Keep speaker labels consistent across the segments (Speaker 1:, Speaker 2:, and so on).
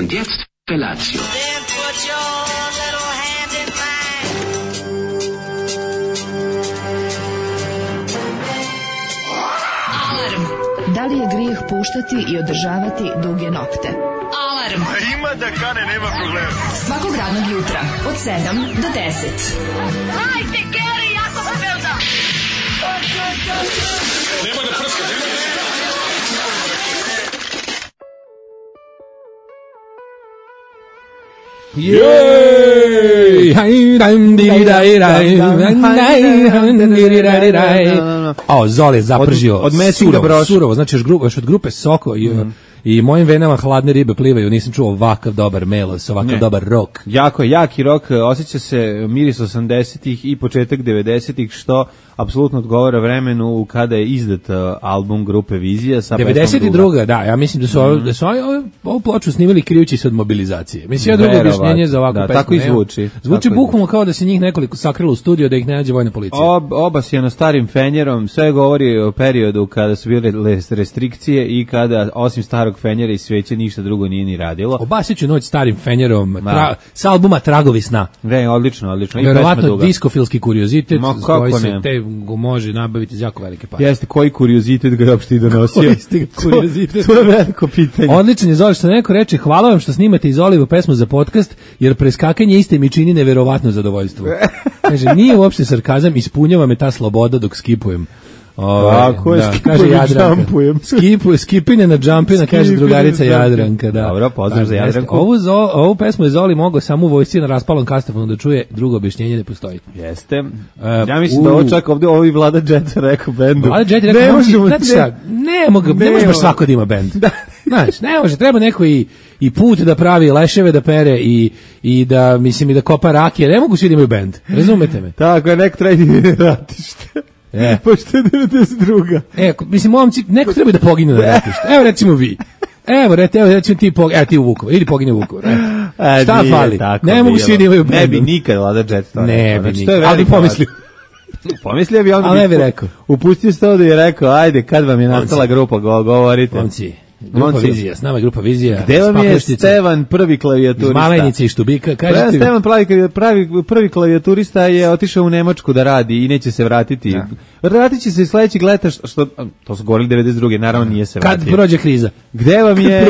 Speaker 1: Und jetzt Felatio.
Speaker 2: Then put your little hand in mine.
Speaker 3: Alarm. Da li je grijeh puštati i održavati duge nokte? Alarm.
Speaker 4: Ima da kane, nema problema.
Speaker 3: Svakog radnog jutra od 7 do 10.
Speaker 2: Hajde, Geri, jako se velda.
Speaker 4: Nema da prska, nema da...
Speaker 5: Jej! A Zoli je zapržio
Speaker 6: od Messinga broša.
Speaker 5: Surovo, znači još od grupe Soko i mojim venama hladne ribe plivaju, nisam čuo ovakav dobar melos, ovakav dobar rock.
Speaker 6: Jako jaki rock, osjeća se miris 80-ih i početak 90-ih, što apsolutno odgovara vremenu kada je izdat album grupe Vizija sa
Speaker 5: 92. Da, ja mislim da su ovu ploču snimali krijući se od mobilizacije. Mislim, ja drugo objašnjenje za ovakvu pesmu.
Speaker 6: Tako i zvuči.
Speaker 5: Zvuči bukvalno kao da se njih nekoliko sakrilo u studio da ih ne nađe vojna policija.
Speaker 6: Oba si na starim fenjerom, sve govori o periodu kada su bile restrikcije i kada osim starog fenjera i sveće ništa drugo nije ni radilo.
Speaker 5: Obasiću noć starim fenjerom, sa albuma Tragovi sna.
Speaker 6: Ne, odlično.
Speaker 5: Verovatno diskofilski kuriozitet koji se te može nabaviti za jako velike pare.
Speaker 6: Jeste, koji kuriozitet ga je uopšte i donosio? To je veliko pitanje.
Speaker 5: Odličan je Zoli, što neko reče, hvala vam što snimate iz Olivu pesmu za podcast, jer preskakanje iste mi čini neverovatno zadovoljstvo. Kaže, nije uopšte sarkazam, ispunjava me ta sloboda dok skipujem.
Speaker 6: Tako je,
Speaker 5: kaže Jadranka. Skipine na džampina, kaže drugarica Jadranka. Da.
Speaker 6: Dobro, pozdrav za Jadranku.
Speaker 5: Ovu pesmu je Zoli mogao samo u vojsci na raspalom kastafonu da čuje, drugo objašnjenje ne postoji.
Speaker 6: Jeste. Ja mislim da ovo čak ovdje ovi Vlada Jet rekao bendu.
Speaker 5: Vlada Jet rekao, ne može baš svako da ima bend. Znaš, ne može, treba neko i put da pravi, leševe da pere i da, mislim, i da kopa rakije. Ne mogu svi da imaju bend, razumete me?
Speaker 6: Tako je, neko treba da ratište. Pošto je 92.
Speaker 5: Mislim, momci, neko treba da pogine na ratište. Evo, recimo vi. Evo, recimo ti u Vukovar, ili pogine u Vukovar. Šta fali? Ne mogu svi da imaju bend.
Speaker 6: Ne bi nikad Vlada Jet to.
Speaker 5: Ne bi nikad, ali bi pomislio.
Speaker 6: Pomislio bi on,
Speaker 5: ali ne bi rekao.
Speaker 6: Upustio se to da je rekao, ajde, kad vam je nastala grupa, govorite.
Speaker 5: Momci. Grupa Vizija, s nama je grupa Vizija.
Speaker 6: Gde vam je Stevan, prvi klavijaturista?
Speaker 5: Iz Malenice i Štubika.
Speaker 6: Stevan, prvi klavijaturista je otišao u Nemačku da radi i neće se vratiti. Vratit će se sledećeg leta, što to su govorili 92. Naravno nije se vratio.
Speaker 5: Kad prođe kriza.
Speaker 6: Gde vam je?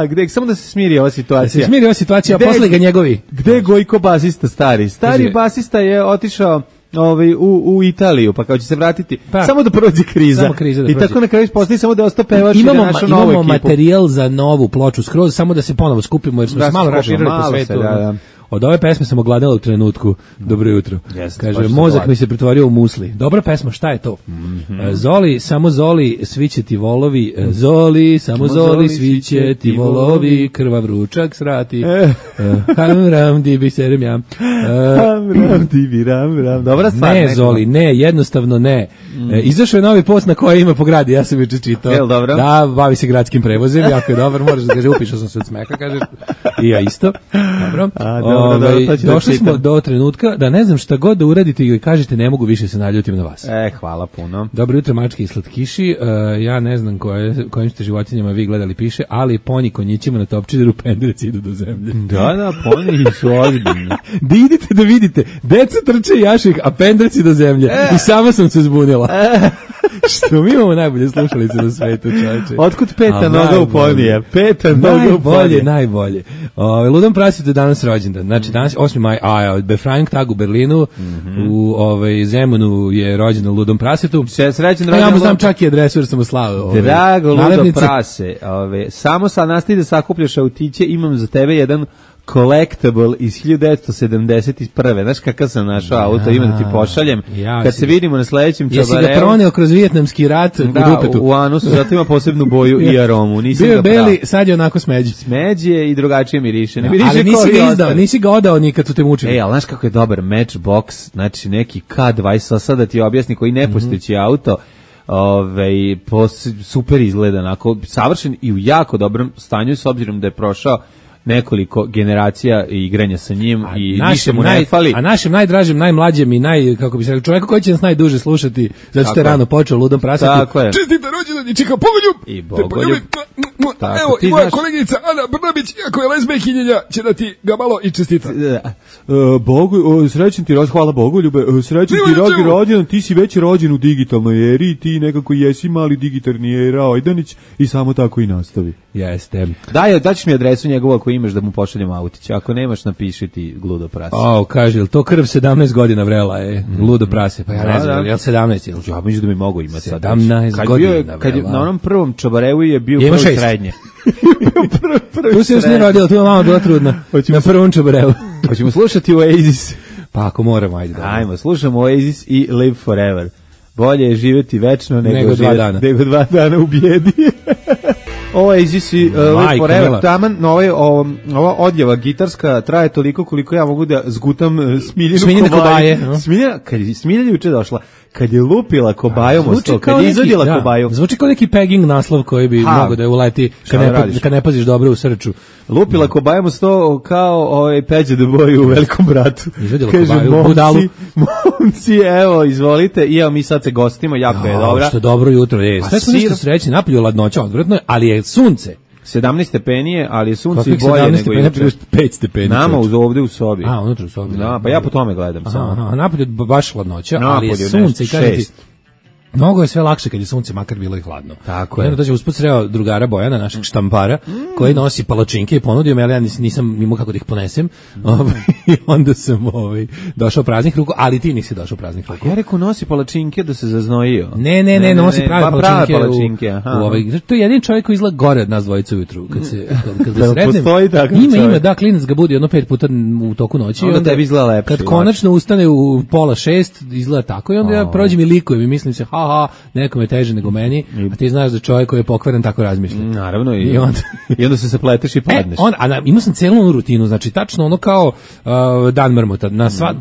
Speaker 6: Gde samo da se smiri ova situacija.
Speaker 5: Da se smiri ova situacija, a posle ga njegovi.
Speaker 6: Gde je Gojko basista stari? Stari basista je otišao u Italiju, pa kao će se vratiti samo da prođe kriza. I tako na kraju postoji samo da osta pevaš i da našu novu ekipu.
Speaker 5: Imamo materijal za novu ploču skroz, samo da se ponovo skupimo jer smo se malo raširili po svetu. Od ove pesme sam ogladala u trenutku. Dobro jutro. Kaže, mozak mi se pretvorio u musli. Dobra pesma, šta je to? Zoli, samo Zoli, svi će ti volovi. Zoli, samo Zoli, svi će ti volovi. Krvav ručak srati. Ram, dibi, serem ja.
Speaker 6: Ram, dibi, ram. Dobra stvar.
Speaker 5: Ne, Zoli, ne, jednostavno ne. Izašao je novi post na koji ima po gradi, ja sam juče čitao.
Speaker 6: Jel dobro?
Speaker 5: Da, bavi se gradskim prevozem, jako je dobar, moraš da kaže, upišao sam se od smeka, kaže, i ja isto. Dobro. Došli smo do trenutka da ne znam šta god da uradite i kažete ne mogu više se naljutim na vas.
Speaker 6: Hvala puno.
Speaker 5: Dobro jutro mačke i slatkiši. Ja ne znam kojim ste životinjama vi gledali piše, ali ponji konjićima na topčideru pendreci idu do zemlje.
Speaker 6: Da, ponji su ozbiljni.
Speaker 5: Da idite da vidite, deca trče jaših, a pendreci do zemlje. I sama sam se zbunila. Što mi imamo najbolje slušalice na svetu, čovječe.
Speaker 6: Otkud peta noga u ponije? Peta noga u ponije.
Speaker 5: Najbolje. Ludom prasvjetu je danas rođendan. Znači danas 8. maj, Befreiung Tag u Berlinu, u Zemunu je rođendan Ludom prasvjetu.
Speaker 6: Srećan rođendan.
Speaker 5: Ja mu znam čak i adresu jer sam mu slao.
Speaker 6: Drago Ludo prase. Samo sad nastavi da sakupljaš autiće, imam za tebe jedan collectible iz 1971. Znaš kakav sam našao auto, ima da ti pošaljem. Kad se vidimo na sledećem čabareu.
Speaker 5: Jesi ga proneo kroz Vijetnamski rat u dupetu?
Speaker 6: U anusu, zato ima posebnu boju i aromu. Nisam
Speaker 5: bio
Speaker 6: ga
Speaker 5: beli, sad je onako smeđi.
Speaker 6: Smeđe i drugačije miriše.
Speaker 5: Ali nisi ga odao nikad su te mučili.
Speaker 6: Ali znaš kako je dobar Matchbox, znači neki K20, sad da ti objasni koji nepostojeći auto, super izgleda, onako savršen i u jako dobrom stanju s obzirom da je prošao nekoliko generacija igranja sa njim i ništa mu ne fali.
Speaker 5: A našem najdražem, najmlađem i kako bi se rekao, čovjeku koji će nas najduže slušati, zato što je rano počeo Ludom prasati.
Speaker 6: Čestite rođendan i čika Bogoljub. I Bogoljub.
Speaker 5: Evo, i moja koleginica Ana Brnabić, iako je lezbejkinjenja, će da ti ga malo i čestita.
Speaker 6: Srećan ti rođendan, hvala Bogoljube, srećan ti rođendan, ti si već rođen u digitalnoj eri, ti nekako jesi mali digitalni era Ojdanić i samo tako i nastavi.
Speaker 5: Jeste.
Speaker 6: Daćeš mi adresu njegovu ako imaš da mu pošaljem autić, ako nemaš napiši ti Ludo prase.
Speaker 5: Kaže, jel to krv 17 godina vrela je, Ludo prase, pa ja ne znam, jel 17?
Speaker 6: Ja mislim da mi mogu imati sad.
Speaker 5: 17 godina
Speaker 6: kad je, na onom prvom Čabarevu je bio prvi srednje.
Speaker 5: Tu se još nije rodila, tu je mama bila trudna, na prvom Čabarevu.
Speaker 6: Hoćemo slušati Oasis.
Speaker 5: Pa ako moramo, ajde.
Speaker 6: Ajmo, slušamo Oasis i Live Forever. Bolje je živjeti večno nego
Speaker 5: 2 dana.
Speaker 6: Nego 2 dana u bijedi. Oasis i Live Forever. Taman, ova odjava gitarska traje toliko koliko ja mogu da zgutam Smiljinu Kobaje. Kad je Smilja juče došla, kad je lupila kobajom o sto, kad je izvodila kobaju.
Speaker 5: Zvuči kao neki pegging naslov koji bi mogao da je uleti kad ne paziš dobro u srču.
Speaker 6: Lupila kobajom o sto kao Peđa do boju u Velikom bratu.
Speaker 5: Izvodila kobaju u budalu.
Speaker 6: Momci, evo, izvolite, i evo mi sad se gostimo, jako je dobra.
Speaker 5: Što dobro jutro je. Sve smo nešto srećni, napolju ladnoća odvratno, ali je sunce.
Speaker 6: 17 stepenije, ali je sunce i bolje nego juče.
Speaker 5: 5 stepeni.
Speaker 6: Nama ovde u sobi.
Speaker 5: Unutra u sobi.
Speaker 6: Da, pa ja po tome gledam samo.
Speaker 5: Napolju baš hladnoća, ali je sunce i kažete mnogo je sve lakše kad je sunce, makar bilo i hladno.
Speaker 6: Tako je.
Speaker 5: Onda dođe usput sreo drugara Bojana, našeg štampara, koji nosi palačinke i ponudio me, ali ja nisam imao kako da ih ponesem. I onda sam došao praznih ruku, ali ti nisi došao praznih ruku.
Speaker 6: Ja rekao nosi palačinke da se zaznojio.
Speaker 5: Ne, nosi prave palačinke. To je jedin čovjek koji izgleda gore od nas dvojica ujutru. Kad se sretnem, ima, da, klinac ga budi 5 puta u toku noći.
Speaker 6: Onda tebi izgleda lepše.
Speaker 5: Kad konačno ustane u 5:30, izgleda tako i onda ja prođem i likujem i mislim se, nekome je teže nego meni, a ti znaš da čovjek koji je pokvaren tako razmišlja.
Speaker 6: Naravno, i onda se zapleteš i padneš.
Speaker 5: Imao sam celu rutinu, znači tačno ono kao dan mrmota.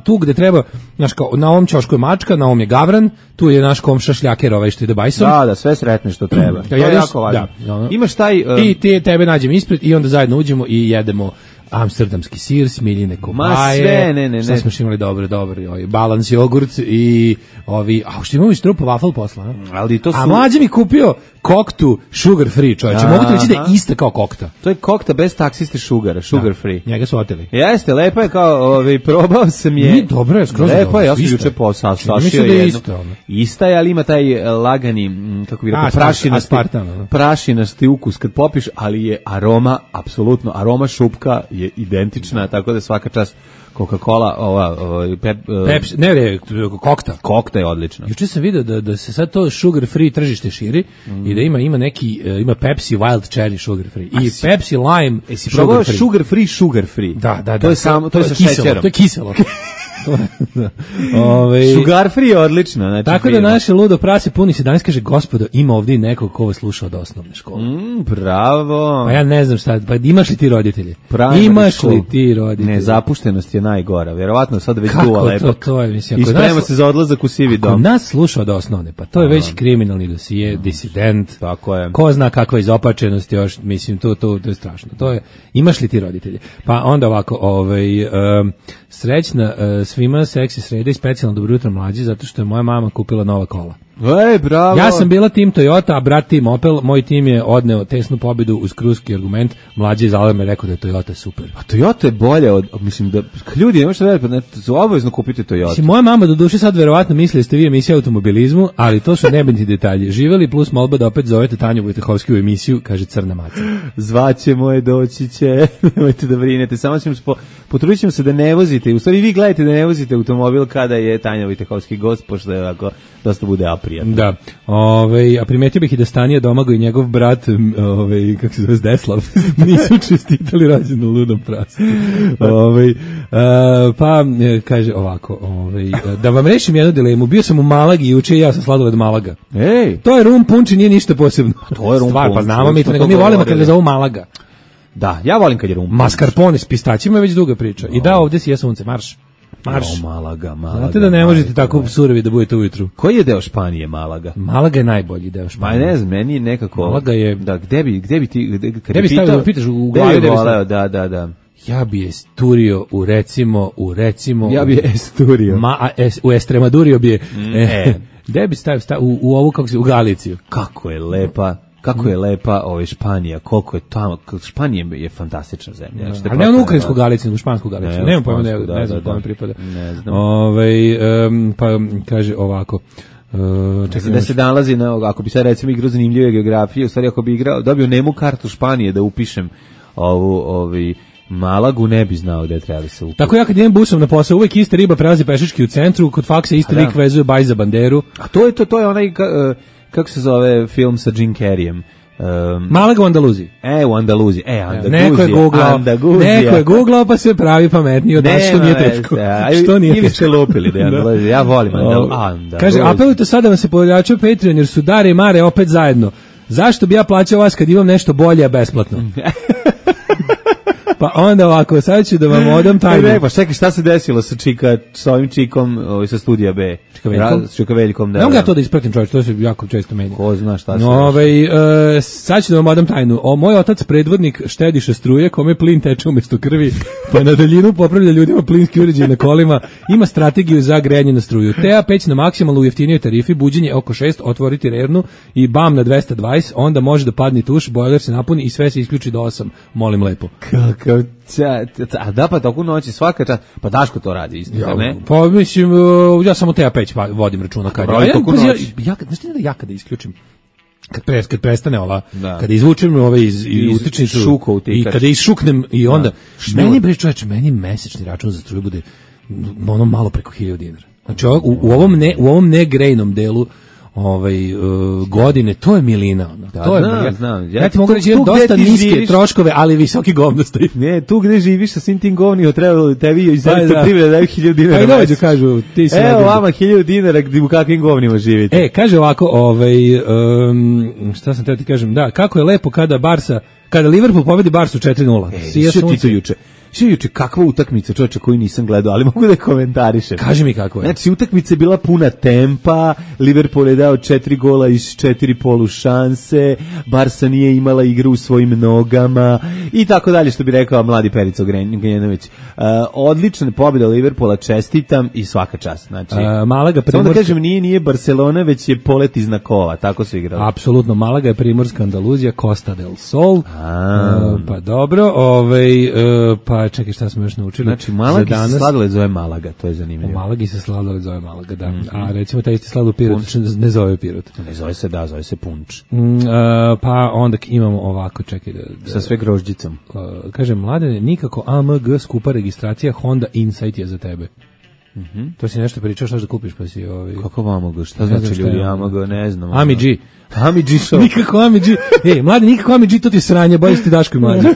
Speaker 5: Tu gde treba, znaš, kao, na ovom ćošku je mačka, na ovom je gavran, tu je naš komša šljaker što ide bajsom.
Speaker 6: Da, sve sretne što treba. To je jako važno. Imaš taj...
Speaker 5: I tebe nađem ispred i onda zajedno uđemo i jedemo amsterdamski sir, Smiljine kobaje. Sve smo imali dobro, balans jogurt i što imamo i strupa waffle posla. A mlađe mi kupio koktu sugar free, čovječe. Mogu ti reći da je ista kao kokta.
Speaker 6: To je kokta bez taksiste sugar free.
Speaker 5: Njega su oteli.
Speaker 6: Jeste, lepa je kao, probao sam je.
Speaker 5: Nije dobro, je skroz dobro.
Speaker 6: Lepa je, ja sam juče sašio jednu. Ista je, ali ima taj lagani, kako bi rekao, prašinasti ukus kad popiš, ali je aroma šupka je identična, tako da svaka čast. Coca-Cola,
Speaker 5: Pepsi, kokta.
Speaker 6: Kokta je odlična.
Speaker 5: Juče sam vidio da se sad to sugar free tržište širi i da ima Pepsi Wild Cherry sugar free i Pepsi Lime
Speaker 6: sugar free.
Speaker 5: Da.
Speaker 6: To je samo, to je sa šećerom.
Speaker 5: To je kiselo.
Speaker 6: Sugar free je odlično. Znači
Speaker 5: tako da naše ludo prase puni se danas, kaže, gospodo, ima ovdje nekog ko vas sluša od osnovne škole.
Speaker 6: Bravo.
Speaker 5: Pa ja ne znam šta, pa imaš li ti roditelji?
Speaker 6: Ne, zapuštenost je najgora. Vjerovatno sad već duva lepak.
Speaker 5: To je, mislim.
Speaker 6: I sprema se za odlazak u sivi dom.
Speaker 5: Ako nas sluša od osnovne, pa to je već kriminalni dosije, disident.
Speaker 6: Tako je.
Speaker 5: Ko zna kakva izopačenost još, mislim, to je strašno. To je, imaš li ti roditelji? Pa onda ovako, srećna svima seksi sreda i specijalno dobro jutro mlađi, zato što je moja mama kupila nova kola.
Speaker 6: Bravo.
Speaker 5: Ja sam bila tim Toyota, a brat tim Opel, moj tim je odneo tesnu pobedu uz kruski argument, mlađi iz Aleme rekao da je Toyota super.
Speaker 6: A Toyota je bolje mislim da ljudi ne možete vedeti, obavezno kupite Toyota.
Speaker 5: Moja mama do duše sad verovatno misli da ste vi emisija automobilizmu, ali to su nebitni detalji. Živeli plus molba da opet zovete Tanju Vojtehovsku u emisiju, kaže Crna maca.
Speaker 6: Zvaćemo je, doći će, nemojte da brinete, samo ćemo potrudit ćemo se da ne vozite, u stvari vi gledajte da ne vozite automobil kada je Tanja Vojtehovski gost, pošto je ovako dosta bude aprijatno.
Speaker 5: Da. A primetio bih i da Stanija Domago i njegov brat, kako se zove, Zdeslav, nisu čestitali rođendan ludom prasu. Pa kaže ovako, da vam rešim jednu dilemu. Bio sam u Malagi juče i ja sam sladoled Malaga. To je rum punč i nije ništa posebno.
Speaker 6: To je rum punč.
Speaker 5: Pa znamo mi to, nego mi volimo kad ga zovu Malaga.
Speaker 6: Da, ja volim kad je rum punč.
Speaker 5: Mascarpone s pistaćima je već duga priča. I da, ovdje si je sunce, marš. Marš.
Speaker 6: Malaga.
Speaker 5: Znate da ne možete tako surovi da budete ujutru.
Speaker 6: Koji je deo Španije Malaga?
Speaker 5: Malaga je najbolji deo Španije.
Speaker 6: Ma ne znam, meni je nekako...
Speaker 5: Malaga je...
Speaker 6: Da, gde bi ti...
Speaker 5: Gde bi stavio, da pitaš u glavi,
Speaker 6: da.
Speaker 5: Ja bi esturio u recimo...
Speaker 6: Ja bi esturio.
Speaker 5: U Estremadurio bi je... Gde bi stavio u ovu, kako se, u Galiciju.
Speaker 6: Kako je lepa Španija, koliko je tamo, Španija je fantastična zemlja.
Speaker 5: Ali ne ono ukrajinsku Galiciju, nego špansku Galiciju. Nemam pojma, ne znam kome pripada.
Speaker 6: Ne znam.
Speaker 5: Pa kaže ovako,
Speaker 6: da se nalazi na, ako bi sad recimo igrao zanimljive geografije, u stvari ako bi igrao, dobio nemu kartu Španije da upišem Malagu, ne bi znao gde treba da se upiše.
Speaker 5: Tako ja kad idem busom na posao, uvek ista riba prelazi pešački u centru, kod faksa isti lik vezuje baj za banderu.
Speaker 6: A to je onaj, kako se zove film sa Jim Carreyem?
Speaker 5: Malaga u Andaluziji.
Speaker 6: U Andaluziji.
Speaker 5: Neko je googlao pa se pravi pametniji od nas, što nije teško. Što nije teško.
Speaker 6: Ili ste lupili da je Andaluzija. Ja volim Andaluziju.
Speaker 5: Kaže, apelujte sada vam se pojačao Patreon jer su Dare i Mare opet zajedno. Zašto bi ja plaćao vas kad imam nešto bolje, a besplatno? Pa onda ovako, sad ću da vam odam tajnu.
Speaker 6: Pa čekaj, šta se desilo sa ovim čikom sa studija B? Čika Veljkom, da.
Speaker 5: Ne mogu ja to da ispratim, čovječ, to se jako često menja.
Speaker 6: Ko zna šta se
Speaker 5: sad ću da vam odam tajnu. Moj otac predvodnik štediše struje, kome plin teče umjesto krvi, pa na daljinu popravlja ljudima plinski uređaj na kolima, ima strategiju za grejanje na struju. Tea peć na maksimalno u jeftinijoj tarifi, buđenje oko 6, otvoriti rernu i bam na 220, onda može da padne tuš, bojler se napuni i sve se isključi do 8. Molim lepo.
Speaker 6: Da, pa toku noći svaka čast. Pa Daško to radi isto, ne?
Speaker 5: Pa mislim, ja samo Teja peć vodim računa kad ja kada isključim kad prestane ova, kada izvučem iz utičnicu i kada išuknem i onda meni mesečni račun za struju bude ono malo preko 1000 dinara. Znači u ovom negrejnom delu godine, to je milina.
Speaker 6: Znam.
Speaker 5: Ja ti mogu reći dosta niske troškove, ali visoki govnosti.
Speaker 6: Ne, tu gde živiš sa svim tim govnima, treba tebi iz elektroprivrede daju 1000 dinara.
Speaker 5: Aj dođu, kažu, ti si...
Speaker 6: Evo vama 1000 dinara, u kakvim govnima živite.
Speaker 5: Kaže ovako, šta sam teo ti kažem, da, kako je lepo kada Liverpool pobedi Barsu 4-0.
Speaker 6: Svi ti to juče. Juče kakva utakmica, čovječe, koju nisam gledao, ali mogu da komentarišem.
Speaker 5: Kaži mi kako je.
Speaker 6: Znači, utakmica je bila puna tempa, Liverpool je dao 4 gola iz 4 polušanse, Barsa nije imala igru u svojim nogama i tako dalje, što bi rekao mladi Perica Grenjenović. Odlična pobjeda Liverpoola, čestitam i svaka čast. Znači,
Speaker 5: Malaga
Speaker 6: samo da kažem, nije Barcelona, već je polet iz Nakova, tako su igrali.
Speaker 5: Apsolutno, Malaga je primorska Andaluzija, Costa del Sol. Pa dobro, pa čekaj, šta smo još naučili?
Speaker 6: Znači, Malagi se sladoled zove Malaga, to je zanimljivo.
Speaker 5: U Malagi se sladoled zove Malaga, da. A recimo taj isti sladoled Pirot ne zove Pirot.
Speaker 6: Ne zove se, zove se punč.
Speaker 5: Pa onda imamo ovako, čekaj.
Speaker 6: Sa sve grožđicom.
Speaker 5: Kaže, Mladene, nikako AMG skupa registracija, Honda Insight je za tebe. To si nešto pričao, šta da kupiš, pa si...
Speaker 6: Kako AMG? Šta znači ljudi AMG? Ne znam.
Speaker 5: AMG
Speaker 6: show.
Speaker 5: Nikako AMG. Mlade, nikako AMG, to ti sranje, bolje si ti Daško i Mlađe.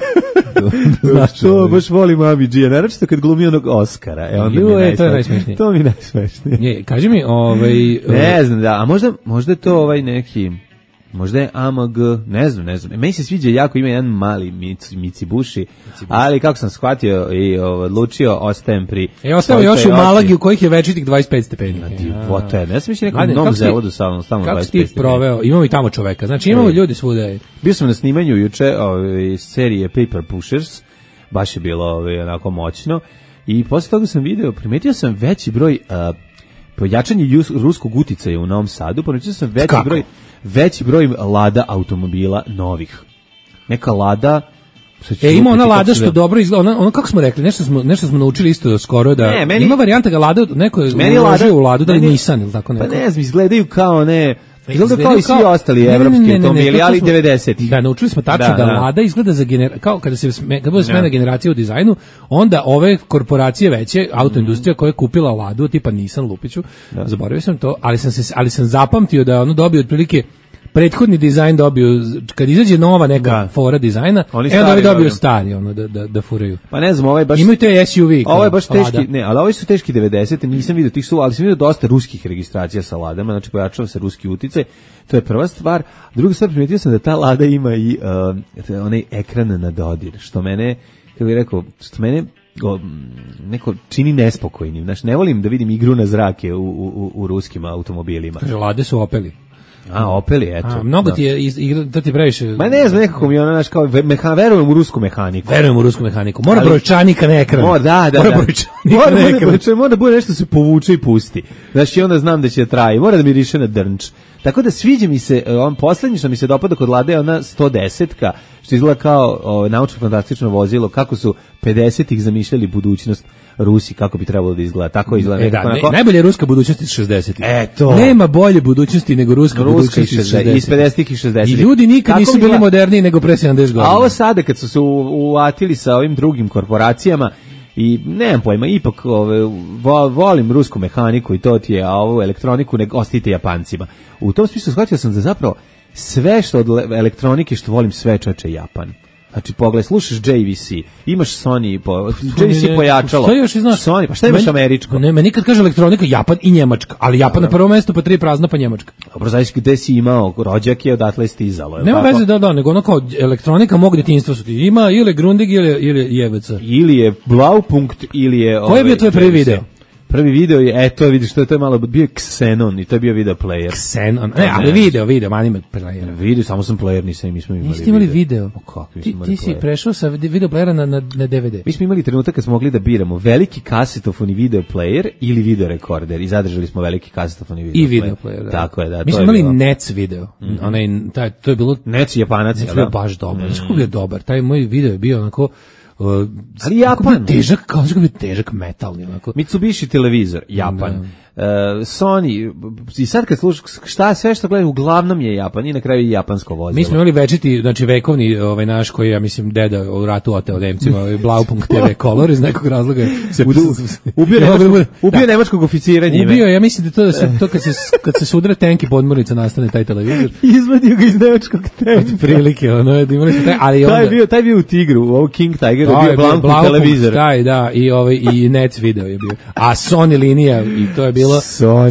Speaker 6: To baš volim AMG-a, naravno kad glumi onog Oscara.
Speaker 5: To je najsmešnije.
Speaker 6: To mi je najsmešnije.
Speaker 5: Kaži mi,
Speaker 6: ne znam, da, a možda je to neki... Možda je AMG, ne znam. Meni se sviđa jako, ima jedan mali Mitsubishi, ali kako sam shvatio i odlučio, ostajem pri...
Speaker 5: Ostavio još u Malagi u kojih je večitih 25 stepeni.
Speaker 6: Divota je, ne sam mišljen nekom novom zavodu stalno 25 stepeni.
Speaker 5: Kako si ti proveo, imamo i tamo čoveka, znači imamo ljudi svuda.
Speaker 6: Bio sam na snimanju juče serije Paper Pushers, baš je bilo onako moćno, i posle toga sam video, primetio sam veći broj pojačanje ruskog uticaja u Novom Sadu, primetio sam veći broj Lada automobila novih. Neka Lada...
Speaker 5: Ima ona Lada što dobro izgleda, ono kako smo rekli, nešto smo naučili isto skoro, da ima varijanta ga Lada, neko je uložio u Ladu, da li Nissan ili tako neko.
Speaker 6: Pa ne znam, izgledaju kao izgleda kao i svi ostali evropski automobili, ali 90-ih.
Speaker 5: Da, naučili smo tačno da Lada izgleda kao kada bude smena generacija u dizajnu, onda ove korporacije veće, autoindustrija koja je kupila Ladu, tipa Nissan, Lupiću, zaboravio sam to, ali sam zapamtio da ono dobio otprilike prethodni dizajn dobio, kad izađe nova neka fora dizajna, onda dobio stari, da furaju.
Speaker 6: Pa ne znam, ovaj baš...
Speaker 5: Imaju te SUV.
Speaker 6: Ovo je baš teški, ali ovi su teški 90, nisam vidio tih ali sam vidio dosta ruskih registracija sa Ladama, znači pojačava se ruski uticaj, to je prva stvar. Druga stvar, primetio sam da ta Lada ima i onaj ekran na dodir, što mene, kako bih rekao, što mene neko čini nespokojnim. Znaš, ne volim da vidim igru na zrake u ruskim automobilima.
Speaker 5: Kaže, Lade su Opeli.
Speaker 6: Opeli, eto.
Speaker 5: Mnogo ti je to ti previše.
Speaker 6: Ma ne znam, nekako mi znaš, kao verujem u rusku mehaniku.
Speaker 5: Verujem u rusku mehaniku. Mora brojčanika na ekran.
Speaker 6: Da. Mora da bude nešto se povuče i pusti. Znaš, i onda znam da će traje. Mora da mi riše na drnč. Tako da sviđa mi se, on poslednji što mi se dopada kod Lade je ona 110-ka, što izgleda kao naučno-fantastično vozilo, kako su 50-ih zamišljali budućnost Rusi, kako bi trebalo da izgleda. Tako izgleda.
Speaker 5: Najbolja je ruska budućnost iz 60-ih. Nema bolje budućnosti nego ruska budućnost iz 60-ih.
Speaker 6: Iz 50-ih i 60-ih.
Speaker 5: I ljudi nikad nisu bili moderniji nego pre 70 godina.
Speaker 6: A ovo sada, kad su se uvatili sa ovim drugim korporacijama, i nemam pojma, ipak volim rusku mehaniku i to ti je, a ovu elektroniku ne ostite Japancima. U tom smislu shvatio sam da zapravo sve što od elektronike što volim sve čoveče Japan. Znači, pogledaj, slušaš JVC, imaš Sony, JVC pojačalo.
Speaker 5: Šta još znaš?
Speaker 6: Sony, pa šta imaš američko?
Speaker 5: Ne, nikad kaže elektronika, Japan i Njemačka, ali Japan na prvo mesto, pa 3 prazna, pa Njemačka.
Speaker 6: Dobro, znaš gde si imao, rođak je odatle stizalo.
Speaker 5: Nema veze, nego ono kao elektronika mog djetinjstva su ti ima, ili Grundig, ili JVC.
Speaker 6: Ili je Blaupunkt, ili je...
Speaker 5: Koji je bio tvoj prvi video?
Speaker 6: Prvi video je, to vidiš, to je malo, bio je Xenon i to je bio video player.
Speaker 5: Xenon, ali video, anime player.
Speaker 6: Video, samo sam player, mi smo imali video.
Speaker 5: Niste imali video?
Speaker 6: Ti
Speaker 5: si prešao sa video playera na DVD.
Speaker 6: Mi smo imali trenutak kad smo mogli da biramo veliki kasetofon i video player ili video rekorder i zadržali smo veliki kasetofon i video player.
Speaker 5: I video player, da.
Speaker 6: Tako je, da.
Speaker 5: Mi smo imali NEC video, to je bilo...
Speaker 6: NEC Japanac,
Speaker 5: da. To je baš dobar, znaš kako je dobar, taj moj video je bio onako...
Speaker 6: ali Japan
Speaker 5: težak metalni onako.
Speaker 6: Mitsubishi televizor Japan, Sony, i sad kad slušaš sve što gledaju uglavnom je Japan i na kraju i japansko vozilo.
Speaker 5: Mi smo imali večiti, znači vekovni naš koji ja mislim deda u ratu oteo Nemcima, Blaupunkt TV Color iz nekog razloga se
Speaker 6: ubio nemačkog oficiranja.
Speaker 5: Ubio, ja mislim da to kad se sudre tank i podmornica nastane taj televizor.
Speaker 6: Izvadio ga iz nemačkog tanka.
Speaker 5: Prilike, ono da imali taj, ali onda
Speaker 6: taj bio u Tigru, u King Tiger je bio Blaupunkt televizor.
Speaker 5: Da, i NEC video je bio. A Sony linija i to je bilo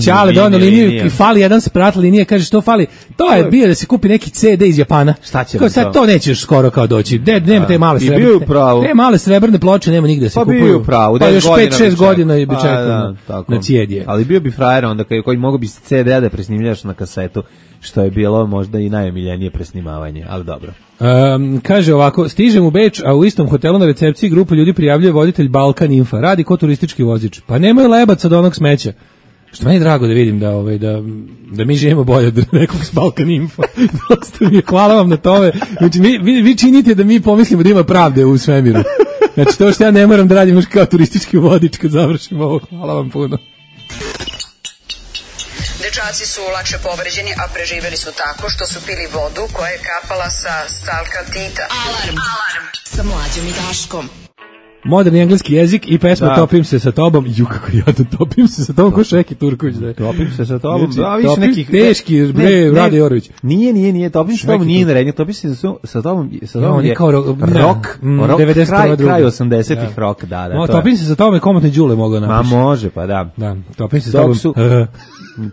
Speaker 5: Ćale donao liniju i fali jedan sprat linije, kaže što fali, to je bio da se kupi neki CD iz Japana.
Speaker 6: Šta će
Speaker 5: sad to nećeš skoro kao doći, nema te male srebrne ploče, nema nigde se kupuju.
Speaker 6: Pa bio pravo,
Speaker 5: pa još 5-6 godina bi čekao na CD.
Speaker 6: Ali bio bi frajer onda koji mogu bi CD da presnimljaš na kasetu, što je bilo možda i najomiljenije presnimavanje, ali dobro.
Speaker 5: Kaže ovako, stižem u Beč, a u istom hotelu na recepciji grupu ljudi prijavljuje voditelj Balkan Infa, radi ko turistički vozič. Pa nemoj lebac od onog smeća. Što meni je drago da vidim da mi živimo bolje od nekog s Balkan Info. Hvala vam na tome. Znači, vi činite da mi pomislimo da ima pravde u svemiru. Znači, to što ja ne moram da radim još kao turistički vodič kad završim ovo. Hvala vam puno.
Speaker 1: Dečaci su lakše povređeni, a preživjeli su tako što su pili vodu koja je kapala sa stalkaltita.
Speaker 3: Alarm sa Mlađom i Daškom.
Speaker 5: Moderni engleski jezik i pesma Topim se sa tobom. Kako jadno, topim se sa tobom ko Šeki Turković.
Speaker 6: Topim se sa tobom.
Speaker 5: Više nekih teški, Rade Jorović.
Speaker 6: Nije, topim se sa tobom, nije narednje. Topim se sa tobom je rock, kraj 80-ih rock, da.
Speaker 5: Topim se sa tobom je Komotne Đule mogao napiši.
Speaker 6: Ma može, pa da.
Speaker 5: Topim se sa tobom.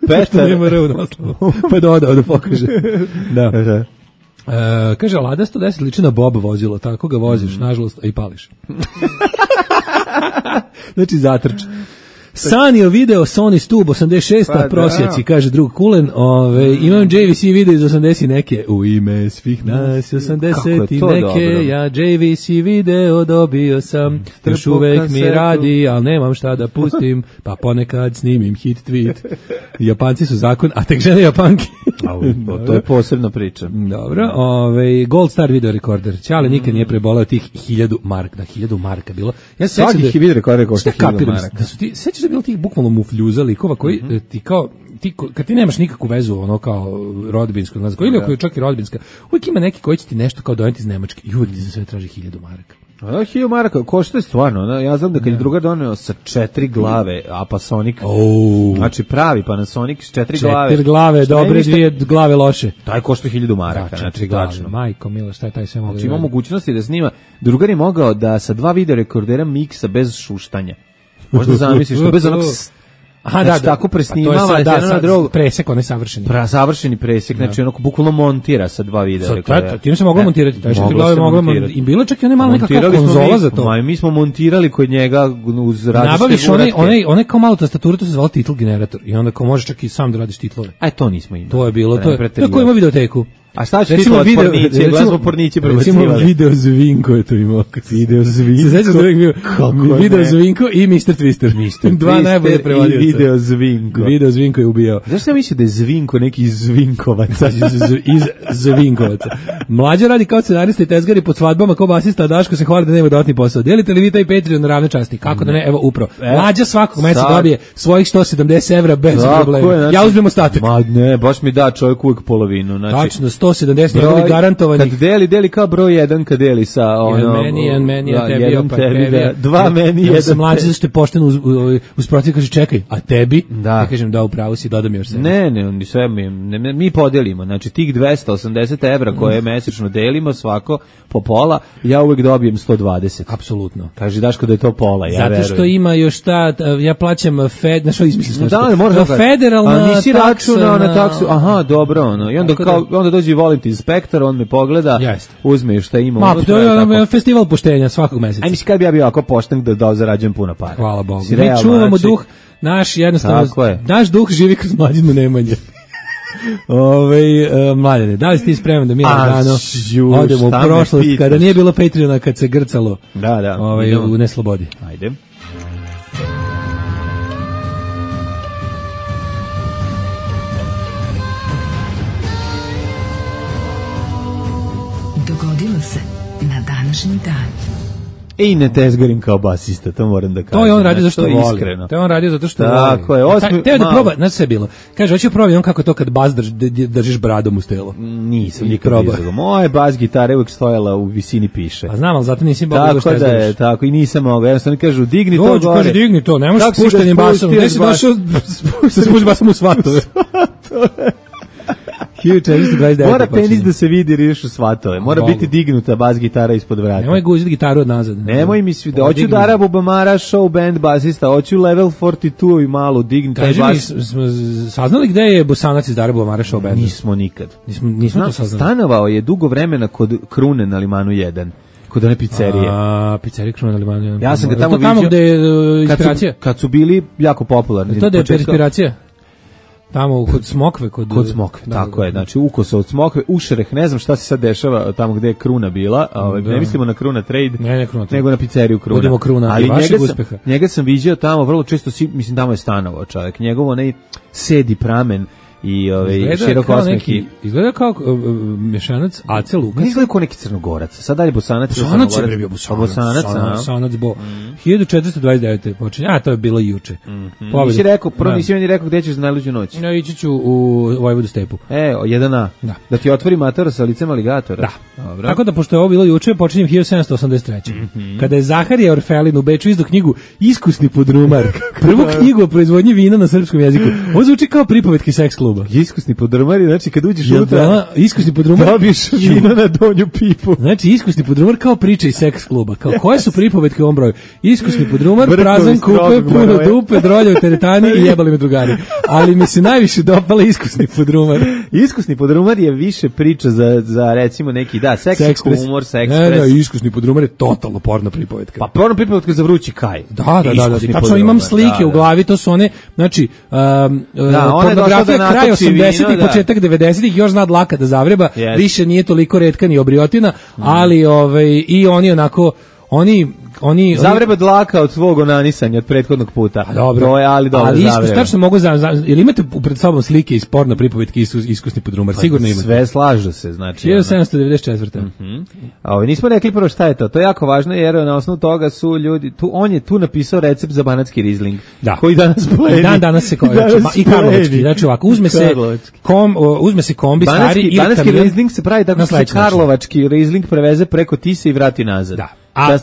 Speaker 6: Petar.
Speaker 5: Pa da pokaže. Da. Kaže, Lada 110 liči na Bob vozilo, tako ga voziš, nažalost, i pališ. Znači, zatrč. Sanio video Sony Stub 86, prosjaci, kaže drug Kulen, imam JVC video iz 80 neke, u ime svih nas 80 i neke, ja JVC video dobio sam, još uvek mi radi, ali nemam šta da pustim, pa ponekad snimim hit tweet. Japanci su zakon, a tek žene Japanke.
Speaker 6: To je posebna priča.
Speaker 5: Dobro, Gold Star video rekorder. Ćale nikad nije prebolao tih 1000 marka, da 1000 marka bilo. Ja se
Speaker 6: svaki video rekorder košta 1000 maraka.
Speaker 5: Da su ti, sećaš da je bilo tih bukvalno mufljuza likova koji kad ti nemaš nikakvu vezu ono kao rodbinsku, ili čak i rodbinska, uvijek ima neki koji će ti nešto kao doneti iz Nemačke i uvijek ti za sve traži 1000 maraka.
Speaker 6: 1000 maraka, košta je stvarno, ja znam da kad je drugar doneo sa 4 glave Apasonic, znači pravi Panasonic s 4 glave.
Speaker 5: 4 glave, dobre, 2 glave loše.
Speaker 6: Taj košta 1000 maraka, znači tačno.
Speaker 5: Majko milo, šta je taj sve mogao?
Speaker 6: Znači ima mogućnosti da snima, drugar je mogao da sa 2 video rekordera miksa bez šuštanja. Možda zamisliš, bez onog
Speaker 5: Aha,
Speaker 6: znači, tako presnimava jedno na drugo.
Speaker 5: Presek, onaj savršeni.
Speaker 6: Savršeni presek, znači onako bukvalno montira sa dva videa.
Speaker 5: Tim se moglo montirati, taj što ti glave moglo montirati. I bilo čak i one malo nekakva konzola za to.
Speaker 6: Mi smo montirali kod njega uz različite
Speaker 5: nabaviš onaj kao malo tastaturu, to se zvalo titl generator i onda kao možeš čak i sam da radiš titlove.
Speaker 6: To nismo imali.
Speaker 5: To je bilo, to je ko ima videoteku.
Speaker 6: A šta će titlo od porniće, glazbo porniće prebacivali?
Speaker 5: Recimo Video Zvinko je to imao. Video Zvinko. Se sećaš da uvijek bio Video Zvinko i Mr. Twister. Dva najbolje prevodioca.
Speaker 6: I Video Zvinko.
Speaker 5: Video Zvinko je ubijao.
Speaker 6: Zašto sam mislio da je Zvinko neki iz Zvinkovaca?
Speaker 5: Iz Zvinkovaca. Mlađa radi kao scenarista i tezgari pod svadbama kao basista, a Daško se hvali da nema dodatni posao. Delite li vi taj Patreon na ravne časti? Kako da ne? Evo upravo. Mlađa svakog meseca dobije svojih 170 evra bez problema. Ja uzmem ostatak.
Speaker 6: Ma ne, baš mi da čovjek uvijek polovinu.
Speaker 5: Tačno, 170 njegovih garantovanih.
Speaker 6: Kad deli kao broj 1 kad deli sa ono...
Speaker 5: Jedan meni, a tebi
Speaker 6: jedan tebi, dva meni, jedan
Speaker 5: sam mlađi zašto je pošteno uz protiv, kaže čekaj, a tebi? Da. Ja kažem da upravo si, dodam još sebe.
Speaker 6: Ne, sve mi podelimo, znači tih 280 evra koje mesečno delimo svako po pola, ja uvek dobijem 120.
Speaker 5: Apsolutno.
Speaker 6: Kaže Daško da je to pola, ja verujem.
Speaker 5: Zato što ima još ja plaćam što izmisliš nešto.
Speaker 6: Da, možda
Speaker 5: federalna taksa.
Speaker 6: A nisi računao na taksu, aha, dobro, ono. I onda dođe voliti inspektor, on me pogleda, uzme šta ima unutra.
Speaker 5: To je festival poštenja svakog meseca.
Speaker 6: Aj mislim kad bi ja bio ovako pošten da zarađujem puno para.
Speaker 5: Hvala Bogu. Mi čuvamo duh, naš jednostavno, naš duh živi kroz Mlađinu Nemanje. Mladene, da li si ti spreman da mi lagano odemo u prošlost kada nije bilo Patreona, kad se grcalo u neslobodi?
Speaker 6: Ajde.
Speaker 3: Dogodilo se na današnji dan.
Speaker 6: I ne tezgarim kao basista, to moram da kažem.
Speaker 5: To je on radio zato što voli. To je on radio zato što voli.
Speaker 6: Tako je.
Speaker 5: Teo da proba, znaš sve bilo. Kaže, hoću probati on kako to kad bas držiš bradom u stelo.
Speaker 6: Nisam nikad izgledao. Moja bas gitara uvijek stojala u visini piše.
Speaker 5: A znam, ali zato nisi mogao da što
Speaker 6: da je, tako i nisam mogao. Jednostavno kažu, digni to gore.
Speaker 5: Kaže, digni to, ne možeš spuštenim basom. Gde si došao sa spuštenim basom u svatove? 1429.
Speaker 6: Mora penis da se vidi riješu svatove. Mora biti dignuta bas gitara ispod vrata.
Speaker 5: Nemoj guziti gitaru od nazad.
Speaker 6: Nemoj mi svi da hoću Dara Bubamara show band basista, hoću Level 42 i malo digni taj bas.
Speaker 5: Smo saznali gde je Bosanac iz Dara Bubamara show band?
Speaker 6: Nismo nikad.
Speaker 5: Nismo to saznali.
Speaker 6: Stanovao je dugo vremena kod Krune na Limanu 1. Kod one pizzerije.
Speaker 5: Pizzerije Krune na Limanu 1.
Speaker 6: Ja sam ga tamo vidio.
Speaker 5: Tamo gde je inspiracija.
Speaker 6: Kad su bili jako popularni.
Speaker 5: To da je inspiracija. Tamo kod Smokve, kod
Speaker 6: Smokve, tako je. Znači ukosa od Smokve, Ušereh, ne znam šta se sad dešava tamo gde je Kruna bila, ne mislimo na Kruna Trade, nego na pizzeriju Kruna.
Speaker 5: Budemo Kruna, ali
Speaker 6: njega sam viđao tamo vrlo često, mislim tamo je stanovao čovjek. Njegov onaj sedi pramen i široko osmeki.
Speaker 5: Izgleda kao mješanac Ace Lukas.
Speaker 6: Izgleda kao neki Crnogorac. Sad dalje Bosanac.
Speaker 5: Bosanac bo. 1429. počinje. A, to je bilo juče.
Speaker 6: Nisi rekao, prvo nisi meni rekao gde ćeš za najluđu noć.
Speaker 5: Ja ići ću u Vojvodu stepu.
Speaker 6: 1A. Da ti otvori matora sa licem aligatora.
Speaker 5: Da. Dobro. Tako da, pošto je ovo bilo juče, počinjem 1783. Kada je Zaharije Orfelin u Beču izdao knjigu Iskusni podrumar. Prvu knjigu o proizvodnji vina na srpskom jeziku. Ovo zvuči kao pripovetki seks kluba.
Speaker 6: Iskusni podrumar, znači kad uđeš unutra,
Speaker 5: iskusni podrumar,
Speaker 6: dobiješ vino na donju pipu.
Speaker 5: Znači iskusni podrumar kao priča iz seks kluba. Kao koje su pripovetke u ovom broju? Iskusni podrumar, prazan kupe, puno dupe, drolje u teretani i jebali me drugari. Ali mi se najviše dopala iskusni podrumar.
Speaker 6: Iskusni podrumar je više priča za recimo neki seks humor, seks pres.
Speaker 5: Ne, iskusni podrumar je totalno porno pripovetka.
Speaker 6: Pa porno pripovetka za vrući kaj.
Speaker 5: Da. Tačno imam slike u glavi, to su one, znači pornografija kraj 80-ih, početak 90-ih, još zna dlaka da zavreba, više nije toliko retka ni obriotina, ali i oni onako, oni
Speaker 6: zavreba dlaka od svog onanisanja od prethodnog puta.
Speaker 5: Dobro.
Speaker 6: To je, ali
Speaker 5: tačno mogu ili imate pred sobom slike iz porno pripovetki iskusni podrumar? Sigurno imate.
Speaker 6: Sve slažu se, znači.
Speaker 5: 1794.
Speaker 6: Nismo rekli prvo šta je to. To je jako važno jer na osnovu toga su ljudi, on je tu napisao recept za banatski rizling. Koji danas pledi.
Speaker 5: Danas se i karlovački. Znači ovako, uzme se kombi stari ili
Speaker 6: banatski rizling se pravi tako što se karlovački rizling preveze preko Tise i vrati nazad. Da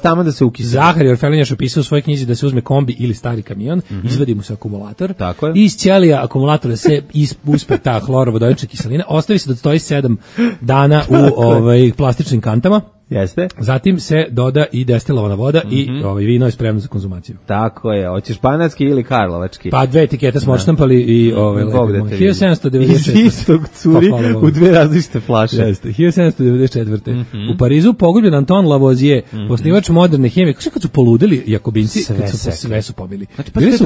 Speaker 6: tamo da se ukisne.
Speaker 5: Zaharije Orfelin je opisao u svojoj knjizi da se uzme kombi ili stari kamion, izvadi mu se akumulator, i iz ćelija akumulatora se uspe ta hlorovodonična kiselina, ostavi se da stoji 7 dana u plastičnim kantama.
Speaker 6: Jeste.
Speaker 5: Zatim se doda i destilovana voda i vino je spremno za konzumaciju.
Speaker 6: Tako je. Hoćeš banatski ili karlovački?
Speaker 5: Pa 2 etikete smo odštampali i 1794.
Speaker 6: Iz istog curi u 2 različite flaše.
Speaker 5: Jeste. 1794. U Parizu pogubljen Anton Lavoisier, osnivač moderne hemije. Kako kad su poludeli Jakobinci, sve su pobili.
Speaker 6: Znači, pa to je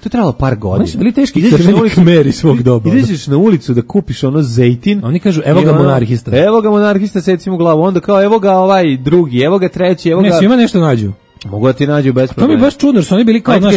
Speaker 6: trebalo par godina.
Speaker 5: Oni su bili teški crveni kmeri svog doba.
Speaker 6: Ideš na ulicu da kupiš ono zejtin.
Speaker 5: Oni kažu, evo ga monarhista.
Speaker 6: Evo ga monarhista, seci mu glavu. Onda kao, evo ga ovaj drugi, evo ga treći, evo ga...
Speaker 5: Ne, svima nešto nađu.
Speaker 6: Mogu da ti nađu bez problema.
Speaker 5: To mi je baš čudno, što oni bili kao naš...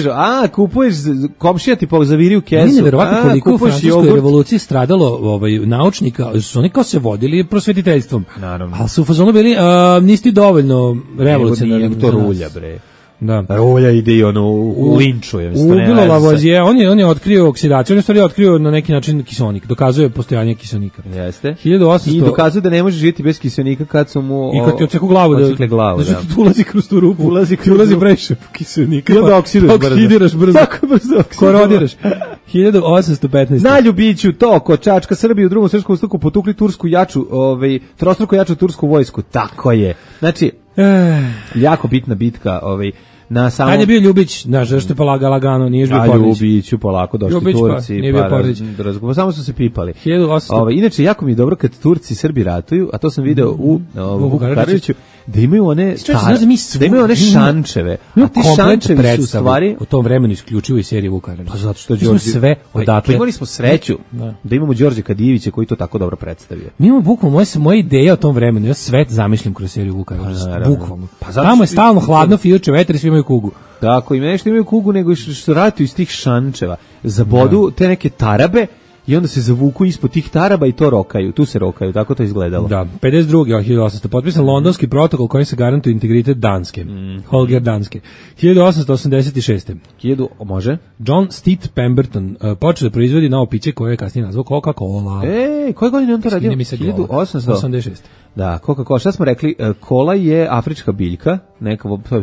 Speaker 6: kupuješ, komšija ti zaviri u kesu.
Speaker 5: Meni neverovatno koliko u francuskoj revoluciji stradalo naučnika, su oni kao se vodili prosvetiteljstvom.
Speaker 6: Naravno.
Speaker 5: Ali su u fazonu bili, nisi dovoljno revolucionarni.
Speaker 6: Nego to rulja, bre.
Speaker 5: Da.
Speaker 6: Rulja ide i ono u linčuje.
Speaker 5: Ubilo Lavoisier, on je otkrio oksidaciju, on je stvari otkrio na neki način kiseonik, dokazuje postojanje kiseonika.
Speaker 6: Jeste.
Speaker 5: 1800...
Speaker 6: I dokazuje da ne može živjeti bez kiseonika kad su mu...
Speaker 5: I kad ti odseku glavu. Da ulazi kroz tu rupu. Ulazi previše kiseonika.
Speaker 6: I onda oksidiraš brzo.
Speaker 5: Tako brzo. Korodiraš. 1815.
Speaker 6: Zna ljubiću to, ko Čačka Srbiju u drugom svjetskom ustaku potukli tursku jaču, trostruko jaču tursku vojsku. Tako je. Znači, jako bitna bitka, na samom...
Speaker 5: Kad je bio Ljubić, znaš, zašto je pa lagano, nije bio Pornić.
Speaker 6: Ljubiću, polako, došli
Speaker 5: Ljubić,
Speaker 6: Turci,
Speaker 5: nije bio Pornić.
Speaker 6: Samo su se pipali.
Speaker 5: 1800...
Speaker 6: Inače, jako mi je dobro kad Turci i Srbi ratuju, a to sam video u Vuku Karadžiću, da imaju one šančeve.
Speaker 5: A ti šančevi su stvari... U tom vremenu isključivo i serije Vuka Karadžića.
Speaker 6: Pa zato što Đorđe...
Speaker 5: sve odatle.
Speaker 6: Imali smo sreću da imamo Đorđe Kadijevića koji to tako dobro predstavio.
Speaker 5: Mi imamo bukvalno moje ideje o tom vremenu, ja sve zamišljam kroz seriju Vuka Karadžića. Bukvalno. Tamo je stalno hladno, fijuče vetar i svi imaju kugu.
Speaker 6: Tako, i nešto imaju kugu, nego što ratuju iz tih šančeva. Zabodu te neke tarabe i onda se zavuku ispod tih taraba i to rokaju. Tu se rokaju, tako to izgledalo. Da,
Speaker 5: 52. 1800. Potpisan Londonski protokol kojim se garantuje integritet Danske. Holger Danske. 1886.
Speaker 6: Može?
Speaker 5: John Steed Pemberton počeo da proizvodi novo piće koje je kasnije nazvao Coca-Cola.
Speaker 6: Koje godine on to radio?
Speaker 5: 1886.
Speaker 6: Da, Coca-Cola. Šta smo rekli? Kola je afrička biljka,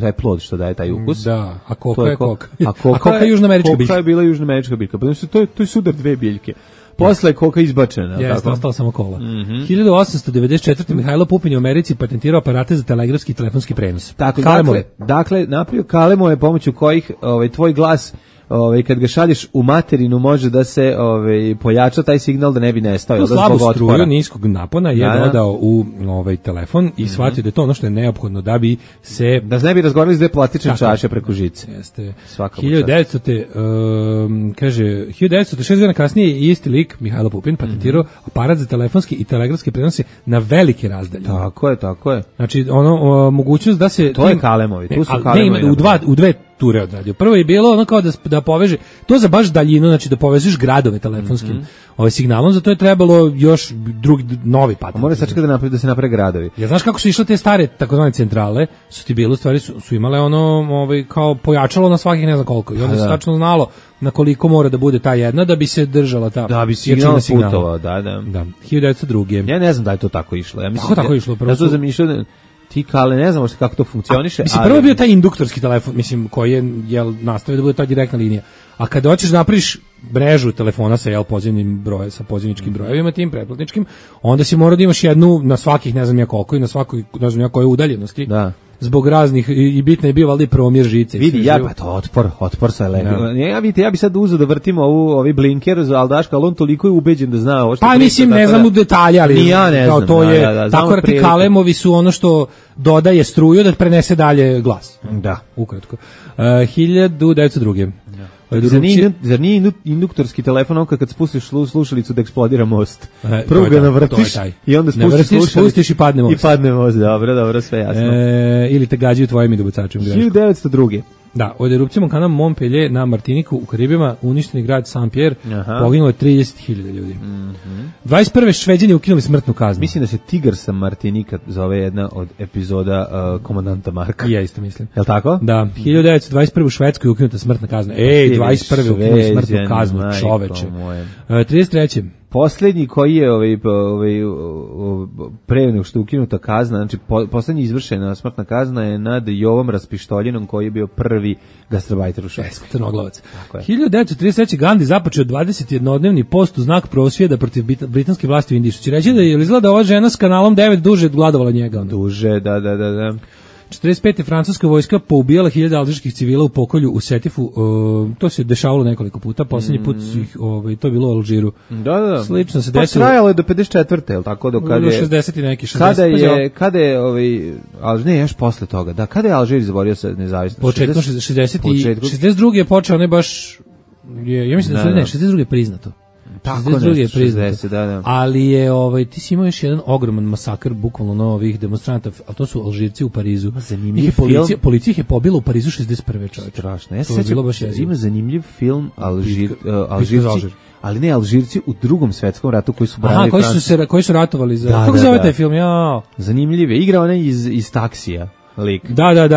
Speaker 6: taj plod što daje taj ukus.
Speaker 5: Da, a koka je koka. A koka je južnoamerička biljka.
Speaker 6: Koka je bila južnoamerička biljka. To je sudar dve biljke. Posle je koka izbačena.
Speaker 5: Jeste, ostala samo kola. 1894. Mihajlo Pupin je u Americi patentirao aparate za telegrafski i telefonski prenos.
Speaker 6: Dakle, napravio kalemove pomoću kojih tvoj glas kad ga šalješ u materinu može da se pojača taj signal da ne bi nestao.
Speaker 5: Tu slabu struju niskog napona je dodao u telefon i shvatio da je to ono što je neophodno da bi se...
Speaker 6: Da ne bi razgovarali s dve plastične čaše preko žice.
Speaker 5: Jeste. 1906 godina kasnije je isti lik, Mihajlo Pupin, patentirao aparat za telefonski i telegrafski prenose na velike razdalje.
Speaker 6: Tako je.
Speaker 5: Znači, mogućnost da se...
Speaker 6: To je kalemovi, tu su kalemovi.
Speaker 5: U dve ture odradio. Prvo je bilo ono kao da poveže, to za baš daljinu, znači da povežeš gradove telefonskim signalom, zato je trebalo još novi patent.
Speaker 6: Mora sačekati da se naprave gradovi.
Speaker 5: Ja znaš kako su išle te stare takozvane centrale, su ti bile u stvari su imale ono kao pojačalo na svakih ne znam koliko i onda se tačno znalo na koliko mora da bude ta jedna da bi se držala ta.
Speaker 6: Da bi signal putovao, da.
Speaker 5: 1902.
Speaker 6: Ja ne znam da je to tako išlo. Ja mislim
Speaker 5: tako išlo prvo.
Speaker 6: Ja sam zamišljao ti kale, ne znamo kako to funkcioniše.
Speaker 5: Prvo je bio taj induktorski telefon, koji je nastavio da bude ta direktna linija. A kada hoćeš napraviš mrežu telefona sa pozivnim brojem, sa pozivničkim brojevima, tim pretplatničkim, onda si mora da imaš jednu na svakih ne znam ja koliko i na svakoj ne znam ja koje udaljenosti. Da. Zbog raznih i bitno je bio valjda i promjer žice.
Speaker 6: Vidi, pa to otpor sa ja bi sad uzeo da vrtimo ovi blinker za Aldaška, ali on toliko je ubeđen da zna ovo što...
Speaker 5: Pa mislim, ne znam u detalje, ali
Speaker 6: ja ne znam.
Speaker 5: To je, tako da ti kalemovi su ono što dodaje struju da prenese dalje glas.
Speaker 6: Da.
Speaker 5: Ukratko. 1902.
Speaker 6: Zar nije induktorski telefon kad spustiš slušalicu da eksplodira most? Prvo ga navrtiš i onda
Speaker 5: spustiš i padne most.
Speaker 6: I padne most, dobro, sve jasno.
Speaker 5: Ili te gađaju tvojim dobacačem greškom.
Speaker 6: 1902.
Speaker 5: Da, od erupcijom vulkana Montpellier na Martiniku u Karibima uništeni grad Saint-Pierre, poginulo je 30.000 ljudi. 21. Šveđani ukinuli smrtnu kaznu.
Speaker 6: Mislim da se Tigar sa Martinika zove jedna od epizoda Komandanta Marka.
Speaker 5: Ja isto mislim.
Speaker 6: Je li tako?
Speaker 5: Da, 1921. u Švedskoj je ukinuta smrtna kazna. 21. ukinuli smrtnu kaznu, čoveče. 33.
Speaker 6: Poslednji koji je pre nego što je ukinuta kazna, znači poslednji izvršena smrtna kazna je nad Jovom Raspištoljinom koji je bio prvi gastarbajter u Švedskoj.
Speaker 5: Crnoglavac. 1933. Gandhi započeo 21-dnevni post u znak prosvjeda protiv britanske vlasti u Indiji. Što će reći da je izgleda ova žena s kanalom 9 duže gladovala njega.
Speaker 6: Duže, da.
Speaker 5: 45. francuska vojska poubijala 1000 alžirskih civila u pokolju u Setifu. To se dešavalo nekoliko puta. Poslednji put su ih, to je bilo u Alžiru.
Speaker 6: Da.
Speaker 5: Slično se desilo.
Speaker 6: Pa trajalo je do 54. je li tako? Do kada je
Speaker 5: 60 i neki 60.
Speaker 6: Kada je još posle toga. Da, kada je Alžir izborio se nezavisno?
Speaker 5: Početkom 60 i 62. je počeo, ne baš ja mislim da 62. je priznato.
Speaker 6: Tako je priznato. 60, da.
Speaker 5: Ali je ti si imao još jedan ogroman masakr bukvalno novih demonstranata, al to su Alžirci u Parizu. Policija ih je pobila u Parizu 61. čovjek.
Speaker 6: Strašno. Ja se sećam, ima zanimljiv film Alžirci. Ali ne Alžirci u Drugom svetskom ratu koji su branili Francusku.
Speaker 5: Koji su ratovali za. Kako zove taj film? Ja.
Speaker 6: Zanimljiv je. Igrao onaj iz Taksija. Lik.
Speaker 5: Da.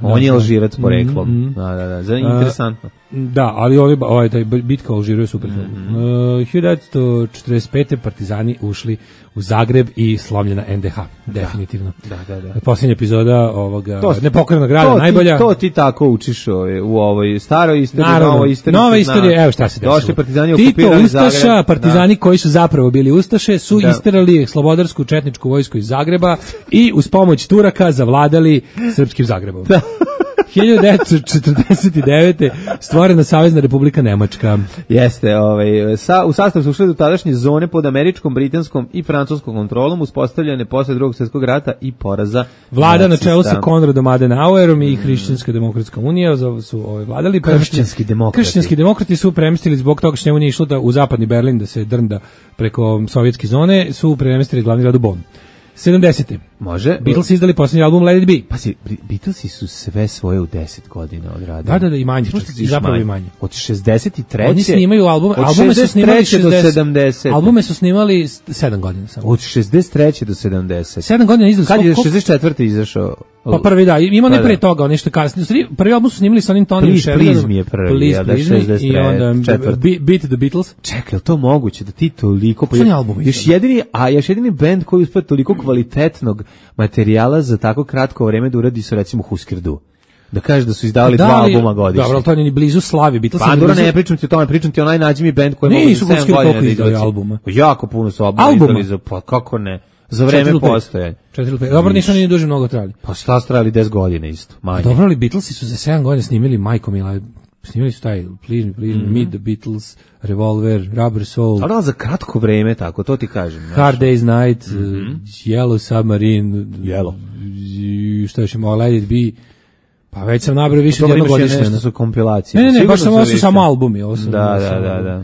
Speaker 6: On je Alžirac poreklom. Da. Interesantno.
Speaker 5: Da, ali taj bitka u Alžiru je super film. 1945. partizani ušli u Zagreb i slomljena NDH. Definitivno.
Speaker 6: Da.
Speaker 5: Posljednja epizoda ovoga nepokrenog grada, najbolja.
Speaker 6: To ti tako učiš u ovoj staroj istoriji,
Speaker 5: nova istorija, evo šta se desilo.
Speaker 6: Došli partizani,
Speaker 5: okupirali Zagreb. Ustaša, partizani koji su zapravo bili ustaše, su isterali slobodarsku četničku vojsku iz Zagreba i uz pomoć Turaka zavladali srpskim Zagrebom. 1949. stvorena Savezna Republika Nemačka.
Speaker 6: Jeste, u sastav su ušli do tadašnje zone pod američkom, britanskom i francuskom kontrolom, uspostavljene posle Drugog svjetskog rata i poraza
Speaker 5: vlada na čelu sa Konradom Adenauerom i Hrišćanska demokratska unija su vladali. Kršćanski demokrati su premestili zbog toga što njemu nije išlo u zapadni Berlin da se drnda preko sovjetske zone, su premestili glavni grad u Bonn. 70.
Speaker 6: Može.
Speaker 5: Beatles izdali posljednji album Let It Be.
Speaker 6: Pazi, Beatlesi su sve svoje u 10 godina odradili.
Speaker 5: Da, i manje. Zapravo i manje.
Speaker 6: Od 63.
Speaker 5: Oni snimaju albume su snimali
Speaker 6: 70.
Speaker 5: Albume su snimali 7 godina samo.
Speaker 6: Od 63. do 70.
Speaker 5: 7 godina izdali.
Speaker 6: Kad je 64. izašao?
Speaker 5: Pa prvi da, ima ne pre toga, nešto kasnije. Prvi album su snimali sa onim Tonyjem Sheridanom.
Speaker 6: Please mi je prvi,
Speaker 5: da 63. I onda Beat the Beatles.
Speaker 6: Čekaj, je to moguće da ti toliko... Još jedini bend koji uspio toliko kvalitetnog materijala za tako kratko vreme da uradi su recimo Husker Du. Da kažeš da su izdavali 2 albuma godišnje.
Speaker 5: Dobro, ali to je ni blizu slavi.
Speaker 6: Pandora, ne pričam ti o tome, pričam ti onaj nađi mi bend koji mogu za 7 godina da izdali albuma. Jako puno su albuma izdali, pa kako ne? Za vreme postojanja.
Speaker 5: 4-5. Dobro, nisu ni duže mnogo trajali.
Speaker 6: Pa šta su trajali 10 godina isto, manje.
Speaker 5: Dobro, ali Beatlesi su za 7 godina snimili Majko Mila. Snimili su taj Please Me, Meet the Beatles, Revolver, Rubber Soul.
Speaker 6: Ali za kratko vreme, tako, to ti kažem.
Speaker 5: Hard Day's Night, Yellow Submarine.
Speaker 6: Yellow.
Speaker 5: Šta još ima, Let It Be. Pa već sam nabrao više od jednog godišnje.
Speaker 6: Nešto su kompilacije.
Speaker 5: Ne, baš su samo albumi.
Speaker 6: Da.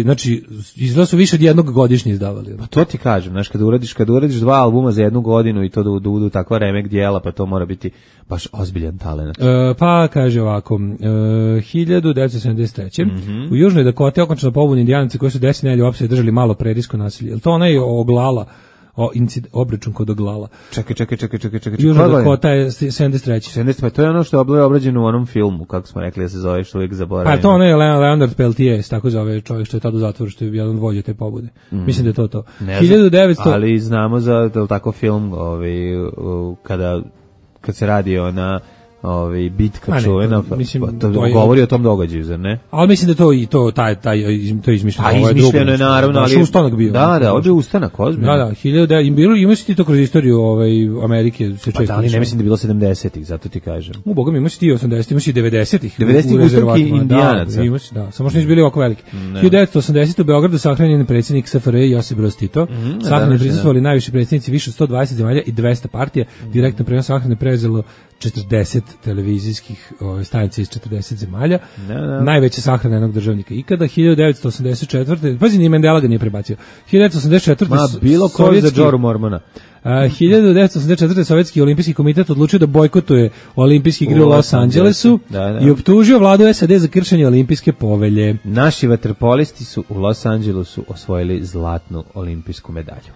Speaker 5: Znači, izgleda su više od jednog godišnje izdavali.
Speaker 6: Pa to ti kažem, znaš, kad uradiš 2 albuma za jednu godinu i to da budu takva remek dijela, pa to mora biti baš ozbiljan talent.
Speaker 5: Pa kaže ovako, 1973. U Južnoj Dakoti okončano pobuni Indijanaca koji su 10 nedelja uopšte držali malo prerijsko nasilje. Je li to onaj Oglala? Obračun kod Oglala.
Speaker 6: Čekaj.
Speaker 5: Južna Dakota je 73.
Speaker 6: Pa to je ono što je obrađeno u onom filmu, kako smo rekli da se zove, što uvijek zaboravimo.
Speaker 5: Pa to ono je Leonard Peltier, tako zove čovjek što je tada u zatvoru, što je jedan vođa te pobude. Mislim da je to. 1900...
Speaker 6: Ali znamo za tako film kad se radi na bitka čuvena, govori o tom događaju, zar ne?
Speaker 5: Ali mislim da to izmišljeno.
Speaker 6: A izmišljeno je naravno, ali
Speaker 5: ustanak bio.
Speaker 6: Da, ovdje je ustanak, ozbiljno.
Speaker 5: Da, ima si ti to kroz istoriju Amerike se često.
Speaker 6: Ali ne mislim da je bilo 70-ih, zato ti kažem.
Speaker 5: Boga mi, ima si ti 80-ih, ima si 90-ih.
Speaker 6: 90-ih ustanki Indijanaca.
Speaker 5: Da, samo što nisu bili ovako veliki. 1980 u Beogradu sahranjen predsjednik SFRJ Josip Broz Tito. Sahrane prisustvovali najviši predsjednici više od 120 zemalja i 200 partija. Direktno prenos sahrane preuzelo 40 televizijskih stanica iz 40 zemalja. Najveća sahrana jednog državnika ikada. 1984. Pazi, ni Mandela ga nije prebacio. 1984.
Speaker 6: Bilo ko za Džoru Mormona.
Speaker 5: 1984. Sovjetski olimpijski komitet odlučio da bojkotuje olimpijske igre u Los Angelesu i optužio vladu SAD za kršenje olimpijske povelje.
Speaker 6: Naši vaterpolisti su u Los Angelesu osvojili zlatnu olimpijsku medalju.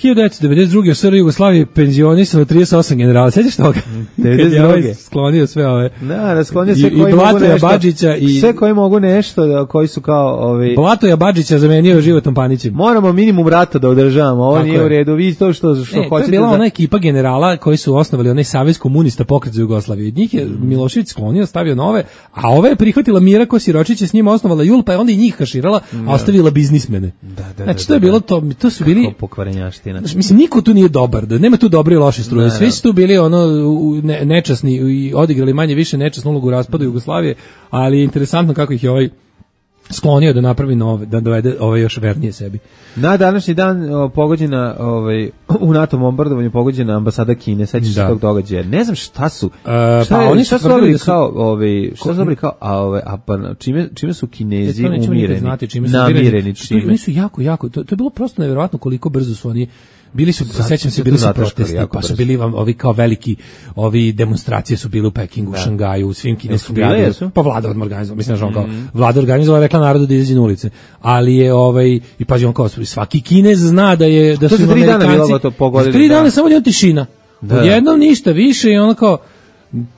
Speaker 5: 1992. u SR Jugoslaviji penzionisano 38 generala. Sećaš toga?
Speaker 6: 92.
Speaker 5: Sklonio sve ove.
Speaker 6: Da, sklonio sve koji mogu nešto. Badžića i sve koji mogu nešto, koji su kao
Speaker 5: Blatoja Badžića zamenio Životom Panićem.
Speaker 6: Moramo minimum rata da održavamo. Ovo nije u redu. Vi to što hoćete.
Speaker 5: To je bila ona ekipa generala koji su osnovali onaj Savez komunista pokret za Jugoslaviju. Od njih je Milošević sklonio, stavio nove, a ove je prihvatila Mira Kosiročić, je s njima osnovala JUL, pa je onda i njih kaširala, a ostavila biznismene. Znači to je bilo to su bili
Speaker 6: pokvarenjaština.
Speaker 5: Mislim, niko tu nije dobar, da nema tu dobre i loše struje. Svi su tu bili nečasni i odigrali manje više nečasnu ulogu u raspadu Jugoslavije, ali je interesantno kako ih je sklonio da napravi nove, da dovede ove još vernije sebi.
Speaker 6: Na današnji dan pogođena u NATO bombardovanju pogođena ambasada Kine, sećaš se tog događaja. Ne znam šta su. Oni su dobili kao čime su Kinezi umireni. Namireni čime.
Speaker 5: Oni su jako to je bilo prosto neverovatno koliko brzo su oni bili su, sećam se, bili su protesti, pa su bili ovi kao veliki, demonstracije su bile u Pekingu, u Šangaju, u svim kineskim gradovima. Pa vlada organizovala, mislim da kao vlada organizovala, rekla narodu da izađe na ulice. Ali je i pazi on kao svaki Kinez zna da su
Speaker 6: im Amerikanci. To
Speaker 5: 3 dana samo je tišina. Odjednom ništa više i ono kao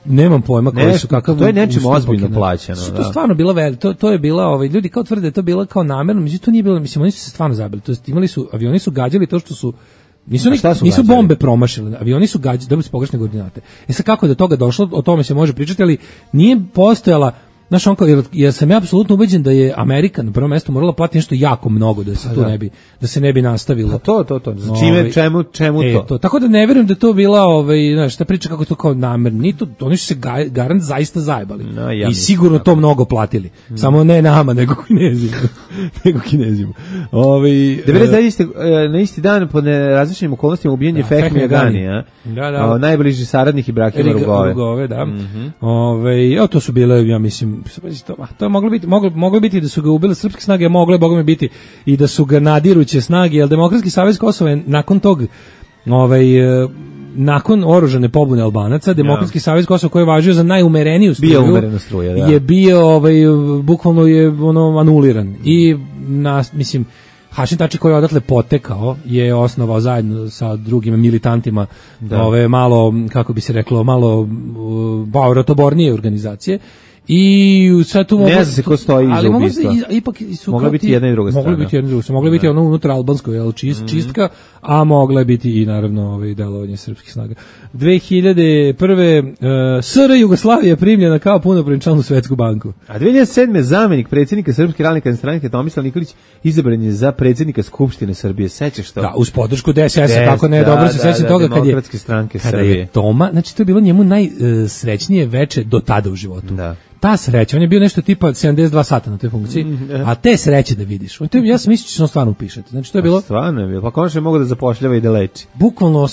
Speaker 5: nemam pojma koji su kakav.
Speaker 6: To je nečim ozbiljno plaćeno.
Speaker 5: To je stvarno bila to je bila ljudi kao tvrde da je to bila kao namerno, međutim to nije bilo, mislim oni su se stvarno zabili. To jest imali su avioni su gađali to što su nisu bombe promašile, avioni su gađali, dobili su pogrešne koordinate. Sad kako je do toga došlo, o tome se može pričati, ali nije postojala, znaš, jer sam ja apsolutno ubeđen da je Amerika na prvom mjestu morala platiti nešto jako mnogo da se da se ne bi nastavilo.
Speaker 6: To. Čemu to?
Speaker 5: Tako da ne vjerujem da to bila, znaš, ta priča kako to kao namerno. Oni su se garant zaista zajebali. I sigurno to mnogo platili. Samo ne nama, nego Kinezima.
Speaker 6: 99. Na isti dan pod različitim okolnostima ubijen je Fehmi Agani, najbliži saradnik Ibrahima Rugove.
Speaker 5: To su bile, ja mislim, to je moglo biti da su ga ubile srpske snage, mogle bogome biti i da su ga nadiruće snage, jer Demokratski savez Kosova je nakon tog nakon oružane pobune Albanaca, Demokratski savez Kosova koji je važio za najumereniju struju, je bio bukvalno je anuliran i mislim Hašim Tači koji je odatle potekao je osnovao zajedno sa drugim militantima malo, kako bi se reklo, malo rotobornije organizacije. I sad tu
Speaker 6: ne znam se ko stoji iza ubistva.
Speaker 5: Ipak su
Speaker 6: mogla biti jedna i druga strana.
Speaker 5: Mogla biti ono unutra albansko, čistka, a mogla je biti i naravno delovanje srpskih snaga. 2001. SR Jugoslavija primljena kao punopravni član u Svetsku banku.
Speaker 6: A 2007. zamenik predsjednika Srpske radikalne stranke Tomislav Nikolić izabran je za predsjednika Skupštine Srbije. Sećaš to?
Speaker 5: Da, uz podršku DSS-a, kako ne, dobro se sećam toga kada je Toma, znači to je bilo njemu najsrećnije veče do tada u životu. Da. Ta sreća, on je bio nešto tipa 72 sata na toj funkciji, a te sreće da vidiš. Ja sam mislio da će on stvarno upišati. Znači to je bilo.
Speaker 6: Stvarno je bilo. Pa konačno mogu da zapošljava i da leči.
Speaker 5: Bukvalno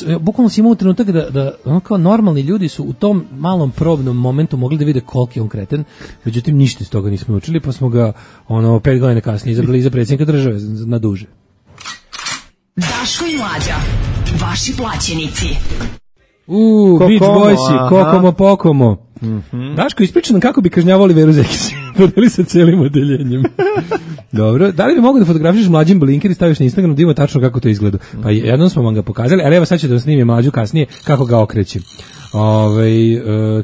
Speaker 5: si imao trenutak da ono kao normalni ljudi su u tom malom probnom momentu mogli da vide koliki je on kreten. Međutim ništa iz toga nismo učili, pa smo ga 5 godina kasnije izabrali za predsjednika države na duže.
Speaker 3: Daško i Mlađa, vaši plaćenici.
Speaker 5: Beach Boysi, Kokomo Pokomo. Daško, ispriča nam kako bi kažnjavali Veru Zekić. Podeli sa cijelim odeljenjem. Dobro, da li bi mogo da fotografiš Mlađim Blinker i staviš na Instagram da ima tačno kako to izgleda? Pa jednom smo vam ga pokazali, ali evo sad ću da snimim Mlađu kasnije kako ga okrećem.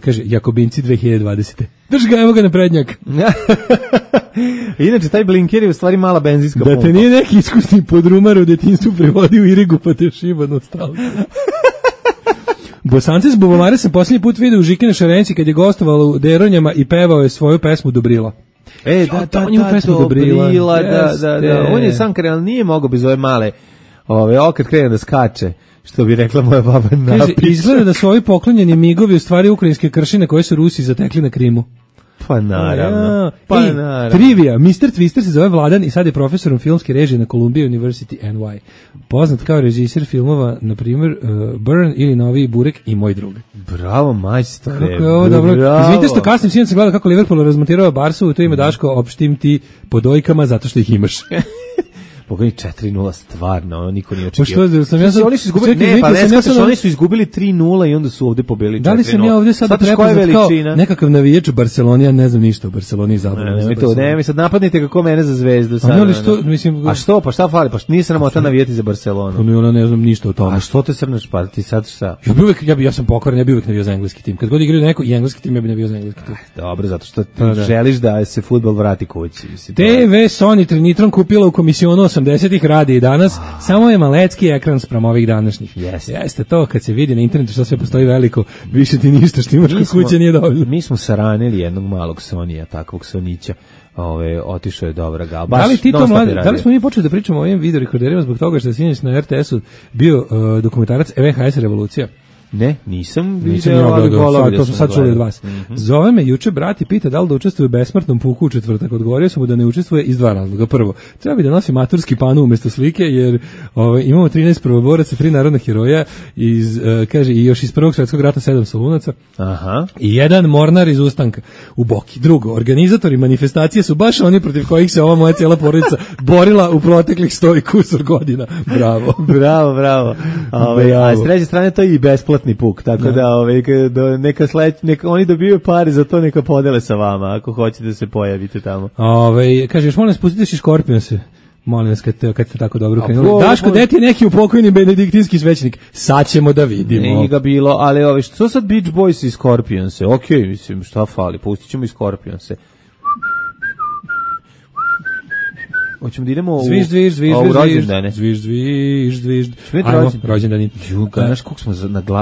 Speaker 5: Kaže, Jakobinci 2020. Drž ga, evo ga na prednjak.
Speaker 6: Inače, taj Blinker je u stvari mala benzinska pumpa.
Speaker 5: Da te nije neki iskusni podrumar u detinjstvu prevodi u Irigu pa te šiba nostalgija. Bosance s Bubamare sam posljednji put vidio u Žikine Šarenici kad je gostovalo u Deronjama i pevao je svoju pesmu Dobrila.
Speaker 6: Dobrila, da. On je sam krenuo, nije mogao bez ove male, okret krenuo da skače, što bi rekla moja baba Napić.
Speaker 5: Kaže, izgleda da su ovi poklonjeni migovi u stvari ukrajinske kršine koje su Rusi zatekli na Krimu.
Speaker 6: Pa naravno.
Speaker 5: Trivia, Mr. Twister se zove Vladan i sad je profesorom filmske režije na Columbia University NY. Poznat kao režisir filmova, na primjer, Burn ili Novi Burek i Moj drug.
Speaker 6: Bravo, majstore.
Speaker 5: Kako je ovo dobro. Izvinite što kasnim, sinoć sam gledao kako Liverpool razmontirao Barsu, to ime Daško, opštim ti po dojkama zato što ih imaš.
Speaker 6: Pogledaj 4:0 stvarno, niko nije očekivao.
Speaker 5: Pa što sam ja
Speaker 6: oni su izgubili, oni su izgubili 3:0 i onda su ovde pobedili 4:0.
Speaker 5: Da li sam ja ovde sad prepoznat kao nekakav navijač Barcelone, ja ne znam ništa o Barceloni i zapravo.
Speaker 6: Ne, mi sad napadnite kako mene za Zvezdu sad. A što, pa šta fali? Pa nisam sramota navijati za Barcelonu.
Speaker 5: No, ne znam ništa o tome.
Speaker 6: A što te srneš, pa ti sad šta?
Speaker 5: Ja sam pokvaren, ja bih uvijek navijao za engleski tim. Kad god igraju neko i engleski tim, ja bih navijao za engleski tim.
Speaker 6: Dobro, zato što želiš da se fudbal vrati kući.
Speaker 5: TV Sony Trinitron kupila u komisionu 80-ih, radi i danas, samo je malecki ekran spram ovih današnjih. Jeste to, kad se vidi na internetu što sve postoji veliko, više ti ništa što imaš kod kuće nije dovoljno.
Speaker 6: Mi smo saranili jednog malog Sonija, takvog Sonića. Otišao je dobra ga.
Speaker 5: Da li smo mi počeli da pričamo o ovim videorekorderima zbog toga što je sinoć na RTS-u bio dokumentarac VHS Revolucija?
Speaker 6: Ne, nisam vidio, ali
Speaker 5: to smo sad čuli od vas. Zove me juče brat i pita da li da učestvuje u besmrtnom puku u četvrtak. Odgovorio sam mu da ne učestvuje iz dva razloga. Prvo, treba bi da nosi maturski panu umjesto slike, jer imamo 13 prvoboraca, 3 narodna heroja, kaže, i još iz Prvog svjetskog rata 7 solunaca, i jedan mornar iz Ustanka u Boki. Drugo, organizatori manifestacije su baš oni protiv kojih se ova moja cijela porodica borila u proteklih 100 i kusur godina. Bravo.
Speaker 6: Bravo. A s treće strane to je i besplatni puk, tako da neka oni dobiju pare za to, neka podele sa vama ako hoćete da se pojavite tamo.
Speaker 5: Kaže, još molim vas, pustite si Škorpionse. Molim vas, kad ste tako dobro krenuli. Daško, gde ti je neki upokojni benediktinski svećenik? Sad ćemo da vidimo.
Speaker 6: Nije ga bilo, ali što sad Beach Boys i Scorpionse? Okej, mislim, šta fali, pustit ćemo i Scorpionse. Hoćemo da idemo u rođendane.
Speaker 5: Zvižd. Ajmo, rođendani.
Speaker 6: Znaš koliko smo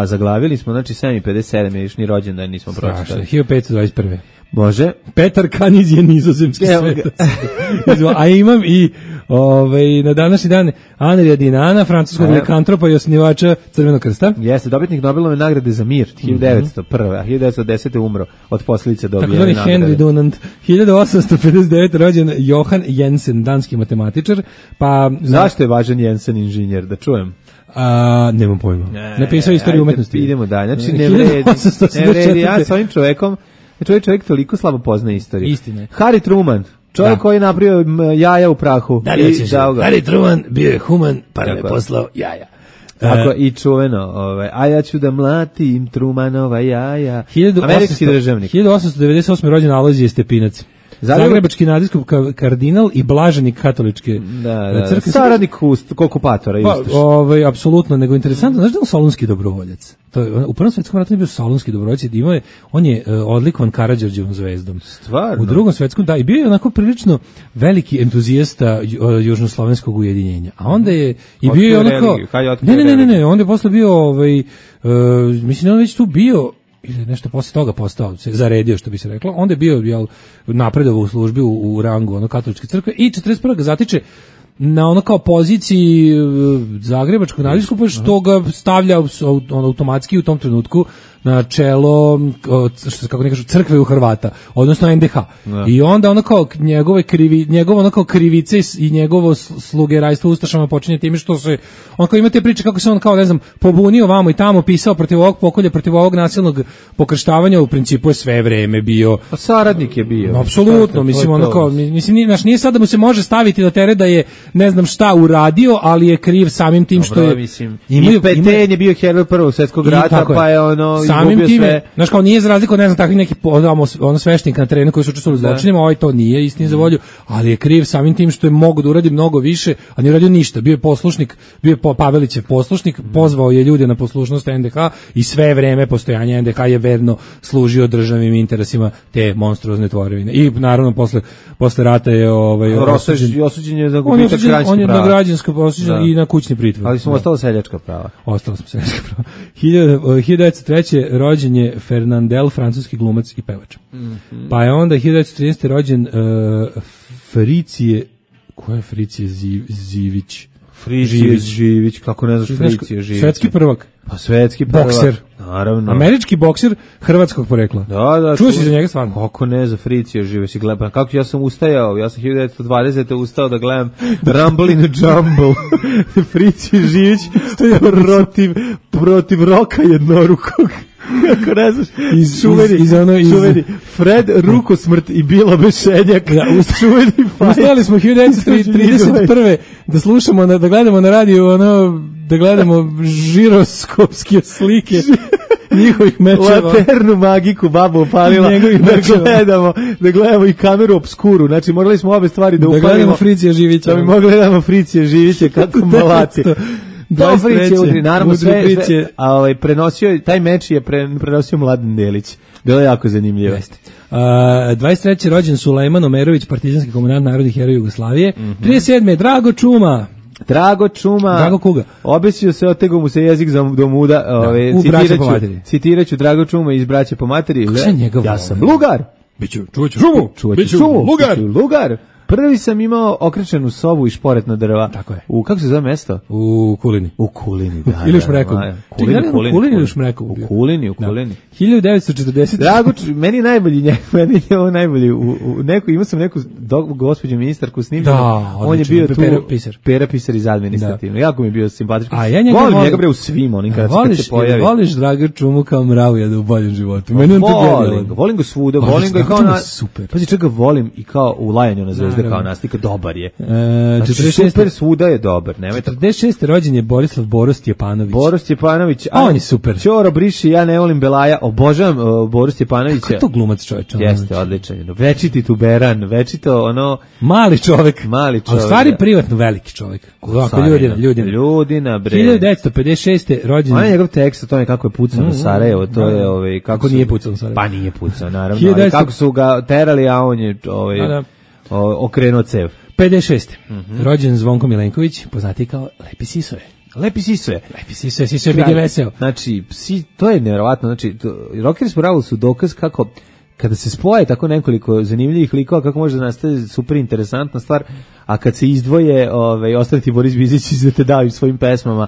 Speaker 6: zaglavili smo, znači 7:57 je išni rođendan, nismo pročitali.
Speaker 5: 1521.
Speaker 6: Može.
Speaker 5: Petar Kaniz je nizozemski svetac. A imam i na današnji dan Anrija Dinana, francuskog likantropa i osnivača Crvenog krsta.
Speaker 6: Jeste, dobitnik Nobelove nagrade za mir 1901. A 1910. umro od posljedice dobijene nagrade.
Speaker 5: Takozvani Henry Dunant. 1859. rođen Johan Jensen, danski matematičar.
Speaker 6: Zašto je važan Jensen inženjer, da čujem?
Speaker 5: Nemam pojma. Napisao istoriju umetnosti.
Speaker 6: Idemo dalje. Znači, ne vredi. Ja s ovim čovekom, čovjek toliko slabo poznaje istoriju.
Speaker 5: Istine.
Speaker 6: Harry Truman, čovjek koji je napravio jaja u prahu.
Speaker 5: Harry Truman bio je human, pa nam je poslao jaja.
Speaker 6: Tako, i čuveno, a ja ću da mlatim Trumanova jaja. Američki državnik.
Speaker 5: 1898. rođen Alojzije Stepinac. Zagrebački nadbiskup kardinal i blaženik katoličke crkve.
Speaker 6: Saradnik okupatora.
Speaker 5: Apsolutno, nego interesantno, znaš da je on solunski dobrovoljac? U Prvom svjetskom ratu je bio solunski dobrovoljac, on je odlikovan Karađorđevom zvezdom.
Speaker 6: Stvarno?
Speaker 5: U Drugom svjetskom, da, i bio je onako prilično veliki entuzijasta južnoslovenskog ujedinjenja. A onda je i bio je onako... Ne, onda je posle bio, mislim, on već tu bio ili nešto posle toga postao, se zaredio, što bi se reklo, onda je bio napredovao u službi u rangu katoličke crkve i 41. ga zatiče na ono kao poziciji zagrebačkog nadbiskupa, što ga stavlja automatski u tom trenutku na čelo, kako ne kažu, crkve u Hrvata, odnosno NDH. I onda ono kao njegovo ono kao krivice i njegovo slugerajstvo ustašama počinje time što se, on kao ima te priče kako se on kao, ne znam, pobunio vamo i tamo, pisao protiv ovog pokolja, protiv ovog nasilnog pokrštavanja, u principu je sve vreme bio.
Speaker 6: A saradnik je bio.
Speaker 5: Apsolutno, mislim, ono kao, nije sad da mu se može staviti da teret da je ne znam šta uradio, ali je kriv samim tim što je...
Speaker 6: I Peten je bio heroj Prvog svjetskog rata, pa je
Speaker 5: samim time, znaš kao, nije za razliku, ne znam, takvih neki sveštenika na terenu koji su učestvovali u zločinima, to nije istini za volju, ali je kriv samim tim što je mogo da uradi mnogo više, a nije uradio ništa. Bio je poslušnik, bio je Pavelićev poslušnik, pozvao je ljude na poslušnost NDH i sve vreme postojanja NDH je verno služio državnim interesima te monstruozne tvorevine. I naravno posle rata je
Speaker 6: osuđen je za gubitak građanskih prava.
Speaker 5: On je na građansko osuđen i na kućni pritvor.
Speaker 6: Ali smo ostalo seljačka prava.
Speaker 5: Ostalo smo seljačka prava. 1903. rođen je Fernandel, francuski glumac i pevač. Pa je onda 1913. rođen Fricije, ko je Fricije Živić?
Speaker 6: Fricije Živić, kako ne znaš Fricije Živić?
Speaker 5: Svetski prvak.
Speaker 6: Pa svetski prvak.
Speaker 5: Bokser.
Speaker 6: Naravno.
Speaker 5: Američki bokser hrvatskog porekla.
Speaker 6: Da.
Speaker 5: Čuo si za njega stvarno?
Speaker 6: Kako ne za Fricije Živić? Kako ja sam ustajao? Ja sam 1920. ustao da gledam Rumble in a Jumble. Fricije Živić stoja protiv roka jednorukog. Kako ne znaš,
Speaker 5: čuveni
Speaker 6: Fred Rukosmrt i Bilo Bešenjak. Čuveni fajt.
Speaker 5: Ustali smo 1931. da slušamo, da gledamo na radiju, da gledamo žiroskopske slike njihovih mečeva.
Speaker 6: Laternu magiku babu upalila, da gledamo i kameru obskuru. Znači, morali smo obe stvari da upalimo.
Speaker 5: Da gledamo Fricija Živića.
Speaker 6: Da bi mogli gledamo Fricija Živića, kako malaci. To Fricija, naravno sve, a prenosio, taj meč je prenosio Mladen Delić. Bilo je jako zanimljivo.
Speaker 5: 23. rođen Sulejman Omerović, partizanski komandant narodnih heroja Jugoslavije. 37. Drago Čuma.
Speaker 6: Drago Kuga. Obesio se, otegao mu se jezik do muda. Citiraću Drago Čuma iz Braće po materi. Ja sam lugar.
Speaker 5: Čuvaću
Speaker 6: lugar. Prvi sam imao okrečenu sobu i šporetna drva.
Speaker 5: Tako je.
Speaker 6: Kako se zove mesto?
Speaker 5: U Kulini.
Speaker 6: U Kulini, da.
Speaker 5: Ili u Šmrekovu. Kulini ili u Šmrekovu?
Speaker 6: U Kulini.
Speaker 5: 1940.
Speaker 6: Drago, meni je najbolji, imao sam neku gospođu ministarku snimljenu. On je bio tu Pera Pisar iz administrativno. Jako mi je bio simpatičan. Volim njega bre u svim onim kad se pojavi.
Speaker 5: Voliš Drago Čumu kao mravu u boljem životu.
Speaker 6: Volim ga svuda, volim ga kao na... Pazi, čega volim i kao u lajanju na Zvezde kao naslika, dobar je. Super svuda je dobar.
Speaker 5: 46. rođen je Borislav Boros
Speaker 6: Stjepanović.
Speaker 5: On je super.
Speaker 6: Ćoro briši, ja ne volim Belaja, obožavam Boris Stjepanovića.
Speaker 5: Kako to glumac čovječ?
Speaker 6: Jeste, odličan. Večiti tuberan, večito ono...
Speaker 5: Mali čovjek. A u stvari privatno veliki čovjek. Ljudina, bre. 1956. rođen...
Speaker 6: On je njegov tekst o tome kako je pucao na Sarajevo, to je...
Speaker 5: Kako nije pucao na Sarajevo?
Speaker 6: Pa nije pucao, naravno. Ali kako su ga terali, a on je okrenuo cev.
Speaker 5: 56. Rođen Zvonko Milenković, poznati kao Lepi Sisoje. Sisoje bih je veseo.
Speaker 6: Znači, to je nevjerovatno. Znači, Rockers Bravo su dokaz kako kada se spoje tako nekoliko zanimljivih likova, kako može da nastane super interesantna stvar, a kad se izdvoje, ostaviti Boris Bizić i da te daju svojim pesmama,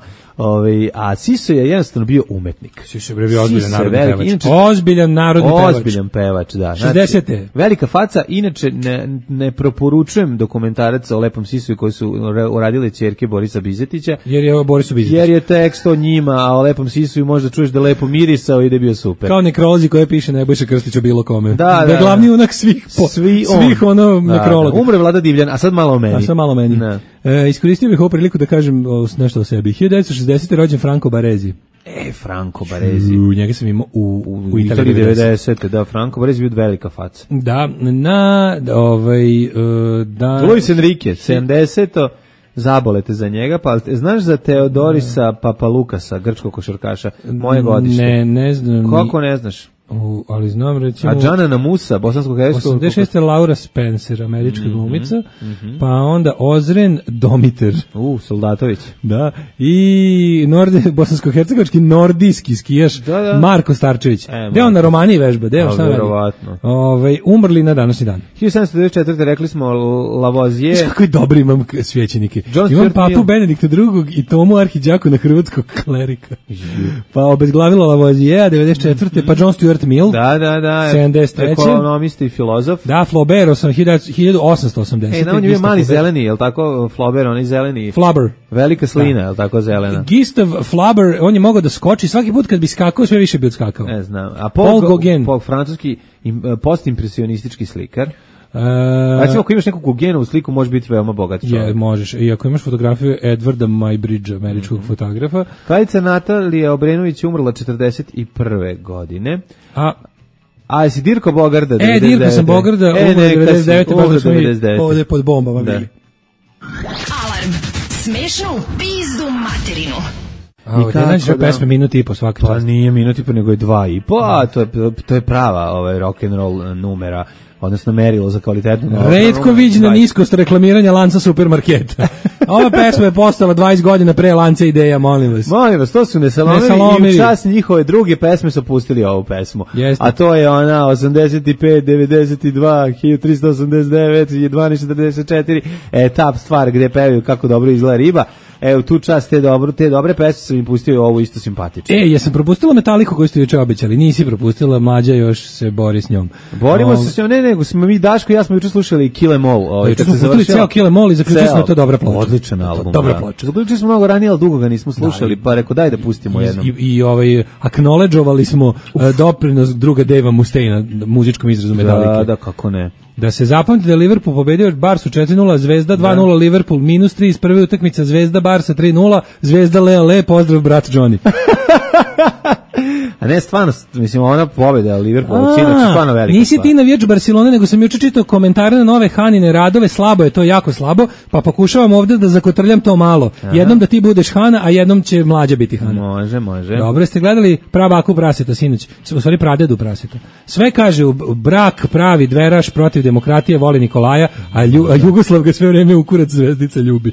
Speaker 6: a Siso je jednostavno bio umetnik.
Speaker 5: Siso je bio ozbiljan narodni pevač.
Speaker 6: Ozbiljan pevač, da.
Speaker 5: 60.
Speaker 6: Velika faca, inače ne preporučujem dokumentarac o Lepom Sisu koji su uradile ćerke Borisa Bizetića. Jer je tekst o njima, a o Lepom Sisu možda čuješ da lepo mirisao i da je bio super.
Speaker 5: Kao nekrolozi koje piše Nebojša Krstić o bilo kome.
Speaker 6: Da,
Speaker 5: glavni unak svih nekrologa.
Speaker 6: Umre Vlada Divljan, a sad malo meni.
Speaker 5: Iskoristio bih ovu priliku da kažem nešto o sebi. 1960. rođen Franco Baresi.
Speaker 6: Franco Baresi.
Speaker 5: Njega sam imao u
Speaker 6: Italiji 90. Da, Franco Baresi bio velika faca.
Speaker 5: Da,
Speaker 6: Luis Enrique, 70. Zabolete za njega, pa znaš za Teodorisa Papalukasa, grčkog košarkaša, moje godište?
Speaker 5: Ne znam.
Speaker 6: Kako ne znaš?
Speaker 5: Ali znam recimo...
Speaker 6: A Džana Namusa, bosanskog herskog...
Speaker 5: 86. Laura Spencer, američka glumica, pa onda Ozren Domiter.
Speaker 6: Soldatović.
Speaker 5: Da, i bosansko-hercegovački nordijski skijaš Marko Starčević. Gde on na Romaniji vežba? Gde on šta radi? Umrli na današnji dan.
Speaker 6: 1794. rekli smo Lavoisier.
Speaker 5: Znaš kako je dobri imam svećenike. Imam papu Benedikta II. i Tomu Arhiđaku na hrvatskog klerika. Pa obezglavila Lavoisier, 94. pa John Stuart Mill.
Speaker 6: Da.
Speaker 5: 73.
Speaker 6: Ekonomista i filozof.
Speaker 5: Da, Flaubert, 1880.
Speaker 6: On je bio mali zeleni, je li tako? Flaubert, on je zeleni.
Speaker 5: Flubber.
Speaker 6: Velika slina, je li tako zelena?
Speaker 5: Gustav Flubber, on je mogao da skoči, svaki put kad bi skakao, sve više bi odskakao.
Speaker 6: Ne znam. A Paul Gauguin, francuski postimpresionistički slikar. Recimo, ako imaš neku Gaugenovu sliku, može biti veoma bogat čovjek.
Speaker 5: Možeš. I ako imaš fotografiju Edwarda Muybridgea, američkog fotografa.
Speaker 6: Kraljica Natalija Obrenović umrla 41. godine. A jesi Dirko Bogarda?
Speaker 5: Dirko sam Bogarda, umrla 99. Ovdje pod bombama bili.
Speaker 3: Alarm. Smešno u pizdu materinu.
Speaker 5: I kako pesme minuti i po svaki čast.
Speaker 6: Pa nije minuti i po, nego je 2,5. A to je prava rock'n'roll numera. Odnosno merilo za kvalitetnu.
Speaker 5: Retko viđena niskost reklamiranja lanca supermarketa. Ova pesma je postala 20 godina pre lanca Ideja, molim vas.
Speaker 6: Molim vas, to su Nesalomili i u čast njihove druge pesme su pustili ovu pesmu.
Speaker 5: Jeste.
Speaker 6: A to je ona 85, 92, 1389, 1244, etap stvar gde pevaju kako dobro izgleda riba. Evo, tu čast, te dobre pesme sam im pustio, ovo isto simpatično.
Speaker 5: Jesam propustila Metaliku koju ste juče obećali, nisi propustila, Mlađa još se bori s njom.
Speaker 6: Borimo se s njom, nego smo mi, Daško i ja smo juče slušali Kill Em All.
Speaker 5: Juče smo pustili ceo Kill Em All i zaključili smo to dobra ploča.
Speaker 6: Odličan album.
Speaker 5: Dobra ploča.
Speaker 6: Zaključili smo mnogo ranije, ali dugo ga nismo slušali, pa rekao daj da pustimo jednom.
Speaker 5: I acknowledgeovali smo doprinos druga Dave Mustaina, muzičkom izrazu Metalike.
Speaker 6: Da, kako ne.
Speaker 5: Da se zapamti da je Liverpool pobedio Barsu 4-0, Zvezda 2-0, Liverpool -3 iz prve utakmice, Zvezda Barsa 3-0, Zvezda Le, pozdrav brat Johnny.
Speaker 6: A ne, stvarno, mislim, ona pobeda Liverpool, sinoć, stvarno velika.
Speaker 5: Nisi ti navijač Barcelone, nego sam juče čitao komentare na nove Hanine radove, slabo je to, jako slabo, pa pokušavam ovdje da zakotrljam to malo. Jednom da ti budeš Hana, a jednom će Mlađa biti Hana.
Speaker 6: Može.
Speaker 5: Dobro, ste gledali Prabaku praseta sinoć, u stvari Pradedu praseta. Sve kaže, brak pravi dveraš protiv demokratije, voli Nikolaja, a Jugoslav ga sve vreme u kurac zvezdica ljubi.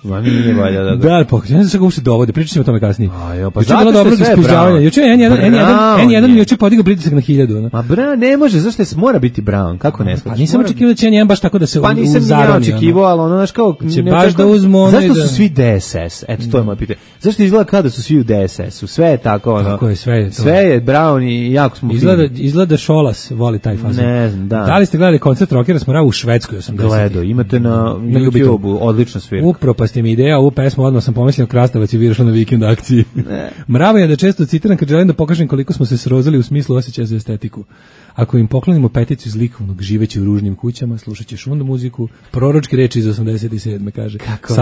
Speaker 6: Ma nije valja da.
Speaker 5: Da, pa ne znam kako se dovode, pričat ćemo o tome kasnije.
Speaker 6: Pa zato
Speaker 5: dobro ispižavanje. Juče N1 juče podigao pritisak na 1000.
Speaker 6: Ma Brown ne može, zašto se mora biti Brown? Kako ne shvaćaš?
Speaker 5: Pa nisam očekivao da će N1 baš tako da se
Speaker 6: pa nisam ni očekivao, ali ono znaš kao
Speaker 5: će baš da uzmu.
Speaker 6: Zašto su svi DSS? Eto to je moje pitanje. Zašto izgleda kao da su svi u DSS-u? Sve je tako ono.
Speaker 5: Kako je sve?
Speaker 6: Sve je Brown i jako smo
Speaker 5: izgleda Šolas voli taj fazon.
Speaker 6: Ne znam, da.
Speaker 5: Da li ste gledali koncert rockera Smora u Švedskoj 80?
Speaker 6: Gledao, imate na YouTubeu, odlična svirka.
Speaker 5: Upropasti mi ideja, pesmu odmah sam pomislio Krastavac je viršla na vikend akciji. Mravo je da često citiram kad želim da pokažem koliko smo se srozali u smislu osjećaja za estetiku. Ako im poklonimo peticiju zlikovnog živeći u ružnim kućama, slušat će šundu muziku, proročke reči iz 87. kaže.
Speaker 6: Kako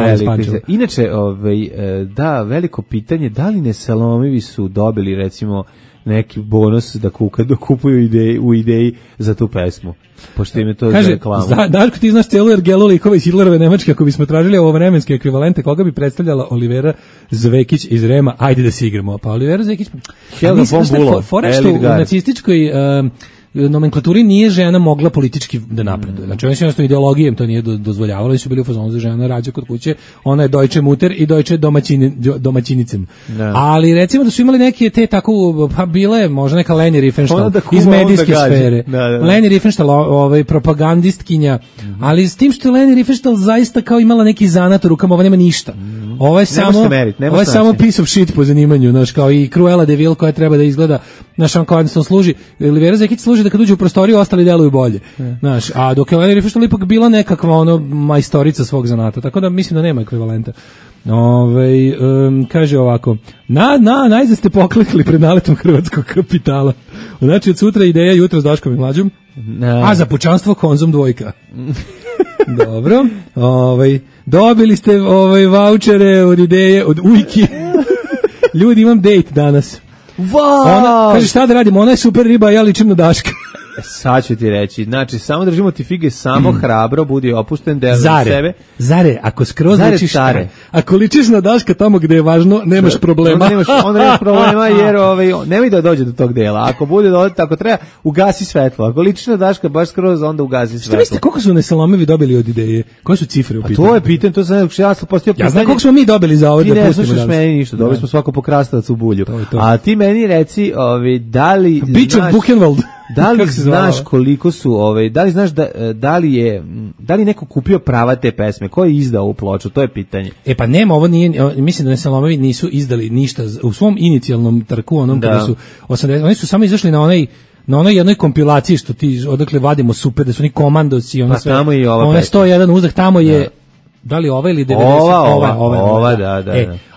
Speaker 6: inače, da, veliko pitanje, da li Nesalomivi su dobili recimo neki bonus da kupuju u ideji za tu pesmu. Pošto im je to za reklamu.
Speaker 5: Daško, ti znaš celu ergelu likova iz Hitlerove Nemačke, ako bismo tražili ovo vremenske ekvivalente, koga bi predstavljala Olivera Zvekić iz Rema, ajde da se igramo. Pa Olivera Zvekić...
Speaker 6: Helga von Bülow,
Speaker 5: fora što u nacističkoj nomenklaturi nije žena mogla politički da napreduje. Znači, oni su jednostavno ideologijom to nije dozvoljavalo i su bili u fazonu za žena rađa kod kuće, ona je Deutsche Mutter i Deutsche domaćinicen. Ali recimo da su imali neke te tako, pa bile možda neka Leni Riefenstahl iz medijske sfere. Leni Riefenstahl, propagandistkinja, ali s tim što je Leni Riefenstahl zaista kao imala neki zanat u rukama, ovo nema ništa. Ovo je samo piece of shit po zanimanju, znaš, kao i Cruella de Vil koja treba da izgleda, znaš, on kao jednostavno služi, Olivera Zekić služi da kad uđe u prostoriju ostali deluju bolje, znaš, a dok je Leni Riefenstahl ipak bila nekakva majstorica svog zanata, tako da mislim da nema ekvivalenta. Kaže ovako, najzad ste poklekli pred naletom hrvatskog kapitala. Znači od sutra ideja jutro s Daškom i Mlađom, a za pučanstvo Konzum 2. Dobro, dobili ste vaučere od ideje, od Ujki. Ljudi, imam date danas. Ona, kaže, šta da radimo, ona je super riba, a ja ličim na Daška.
Speaker 6: Sad ću ti reći, znači, samo držimo ti fige, samo hrabro, budi opušten, deli sebe.
Speaker 5: Zare, ako skroz ličiš ako ličiš na Daška tamo gde je važno, nemaš problema.
Speaker 6: Onda nemaš problema, jer nemoj da dođe do tog dela. Ako bude dođe, ako treba, ugasi svetlo. Ako ličiš na Daška, baš skroz, onda ugasi svetlo.
Speaker 5: Šta mislite, koliko su Nesalomevi dobili od ideje? Koje su cifre u pitanju?
Speaker 6: To je pitanje, to sam jasno postavio pitanje.
Speaker 5: Ja znam koliko smo mi dobili za ovo da pustimo danas. Ti ne slušaš meni ništa, dobili smo
Speaker 6: svako pokrastavac u bulju. A ti meni reci, da li da li znaš koliko su, da li znaš da li neko kupio prava te pesme, ko je izdao ovu ploču, to je pitanje.
Speaker 5: Pa nema, ovo nije, mislim da Nesalomovi nisu izdali ništa u svom inicijalnom trku, onom kada su 80, oni su samo izašli na onoj jednoj kompilaciji što ti odakle vadimo super, da su oni komandosi, ona sve,
Speaker 6: tamo i ova
Speaker 5: ona 101 uzdah, tamo je, da li ova ili 90?
Speaker 6: Ova, da.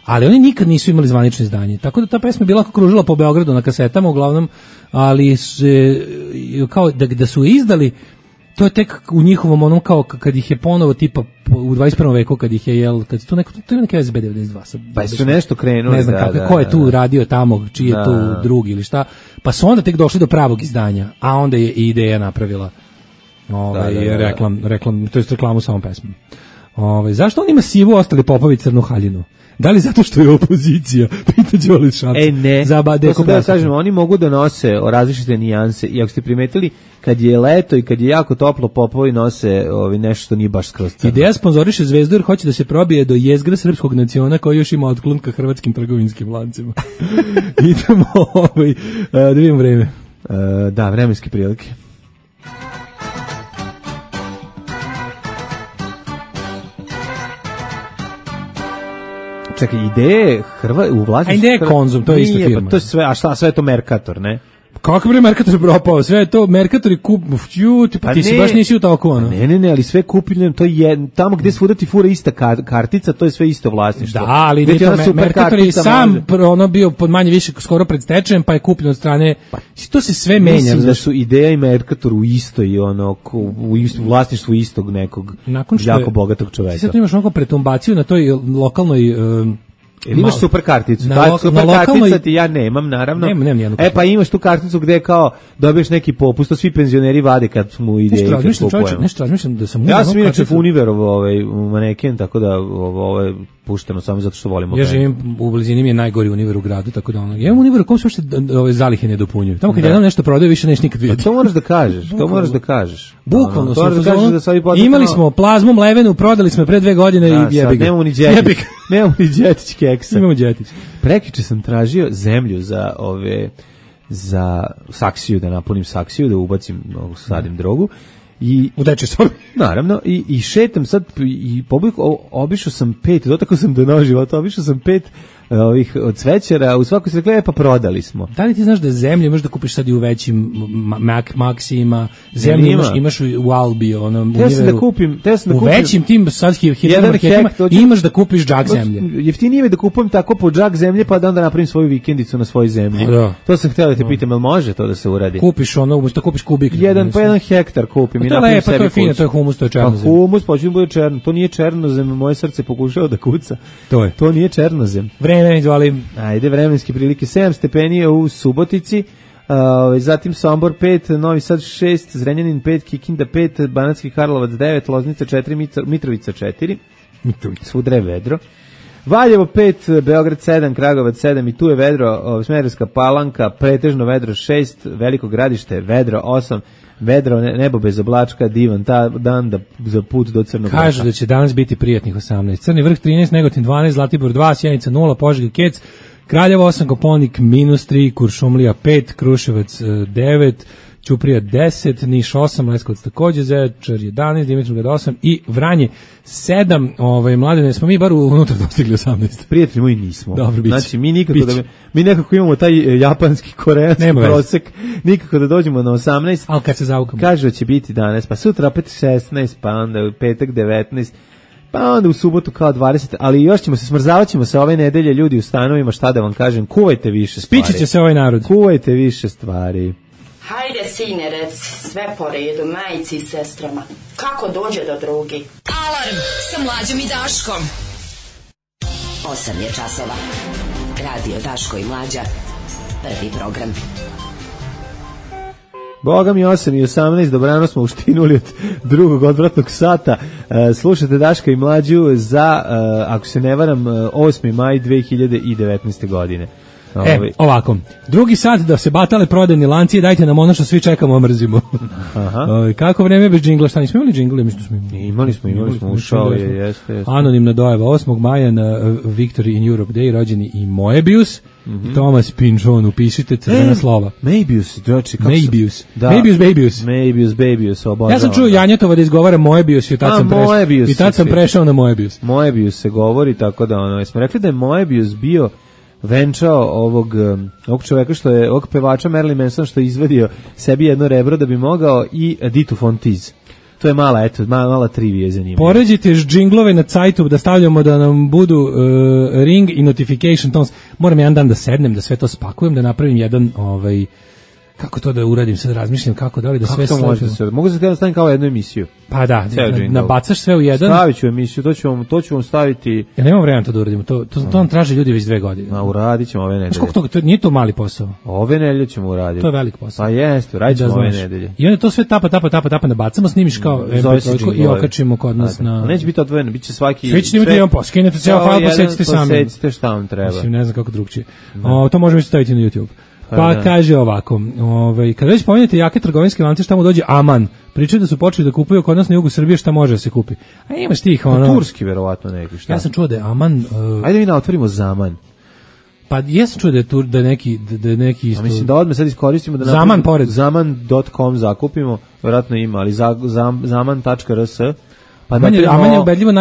Speaker 5: Ali oni nikad nisu imali zvanično izdanje, tako da ta pesma bila kružila po Beogradu na kasetama uglavnom, ali kao da su izdali, to je tek u njihovom onom kao kad ih je ponovo tipa u 21. veku kad ih je kad to je neka SB 92.
Speaker 6: Pa su nešto krenuli,
Speaker 5: ne znam ko je tu radio tamo, čiji je tu drugi ili šta, pa su onda tek došli do pravog izdanja, a onda je i ideja napravila reklamu sa ovom pesmom. Zašto on ima sivu, ostali popovi crnu haljinu? Da li zato što je opozicija? Pita Đolić Šapca.
Speaker 6: Ne, to sam da kažem, oni mogu da nose različite nijanse i ako ste primetili, kad je leto i kad je jako toplo, popovi nose nešto što nije baš skroz crno.
Speaker 5: Ideja sponzoriše Zvezdu jer hoće da se probije do jezgra srpskog naciona koji još ima otklon ka hrvatskim trgovinskim lancima. Idemo da vidimo vreme.
Speaker 6: Da, vremenske prilike. čekaj, ideje u vlasništvu...
Speaker 5: A ideje Konzum, to je ista firma.
Speaker 6: Pa to je sve, a šta, sve je to Mercator, ne?
Speaker 5: Kako bi Mercator propao? Sve je to Mercator i kup... ti si baš nisi u toku, ono.
Speaker 6: Ne, ali sve kupljeno, to je tamo gde svuda ti fura ista kartica, to je sve isto vlasništvo.
Speaker 5: Da, ali Mercator je sam ono bio pod manje više skoro pred stečajem, pa je kupljen od strane... To se sve menja.
Speaker 6: Mislim da su Ideja i Mercator u istoj, ono, u vlasništvu istog nekog jako bogatog čoveka.
Speaker 5: Ti sad tu imaš onako pretumbaciju na toj lokalnoj...
Speaker 6: imaš super karticu, super kartica ti ja nemam, naravno.
Speaker 5: Nemam
Speaker 6: pa imaš tu karticu gde kao dobiješ neki popust, to svi penzioneri vade kad smo u Ideji.
Speaker 5: Nešto razmišljam da sam...
Speaker 6: Ja sam inače Univerovo maneken, tako da ovo je pušteno samo zato što volimo.
Speaker 5: Ja živim u blizini, mi je najgori Univer u gradu, tako da ono... Ja imam Univer u kom se uopšte zalihe ne dopunjuju. Tamo kad jedan nešto prodaje, više neš nikad vidjeti.
Speaker 6: To moraš da kažeš.
Speaker 5: Bukvalno imali smo plazmu mlevenu, prodali smo pre 2 godine i jebi ga.
Speaker 6: Nemamo ni džetić keksa.
Speaker 5: Imamo džetić.
Speaker 6: Prekiče sam tražio zemlju za saksiju, da napunim saksiju, da ubacim, sadim drogu.
Speaker 5: U dečoj sobi.
Speaker 6: Naravno, i šetam sad, i obišao sam 5, dotakao sam do nož života, obišao sam 5 ovih od cvećara, u svakoj se rekla, pa prodali smo.
Speaker 5: Da li ti znaš da zemlju možeš da kupiš sad i u većim Maxima, zemlju imaš u Albi, onom u većim tim sad hipermarketima, imaš da kupiš džak zemlje.
Speaker 6: Jeftinije je da kupujem tako po džak zemlje, pa da onda napravim svoju vikendicu na svojoj zemlji. To sam htio da te pitam, jel može to da se uradi?
Speaker 5: Kupiš umesto kupiš kubik.
Speaker 6: Jedan hektar kupim i napravim sebi kuću.
Speaker 5: To je fino, to je humus, to je černozem.
Speaker 6: Pa humus, pa ću bude černo, to nije černozem, moje srce pokušao da kuca. To nije černozem.
Speaker 5: Ajde,
Speaker 6: vremenske prilike, 7 stepeni u Subotici, zatim Sombor 5, Novi Sad 6, Zrenjanin 5, Kikinda 5, Banatski Karlovac 9, Loznica 4, Mitrovica 4, svudre je vedro, Valjevo 5, Beograd 7, Kragovac 7 i tu je vedro, Smederevska Palanka, pretežno vedro 6, Veliko Gradište vedro 8, vedro, nebo bez oblačka, divan dan za put do Crnog Vrha.
Speaker 5: Kažu da će danas biti prijatnih 18. Crni Vrh 13, Negotin 12, Zlatibor 2, Sjenica 0, Požega Kec, Kraljevo 8, Koponik -3, Kuršumlija 5, Kruševac 9, Ćuprija 10, Niš 8, Leskovac takođe, Zečar 11, Dimitrovgrad 8 i Vranje 7. Mladene, smo mi bar unutra dostigli 18.
Speaker 6: Prijatelji moji nismo.
Speaker 5: Dobro, biće.
Speaker 6: Znači, mi nekako imamo taj japanski, koreanski prosek, nikako da dođemo na 18.
Speaker 5: Ali kad se zaukamo.
Speaker 6: Kažu da će biti danas, pa sutra opet 16, pa onda u petak 19, pa onda u subotu kao 20, ali još ćemo se smrzavaćemo se ove nedelje, ljudi u stanovima, šta da vam kažem, kuvajte više stvari.
Speaker 5: Spići će se ovaj narod.
Speaker 6: Kuvajte više stvari.
Speaker 7: Hajde, sine, reci, sve po redu, majici i sestrama. Kako dođe do drugi?
Speaker 8: Alarm sa Mlađom i Daškom.
Speaker 9: 8 je časova. Radio Daško i Mlađa. Prvi program.
Speaker 6: Boga mi 8 i 18, dobrano smo uštinuli od drugog odvratnog sata. Slušate Daška i Mlađu za, ako se ne varam, 8. maj 2019. godine.
Speaker 5: Ovako, drugi sat da se batale prodajni lanci, dajte nam ono što svi čekamo, mrzimo. Kako vreme bez džingla, šta nismo imali džingla?
Speaker 6: Imali smo, ušao je, jeste.
Speaker 5: Anonimna dojava, 8. maja na Victory in Europe Day rođeni i Moebius, i Thomas Pynchon, upišite crvena slova.
Speaker 6: Moebius,
Speaker 5: ja sam čuo Janjetova da izgovara Moebius i tad sam prešao na Moebius.
Speaker 6: Moebius se govori, tako da smo rekli da je Moebius bio venčao ovog čoveka što je, ovog pevača Marilyn Manson što je izvadio sebi jedno rebro da bi mogao i Ditu Fontiz. To je mala trivija zanimljiva.
Speaker 5: Poređite džinglove na sajtu da stavljamo da nam budu ring i notification tones. Moram jedan dan da sednem, da sve to spakujem, da napravim jedan kako to da uradim, sad razmišljam kako da li da sve
Speaker 6: stavim. Kako to može da mogu da stavim kao jednu emisiju?
Speaker 5: Pa da, nabacaš sve u jedan.
Speaker 6: Stavit ću emisiju, to ću vam staviti.
Speaker 5: Ja nemam vremena to da uradimo, to nam traže ljudi već 2 godine.
Speaker 6: Uradit ćemo ove nedelje.
Speaker 5: Nije to mali posao.
Speaker 6: Ove nedelje ćemo uraditi.
Speaker 5: To je velik posao.
Speaker 6: Pa jeste, uradit ćemo ove nedelje.
Speaker 5: I onda to sve tapa, nabacamo, snimiš kao MP3 i okačimo kod nas na...
Speaker 6: Neće biti odvojeno, bit će svaki...
Speaker 5: Svi ćete imati jedan posao, skinete ceo file, posjetite sami.
Speaker 6: Posjetite šta vam treba.
Speaker 5: Mislim, ne znam kako drugčije. To možemo isto staviti na YouTube. Pa kaže ovako, kad već spomenete jake trgovinske lance, šta mu dođe Aman. Pričaju da su počeli da kupuju kod nas na jugu Srbije, šta može da se kupi. A imaš tih
Speaker 6: turski verovatno neki, šta?
Speaker 5: Ja sam čuo da je Aman...
Speaker 6: Ajde mi otvorimo Zaman.
Speaker 5: Pa jesam čuo da je neki isto...
Speaker 6: A mislim da odmah sad iskoristimo da
Speaker 5: Zaman pored.
Speaker 6: Zaman.com zakupimo, verovatno ima, ali zaman.rs Pa
Speaker 5: Aman je ubedljivo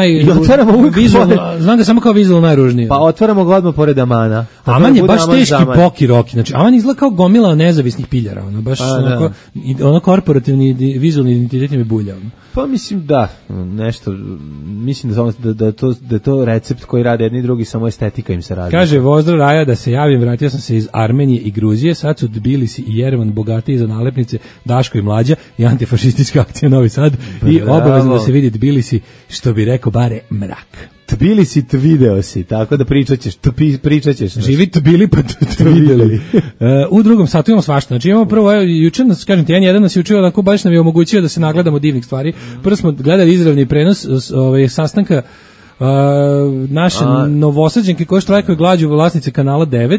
Speaker 5: znam ga samo kao vizualno najružnije.
Speaker 6: Pa otvaramo ga odmah pored Amana.
Speaker 5: Aman je baš teški poki roki. Znači, Aman izgleda kao gomila nezavisnih piljara. Ono, baš ono korporativni vizualni identitet mi bulja.
Speaker 6: Pa mislim nešto, mislim da je to recept koji rade jedni i drugi, samo estetika im se radi.
Speaker 5: Kaže Vozdra Raja da se javim, vratio sam se iz Armenije i Gruzije, sad su Tbilisi i Jerevan bogatiji za nalepnice, Daško i Mlađa i antifašistička akcija Novi Sad i obavezno da se vidi Tbilisi, što bi rekao bare mrak.
Speaker 6: Tbilisi video si, tako da pričat ćeš.
Speaker 5: Živi Tbili pa videli. U drugom satu imamo svašta. Znači imamo prvo, juče nas, kažem ti, jedan nas je učio, onako baš nam je omogućio da se nagledamo divnih stvari. Prvo smo gledali izravni prenos sastanka naše Novosađenke koje štrajkaju glađu vlasnice kanala 9,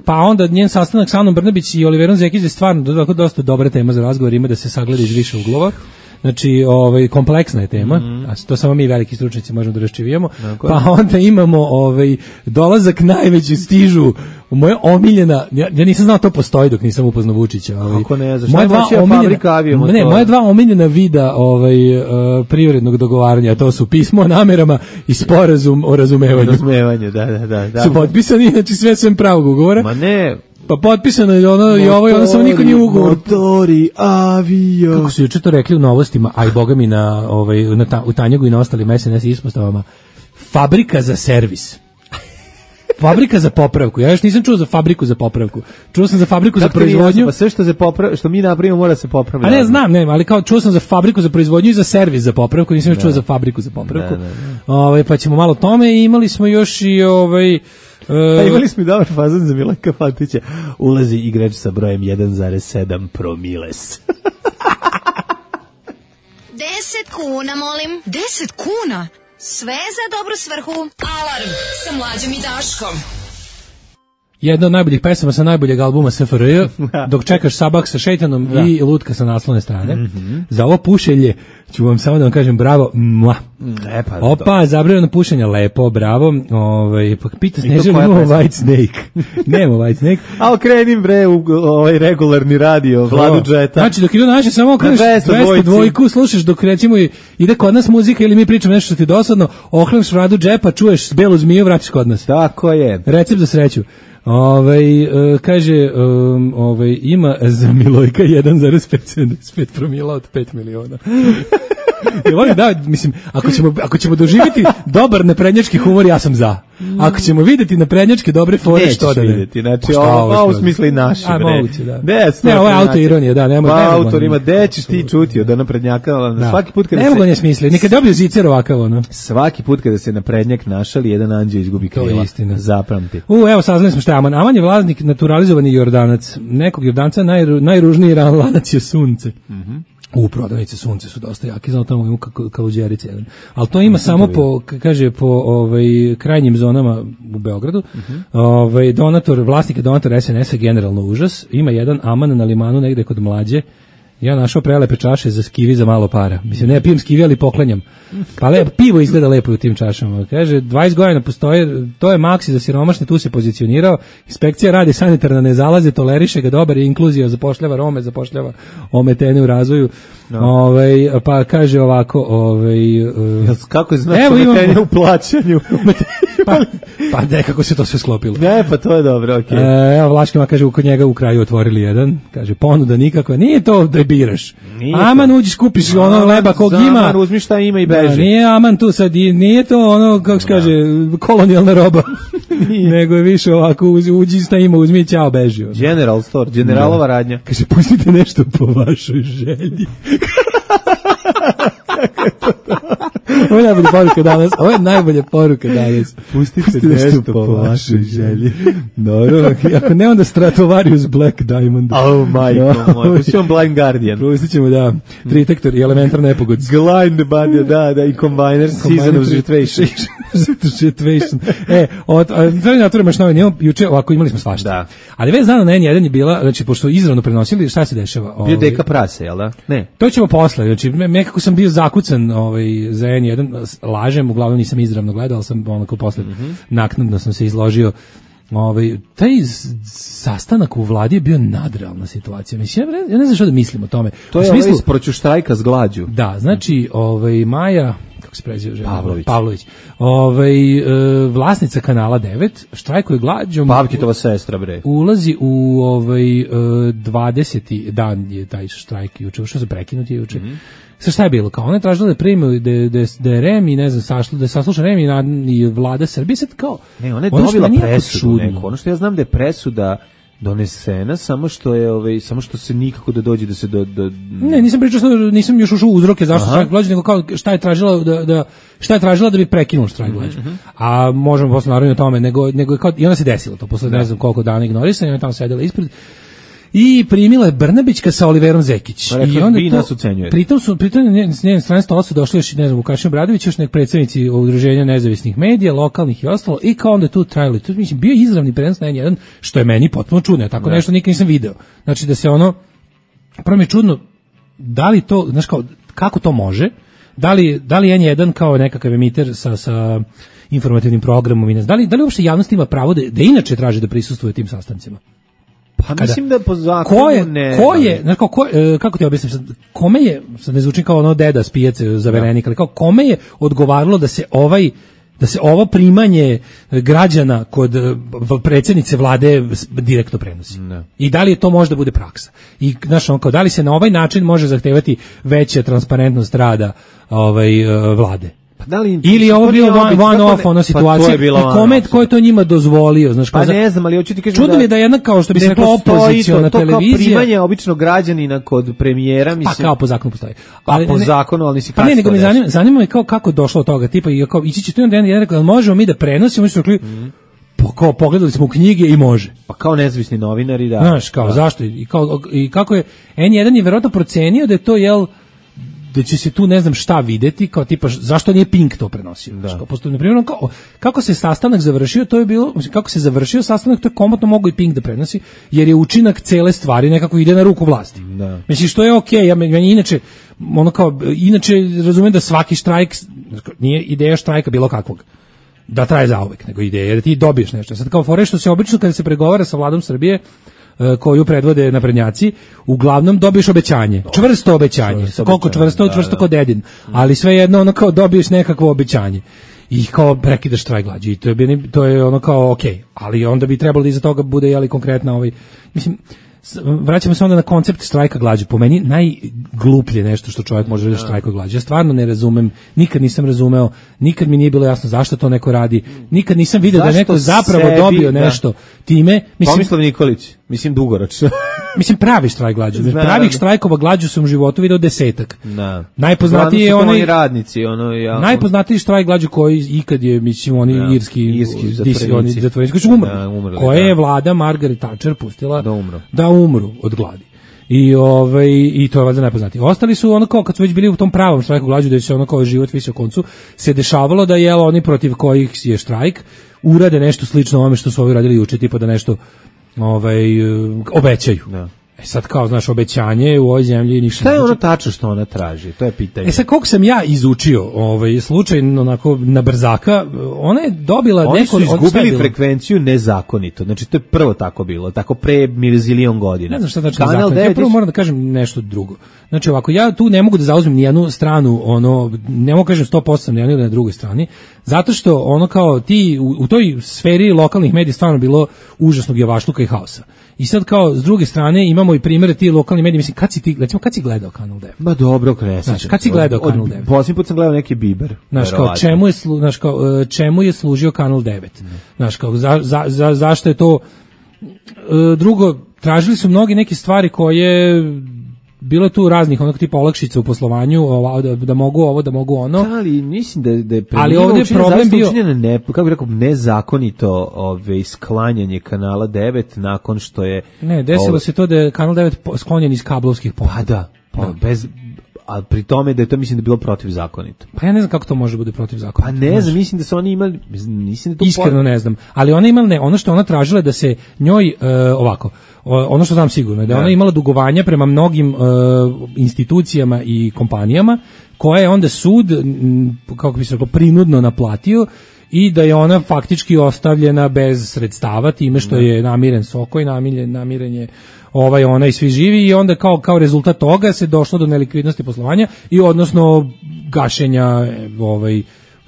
Speaker 5: pa onda njen sastanak sa Anom Brnabić i Oliverom Zekić je stvarno dosta dobra tema za razgovor, ima da se sagleda iz više uglova. Znači, kompleksna je tema, a to samo mi veliki stručnjaci možemo da raščivijemo. Pa onda imamo dolazak najveći stižu, moja omiljena, ja nisam znao to postoji dok nisam upoznao Vučića.
Speaker 6: Kako ne, zašto?
Speaker 5: Moja dva omiljena vida privrednog dogovaranja, to su pismo o namerama i sporazum o razumevanju.
Speaker 6: Razumevanju, da.
Speaker 5: Su potpisani, znači sve pravog ugovora.
Speaker 6: Ma ne.
Speaker 5: Pa potpisano je ono i ovo i ono, samo niko nije ugovor.
Speaker 6: Motori, avio.
Speaker 5: Kako su juče to rekli u novostima, a i boga mi u Tanjugu i na ostalim SNS ispostavama, fabrika za servis. Fabrika za popravku. Ja još nisam čuo za fabriku za popravku. Čuo sam za fabriku za proizvodnju.
Speaker 6: Pa sve što mi napravimo mora se popraviti.
Speaker 5: A ne znam, ali kao čuo sam za fabriku za proizvodnju i za servis za popravku, nisam još čuo za fabriku za popravku. Pa ćemo malo tome i imali smo još i
Speaker 6: imali smo i dobar fazon za Milanka Fatića. Ulazi igrač sa brojem 1,7 promiles.
Speaker 8: 10 kuna, molim. 10 kuna? Sve za dobru svrhu. Alarm sa Mlađom i Daškom.
Speaker 5: Jedna od najboljih pesama sa najboljeg albuma SFRJ, dok čekaš Sabah sa šeitanom i Lutka sa naslovne strane. Za ovo pušenje ću vam samo da vam kažem bravo. Opa, zabranjeno pušenje, lepo, bravo. Pita Snežana, imamo White Snake. Nemo White Snake.
Speaker 6: A okrenim bre u regularni radio, Vladu Džeta.
Speaker 5: Znači, dok idu naše, samo okreneš 202, slušaš dok recimo ide kod nas muzika ili mi pričamo nešto što ti dosadno, okreneš Vladu Džepa, čuješ belu zmiju, vraćaš kod nas.
Speaker 6: Tako je.
Speaker 5: Recept za sreću. Kaže, ima za Milojka 1,5 promila od 5 miliona. Mislim, ako ćemo doživjeti dobar naprednjački humor, ja sam za. Ako ćemo vidjeti naprednjačke dobre fore, što da ne.
Speaker 6: Nećeš vidjeti, znači ovo smisli naši.
Speaker 5: A moguće, da.
Speaker 6: Ne,
Speaker 5: ovo je autoironija, da, ne mogu.
Speaker 6: Autor ima, gde ćeš ti čuti od naprednjaka, svaki put kada
Speaker 5: se... Ne mogu ne smisli, nikad dobio zicer ovakav, ono.
Speaker 6: Svaki put kada se naprednjak našali, jedan anđeo izgubi krila.
Speaker 5: To je istina.
Speaker 6: Zapamti.
Speaker 5: Evo, saznali smo šta je Aman. Aman je vlasnik naturalizovani Jordanac. Nekog Jordanca najružniji lanac je sunce. Prodavnice sunce su dosta jaki, znao tamo ima kaluđerice jedan. Ali to ima samo po krajnjim zonama u Beogradu. Vlasnik je donator SNS-a, generalno užas. Ima jedan Aman na limanu negde kod Mlađe. Ja našao prelepe čaše za skivi za malo para. Mislim, ne pijem skivi, ali poklanjam. Pa pivo izgleda lepo u tim čašama. Kaže, 20 godina postoje, to je maksi za siromašne, tu se pozicionirao. Inspekcija radi, sanitarna ne zalaze, toleriše ga, dobar je, inkluzija, zapošljava Rome, zapošljava ometene u razvoju. Pa kaže ovako,
Speaker 6: kako je znači ometenje u plaćanju?
Speaker 5: Pa nekako se to sve sklopilo.
Speaker 6: Ne, pa to je dobro, okej.
Speaker 5: Evo, Vlaškima kaže, kod njega u kraju otvorili jedan. Kaže, ponuda nikakva. Nije to da biraš. Aman, uđi, skupiš ono leba kog ima.
Speaker 6: Aman, uzmi šta ima i beži.
Speaker 5: Nije Aman tu sad, nije to ono, kako se kaže, kolonijalna roba. Nego je više ovako, uđi šta ima, uzmi i ćao, beži.
Speaker 6: General store, generalova radnja.
Speaker 5: Kaže, pustite nešto po vašoj želji. Ovo je najbolja poruka danas. Ovo je najbolja poruka danas.
Speaker 6: Pustite nešto po vašoj želji.
Speaker 5: Dobro, ako ne, onda Stratovarius Black Diamond.
Speaker 6: Oh, majko moj. Pustit ćemo Blind Guardian.
Speaker 5: Pustit ćemo, da. Tritektor i elementar nepogod.
Speaker 6: Blind Guardian, da. I Combiner, Season of Situation.
Speaker 5: Treba natvorimo još novi. Juče ovako imali smo svašta.
Speaker 6: Da.
Speaker 5: Ali već dana na N1 je bila, znači, pošto izravno prenosili, šta se dešava?
Speaker 6: Bio deka prase, jel da? Ne.
Speaker 5: To ćemo posle. Znači, nekako sam bio zakucan za N1, lažem, uglavnom nisam izravno gledao, ali sam onako posle naknadno sam se izložio. Taj sastanak u vladi je bio nadrealna situacija. Mislim, ja ne znam što da mislim o tome.
Speaker 6: To je smislu, isproću štrajka s glađu.
Speaker 5: Da, znači, Maja, kako se preziva žena? Pavlović. Vlasnica kanala 9 štrajkuje glađom.
Speaker 6: Pavkitova sestra, bre.
Speaker 5: Ulazi u 20. dan je taj štrajk juče, što se prekinuti juče. Sa šta je bilo? Kao ona je tražila da primi da je REM i ne znam da sasluša REM i vlada Srbije, sad kao
Speaker 6: ne, ona je dobila presudu neku. Ono što ja znam da je presuda donesena, samo što je samo što se nikako da dođe da se
Speaker 5: Ne, nisam pričao, nisam još ušao u uzroke zašto štrajk glađu, nego kao šta je tražila da bi prekinuo štrajk glađu. A možemo posle naravno o tome, nego kao i ona se desilo to posle ne znam koliko dana ignorisanja, ona tamo sedela ispred. I primila je Brnabićka sa Oliverom Zekić.
Speaker 6: I onda vi nas ucenjujete.
Speaker 5: Pritom s njene strane stola su došli još, ne znam, Vukašin Obradović, još nek predstavnici udruženja nezavisnih medija, lokalnih i ostalo, i kao onda tu trajali. Tu mislim, bio izravni prenos na N1, što je meni potpuno čudno, tako nešto nikad nisam video. Znači da se prvo mi je čudno, da li to, znaš kao, kako to može, da li N1 kao nekakav emiter sa informativnim programom, da li uopšte javnost ima pravo da inače traži da prisustvuje tim sastancima?
Speaker 6: Pa mislim da po zakonu
Speaker 5: kako ti objasnim sad, kome je, sad ne zvučim kao deda s pijace zaverenik, ali kao kome je odgovaralo da se ovo primanje građana kod predsjednice vlade direktno prenosi. I da li je to možda bude praksa? I znaš, da li se na ovaj način može zahtevati veća transparentnost rada vlade? Ili je ovo bio one-off situacija i ko je to njima dozvolio, znaš,
Speaker 6: pa ne znam, ali hoću ti kažem
Speaker 5: čudno mi da jedna kao što bi se rekla opoziciona televizija,
Speaker 6: to kao primanje običnog građanina kod premijera, mislim,
Speaker 5: pa kao po zakonu postoji,
Speaker 6: ali po zakonu, ali nisi kasno.
Speaker 5: Pa ne, nego me zanima me kako došlo od toga, tipa i kao ići će tu jedan rekao, možemo mi da prenosimo, mi su rekli kao pogledali smo u knjige i može.
Speaker 6: Pa kao nezavisni novinari, da.
Speaker 5: Znaš, kao zašto i kako je N1 je verovatno procenio da je to da će se tu ne znam šta videti, kao tipa zašto nije Pink to prenosio. Na primjer, kako se sastanak završio, to je bilo, kako se završio sastanak, to je komotno mogao i Pink da prenosi, jer je učinak cele stvari nekako ide na ruku vlasti. Mislim, što je okej, inače razumem da svaki štrajk, nije ideja štrajka bilo kakvog da traje zauvek, nego ideja da ti dobiješ nešto. Sad kao fore što se obično kada se pregovara sa vladom Srbije, koju predvode naprednjaci, uglavnom dobiješ obećanje, čvrsto obećanje, koliko čvrsto kod dedin, ali svejedno kao dobiješ nekakvo obećanje i kao prekidaš štrajk glađu i to je kao okej, ali onda bi trebalo da iza toga bude konkretna mislim, vraćamo se onda na koncept štrajka glađu. Po meni najgluplje nešto što čovjek može reći štrajka glađu. Ja stvarno ne razumem, nikad nisam razumeo, nikad mi nije bilo jasno zašto to neko radi, nikad nisam vidio da neko zapravo dobio nešto time.
Speaker 6: Tomislav Nikolić, mislim dugoročno.
Speaker 5: Mislim pravi štrajk glađu. Pravih štrajkova glađu sam u životu video 10. Najpoznatiji je onaj
Speaker 6: radnici,
Speaker 5: najpoznatiji štrajk glađu koji ikad je, mislim, oni irski zatvorenici koji su umrli. Koje je vlada Margaret Thatcher pustila da umru od gladi. I to je valjda najpoznatiji. Ostali su kao kad su već bili u tom pravom štrajku glađu, da se život visi o koncu, se dešavalo da oni protiv kojih je štrajk urade nešto slično ovome što su ovi radili juče, tipa da nešto obećaju. Sad kao, znaš, obećanje u ovoj zemlji ništa.
Speaker 6: Šta je ono tačno što ona traži? To je pitanje.
Speaker 5: Sad koliko sam ja izučio slučajno onako na brzaka, ona je dobila
Speaker 6: Oni su izgubili frekvenciju nezakonito. Znači to je prvo tako bilo, tako pre milion godina.
Speaker 5: Ne znam šta znači nezakonito. Ja prvo moram da kažem nešto drugo. Znači ovako, ja tu ne mogu da zauzmem ni jednu stranu, ne mogu kažem 100% na jednoj ili na drugoj strani, zato što kao ti u toj sferi lokalnih medija stvarno bilo užasnog javašluka i haosa. I sad kao s druge strane imamo i primjere ti lokalni mediji, mislim kad si gledao Kanal 9?
Speaker 6: Ma dobro, kresaš.
Speaker 5: Kad si gledao Kanal 9?
Speaker 6: Posljednji put sam gledao neki Biber.
Speaker 5: Znaš kao čemu je služio Kanal 9? Znaš kao zašto je to drugo, tražili su mnogi neke stvari koje bilo tu raznih tipa olakšica u poslovanju, da mogu ovo, da mogu ono.
Speaker 6: Ali mislim da je
Speaker 5: ali ovdje je problem bio
Speaker 6: kako bih rekao, nezakonito sklanjanje Kanala 9 nakon što je
Speaker 5: desilo se to da je Kanal 9 sklonjen iz kablovskih ponuda.
Speaker 6: Bez, a pri tome da je to, mislim, da je bilo protivzakonito.
Speaker 5: Pa ja ne znam kako to može biti protivzakonito.
Speaker 6: Pa ne znam, mislim da su oni imali, mislim da to
Speaker 5: iskreno ne znam, ali ona imala ono što ona tražila da se njoj ovako, ono što znam sigurno je da ona imala dugovanja prema mnogim institucijama i kompanijama koje je onda sud, kako bi se rekao, prinudno naplatio i da je ona faktički ostavljena bez sredstava time što je namiren Sokoj, namiren je ona i svi živi i onda kao rezultat toga se došlo do nelikvidnosti poslovanja i odnosno gašenja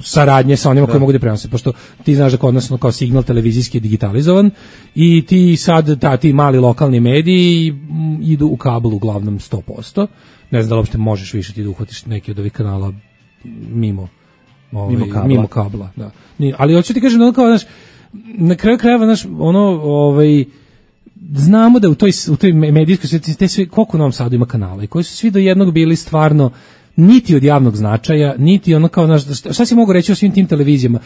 Speaker 5: saradnje sa onima koji mogu da prenose, pošto ti znaš da kod nas kao signal televizijski je digitalizovan i ti sad ti mali lokalni mediji idu u kabel uglavnom 100%. Ne znam da li uopšte možeš više ti da uhvatiš neki od ovih kanala mimo kabla. Da. Ali hoću ti kažem da kao, znaš, na kraju krajeva, znaš, znamo da u toj medijskoj sveti koliko u Novom Sadu ima kanala i koji su svi do jednog bili stvarno niti od javnog značaja, niti ono kao, šta si mogu reći o svim tim televizijama?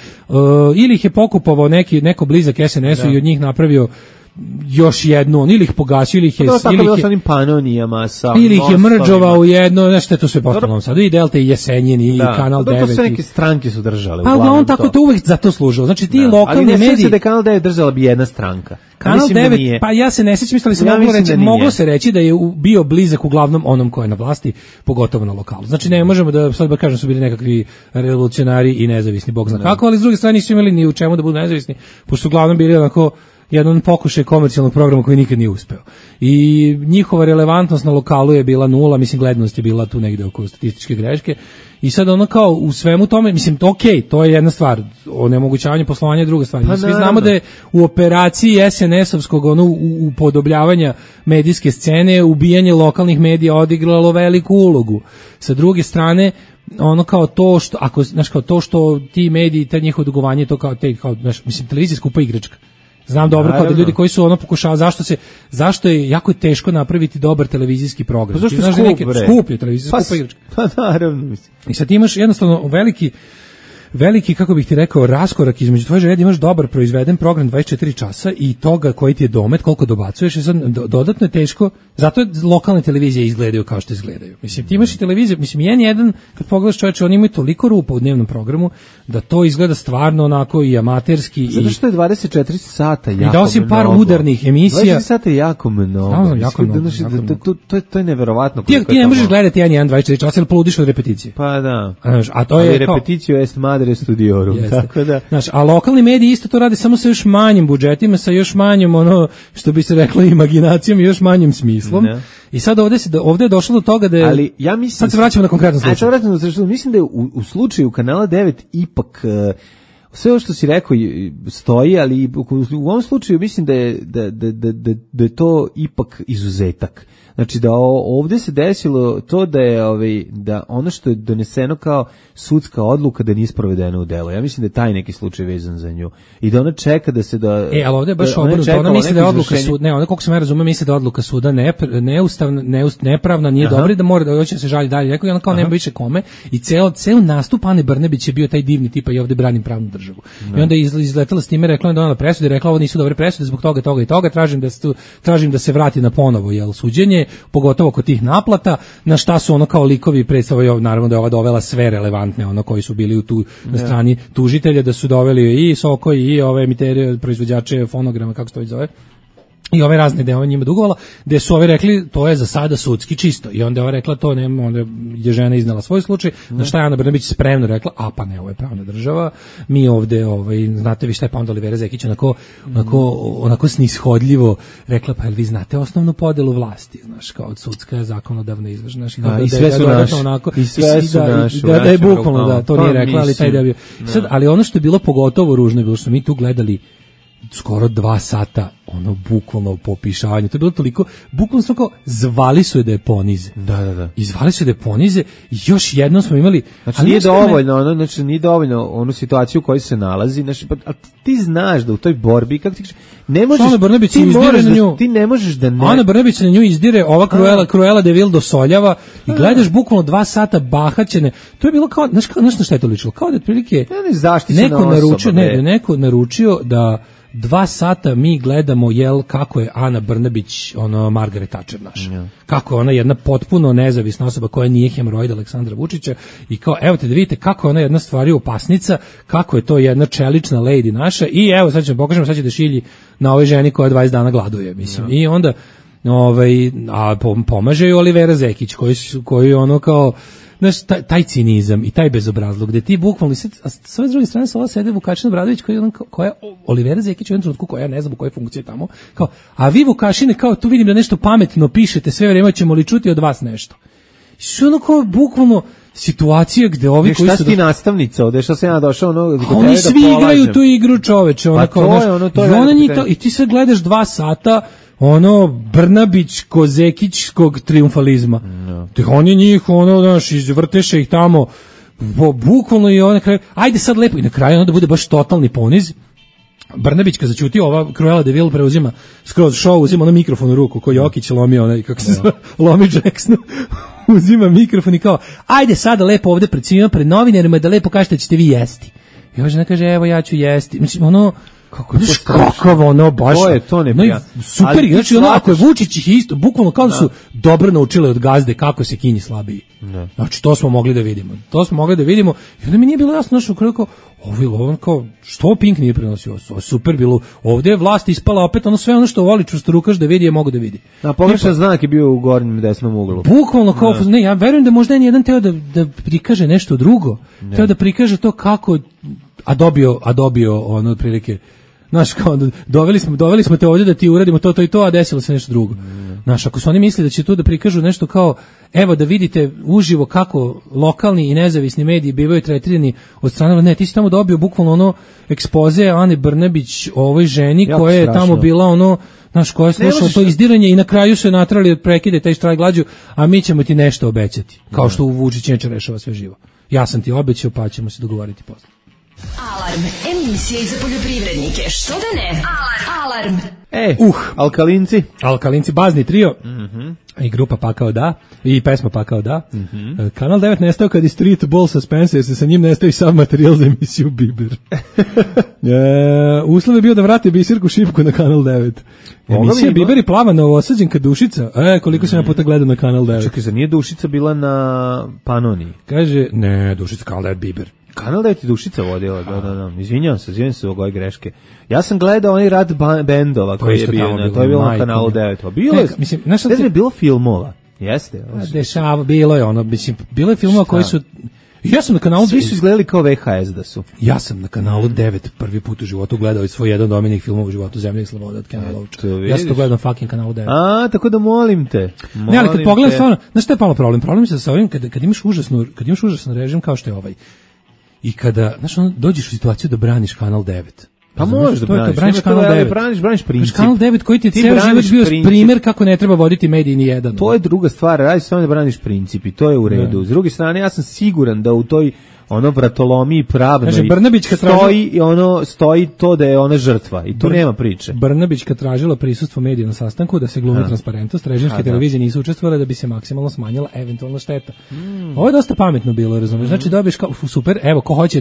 Speaker 5: Ili ih je pokupovao neko blizak SNS-u i od njih napravio još jednu, ili ih pogasio, ili ih je...
Speaker 6: Tako bilo sa onim Panonijama,
Speaker 5: ili ih je mrđovao u jedno, nešto je to sve postalo sad, i Delta, i Jesenjin, i Kanal 9.
Speaker 6: To sve neke stranke su držale.
Speaker 5: Pa uglavnom tako to uvek za to služilo. Znači ti lokalni mediji... Ali ne da
Speaker 6: je Kanal 9 držala bi jedna stranka.
Speaker 5: Kanal 9, pa ja se ne sećam, ali se moglo se reći da je bio blizak uglavnom onom ko je na vlasti, pogotovo na lokalu. Znači ne možemo da sad kažem su bili nekakvi revolucionari i nezavisni, bog zna kako, ali s druge strane nisu imali ni u čemu da budu nezavisni, pošto su uglavnom bili onako jedan pokušaj komercijalnog programa koji nikad nije uspeo. I njihova relevantnost na lokalu je bila nula, mislim gledanost je bila tu negde oko statističke greške. I sad ono kao u svemu tome, mislim, to je jedna stvar, onemogućavanje poslovanja je druga stvar. Svi znamo da je u operaciji SNS-ovskog upodobljavanja medijske scene ubijanje lokalnih medija odigralo veliku ulogu. Sa druge strane, ono kao to što, to što ti mediji, te njihovo dugovanje, to kao mislim, televizija skupa igračka. Znam dobro kao da ljudi koji su pokušavaju, zašto je jako teško napraviti dobar televizijski program.
Speaker 6: Pa zašto
Speaker 5: skuplje televizija, skupa igračka.
Speaker 6: Pa naravno, mislim.
Speaker 5: I sad imaš jednostavno veliki, kako bih ti rekao, raskorak između tvoje želje, imaš dobar proizveden program 24 časa i toga koji ti je domet, koliko dobacuješ, i sad dodatno je teško, zato lokalne televizije izgledaju kao što izgledaju. Mislim, ti imaš i televiziju, mislim, N1, kad pogledaš čoveče, oni imaju toliko rupa u dnevnom programu, da to izgleda stvarno onako i amaterski.
Speaker 6: Zato što je 24 sata jako mnogo.
Speaker 5: I dao si par udarnih emisija.
Speaker 6: 24 sata je jako mnogo.
Speaker 5: Znam, jako mnogo.
Speaker 6: To je neverovatno.
Speaker 5: Ti ne možeš gledati N1 24 časa, jer poludiš od repeticije.
Speaker 6: Pa da.
Speaker 5: A to je
Speaker 6: repeticiju est madre studiorum, tako da.
Speaker 5: Znaš, a lokalni mediji isto to rade samo sa još manjim budžetima, sa još manjim, što bi se reklo, imaginacijom i još manjim smislom. Ne. I sad ovdje je došlo do toga da je...
Speaker 6: Ali ja mislim...
Speaker 5: Sad se vraćamo na konkretan slučaj.
Speaker 6: Mislim da je u slučaju Kanala 9 ipak... Sve ovo što si rekao stoji, ali u ovom slučaju mislim da je to ipak izuzetak. Znači da ovdje se desilo to da je da ono što je doneseno kao sudska odluka da nije sprovedeno u delo. Ja mislim da je taj neki slučaj vezan za nju. I da ona čeka da se
Speaker 5: ali ovdje je baš obrnuto. Ona misli da je odluka suda, ona koliko sam ja razumio, misli da je odluka suda neustavna, nepravna, nije dobra, da mora da hoće se žali dalje. Rekao je ona kao nema više kome i ceo nastup Ane Brnabić je bio taj divni tipa i ovdje branim pravnu državu. I onda je izletela s time, rekla je donala presude, rekla ovo nisu dobre presude zbog toga i toga, tražim da se vrati na ponovo suđenje, pogotovo kod tih naplata, na šta su ono kao likovi predstavljaju, naravno da je ova dovela sve relevantne, koji su bili na strani tužitelja, da su doveli i Soko i ove emitere, proizvođače fonograma, kako se to već zove, i ove razne deo njima dugovala, gde su ovi rekli to je za sada sudski čisto. I onda je ova rekla to nema, onda je žena iznala svoj slučaj, na šta je Ana Brnabić spremno rekla, a pa ne, ovo je pravna država, mi ovde, znate vi šta je, pa onda Olivera Zekić onako snishodljivo rekla, pa jel vi znate osnovnu podelu vlasti, znaš, kao sudska, zakonodavna, izvršna,
Speaker 6: i sve su naši, i sve su naši.
Speaker 5: Da je bukvalno, da, to nije rekla, ali taj da bi... Ali ono što je bilo pogotovo ružno je bilo što mi tu gledali skoro 2 sata bukvalno popišavanje. To je bilo toliko, bukvalno smo kao zvali su je da je ponize.
Speaker 6: Da.
Speaker 5: I zvali su je da je ponize i još jednom smo imali...
Speaker 6: Znači nije dovoljno, nije dovoljno onu situaciju u kojoj se nalazi, znači, pa ti znaš da u toj borbi, kako ti kažeš, ne možeš...
Speaker 5: Ana Brnabić se izdire na nju.
Speaker 6: Ti ne možeš da ne...
Speaker 5: Ana Brnabić se na nju izdire, ova Cruella de Vil dosoljava i gledaš bukvalno 2 sata bahaćene. To je bilo kao, znaš na šta je to ličilo? Kao da otprilike neko naručio da 2 sata mi gledamo kako je Ana Brnabić Margaret Thatcher naša. Kako je ona jedna potpuno nezavisna osoba koja nije hemoroid Aleksandra Vučića i kao evo te da vidite kako je ona jedna stvari opasnica, kako je to jedna čelična lady naša i evo sad ćemo pokažemo, sad će da šilji na ovoj ženi koja 20 dana gladuje, mislim. I onda a pomaže joj Olivera Zekić koji kao znaš, taj cinizam i taj bezobrazluk, gde ti bukvalno, a s ove druge strane ova sede Vukašin Obradović, koja Olivera Zekić u jednom trenutku, koja ne znam u kojoj funkciji tamo, kao, a vi Vukašine, kao tu vidim da nešto pametno pišete, sve vrijeme ćemo li čuti od vas nešto. Sve ono kao bukvalno situacija gde ovi koji su...
Speaker 6: Šta si ti nastavnica ovde, šta sam ja došao ono...
Speaker 5: Oni svi igraju tu igru, čoveče.
Speaker 6: Pa to je
Speaker 5: I ti sad gledaš 2 sata ono Brnabić-Kozekićkog triumfalizma. Oni njih, znaš, izvrteše ih tamo, bukvalno i na kraju, ajde sad lepo, i na kraju ono da bude baš totalni poniz. Brnabić kad začuti, ova Cruella de Vil preuzima skroz show, uzima ono mikrofon u ruku, ko Jokić lomio onaj, kako se zove, lomi Jackson, uzima mikrofon i kao, ajde sada lepo ovde pred svima, pred novinarima, da lepo kažete da ćete vi jesti. I ova žena kaže, evo ja ću jesti. Mislim, ono, kako ono, baš,
Speaker 6: to je to neprijatno.
Speaker 5: Super, znači ono, ako je Vučić ih isto, bukvalno kao da su dobro naučili od gazde kako se kinji slabiji. Znači, to smo mogli da vidimo. I onda mi nije bilo jasno, znači, kako, ovo kao, što Pink nije prenosio? Super bilo. Ovdje je vlast ispala opet ono sve ono što voli čvrstorukaš da vidi je mogu da vidi.
Speaker 6: A pogrešan znak je bio u gornjem desnom uglu.
Speaker 5: Bukvalno kao, ne, ja verujem da možda je jedan teo da prikaže nešto drugo. Teo da prikaže to kako, a dobio ono otprilike. Znaš, kao, doveli smo te ovdje da ti uradimo to i to, a desilo se nešto drugo. Znaš, ako su oni misli da će tu da prikažu nešto kao, evo da vidite uživo kako lokalni i nezavisni mediji bivaju tretirani od strane, ne, ti si tamo dobio bukvalno ono ekspoze Ane Brnabić ovoj ženi jako koja je strašno. Tamo bila ono, znaš, koja je slušala to izdiranje i na kraju su je natrali od prekide taj štrajk glađu, a mi ćemo ti nešto obećati, kao što u Vučić neće rešava sve živo. Ja sam ti obećao, pa ćemo se dogovoriti posle.
Speaker 8: Alarm, emisija za poljoprivrednike, što da ne? Alarm.
Speaker 6: Alkalinci,
Speaker 5: bazni trio, i grupa Pakao da, i pesma Pakao da. Kanal 9 nestao kad je Street Ball suspense, jer se sa njim nestao i sav materijal za emisiju Biber. Uslov je bio da vrate Bisirku Šipku na Kanal 9. Emisija Biber i plava Novosađenka Dušica. Koliko sam ja puta gledao na Kanal 9.
Speaker 6: Čekaj, za nije Dušica bila na Panoniji?
Speaker 5: Kaže, ne, Dušica, Kanal 9 Biber.
Speaker 6: Kanal 9 je Dušica vodila, da. Izvinjavam se ove greške. Ja sam gledao onaj rad bendova koji je bio, to je bilo na Kanalu 9. Bilo je, mislim, je bilo filmova, jeste?
Speaker 5: Bilo je ono, mislim, bilo je filmova koji su... Ja sam na kanalu...
Speaker 6: Svi su izgledali kao VHS da su.
Speaker 5: Ja sam na Kanalu 9 prvi put u životu gledao svoj jedan od omiljenih filmova u životu, Zemlja i sloboda od Kena Loacha. Ja sam to gledao na fucking Kanalu 9.
Speaker 6: Tako da molim te.
Speaker 5: Ne, ali kad pogledam stvarno, znaš šta je palo problem? Problem je sa ovim, kad imaš užasan režim kao što je ovaj, i kada, znaš, dođeš u situaciju da braniš Kanal 9.
Speaker 6: Pa možeš da braniš
Speaker 5: Kanal 9.
Speaker 6: Braniš princip.
Speaker 5: Kanal 9 koji ti je ceo život bio primjer kako ne treba voditi mediji ni jedan.
Speaker 6: To je druga stvar, radi se samo da braniš princip i to je u redu. S druge strane, ja sam siguran da u toj vratolomiji pravnoj stoji to da je ona žrtva i tu nema priče.
Speaker 5: Brnabićka tražila prisustvo medija na sastanku da se glumi transparentnost, režimske televizije nisu učestvovale da bi se maksimalno smanjila eventualna šteta. Ovo je dosta pametno bilo, razumiješ? Znači dobiješ kao super, evo ko hoće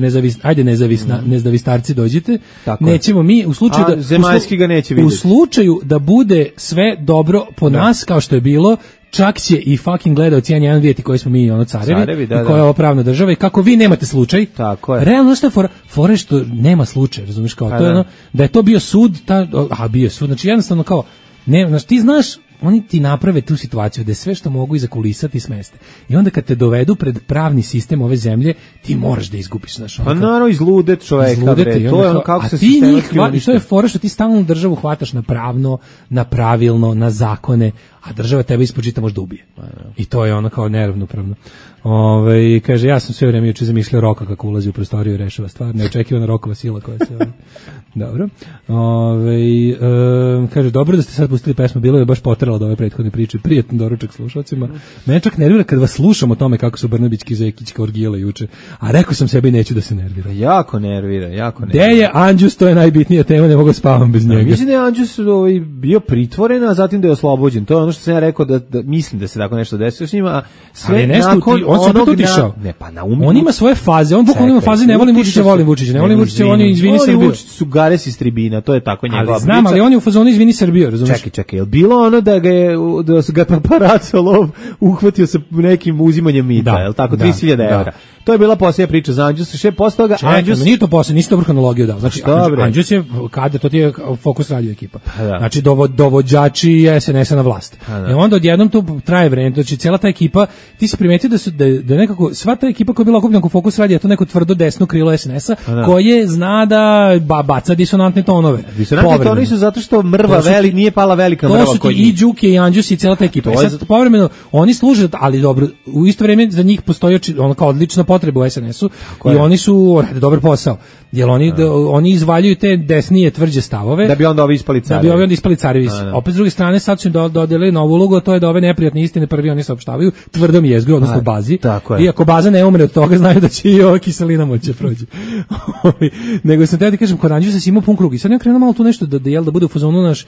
Speaker 5: nezavistarci dođite. Nećemo mi u slučaju da
Speaker 6: zemaljski ga neće vidjeti.
Speaker 5: U slučaju da bude sve dobro po nas kao što je bilo, čak će i fucking gledaoci N1 vidjeti koji smo mi carevi i koja je ovo pravna država i kako vi nemate slučaj.
Speaker 6: Tako je.
Speaker 5: Realno što je fora što nema slučaja, razumiješ, kao to je ono, da je to bio sud, bio je sud, znači jednostavno kao, ne, znači ti znaš, oni ti naprave tu situaciju da sve što mogu iza kulisa ti smeste. I onda kad te dovedu pred pravni sistem ove zemlje, ti moraš da izgubiš, znaš.
Speaker 6: Pa naravno izludet čoveka, bre, to je ono kako se
Speaker 5: sistematski uništi. I to je fora što ti stalno državu hvataš na pravno, na pravilno, na zakone, a država tebe ispod žita možda ubije. I to je ono kao neravnopravno. Kaže, ja sam sve vreme juče zamišljao Roka kako ulazi u prostoriju i rešava stvar, neočekivana Rokova sila koja se... Dobro. Kaže, dobro da ste sad pustili pesmu, bilo je baš potralo od ove prethodne priče, prijatno doručak slušalcima. Mene čak nervira kad vas slušam o tome kako su Brnabićki i Zekićka orgijale juče, a rekao sam sebi neću da se nervira.
Speaker 6: Jako nervira.
Speaker 5: Gde je Anđus, to je najbitnija tema, ne mogu spavam bez njega.
Speaker 6: Mislim da je Anđus bio pritvoren, a zatim da je oslobođen. To je ono što sam ja rekao da mislim da se tako nešto desilo s njima, a sve nakon
Speaker 5: on se opet otišao. On ima svoje faze, on bukvalno ima faze, ne volim Vučića, ne volim Vučića, on je izvini Srbiju.
Speaker 6: Vučić su gares iz tribina, to je tako njegova priča.
Speaker 5: Ali znam, ali on je u fazonu izvini Srbiju, razumiješ?
Speaker 6: Čekaj, je li bilo ono da ga paparaco lov uhvatio sa nekim uzimanjem mita, je li tako, 30.000 evra? To je bila posljednja priča za Anđus, posle toga Anđus...
Speaker 5: Nije to posljednja, nisi dobro hronologiju dao. Znači, Anđus je kada, to ti je Fokus radio ekipa. Znači, dovođači SNS-a na vlast. I onda odjednom to traje vreme, znači cijela ta ekipa, ti si primetio da nekako, sva ta ekipa koja je bila okupljena oko Fokus radio, je to neko tvrdo desno krilo SNS-a, koje zna da baca disonantne tonove.
Speaker 6: Disonantne tonove su zato što mrva nije pala velika mrva.
Speaker 5: To su ti i Đuki i Anđus i cijela ta ekipa. Sad, povremeno, oni služe, ali dobro, u isto vrijeme za njih postoji ono kao odlična potreba u SNS-u i oni su rade dobar posao. Jer oni izvaljuju te desnije tvrđe stavove.
Speaker 6: Da bi onda ovi ispali carevi.
Speaker 5: Da bi ovi ispali carevi. Opet s druge strane sad su im dodali novu ulogu, to je da ove neprijatne istine prvi oni saopštavaju tvrdom jezgru, odnosno u bazi. Iako baza ne umre od toga, znaju da će i ova kiselina moći prođe. Nego sam te da kažem, kod Anđusa si imao pun krug. I sad ne krenuo malo tu nešto da bude u fazonu naš...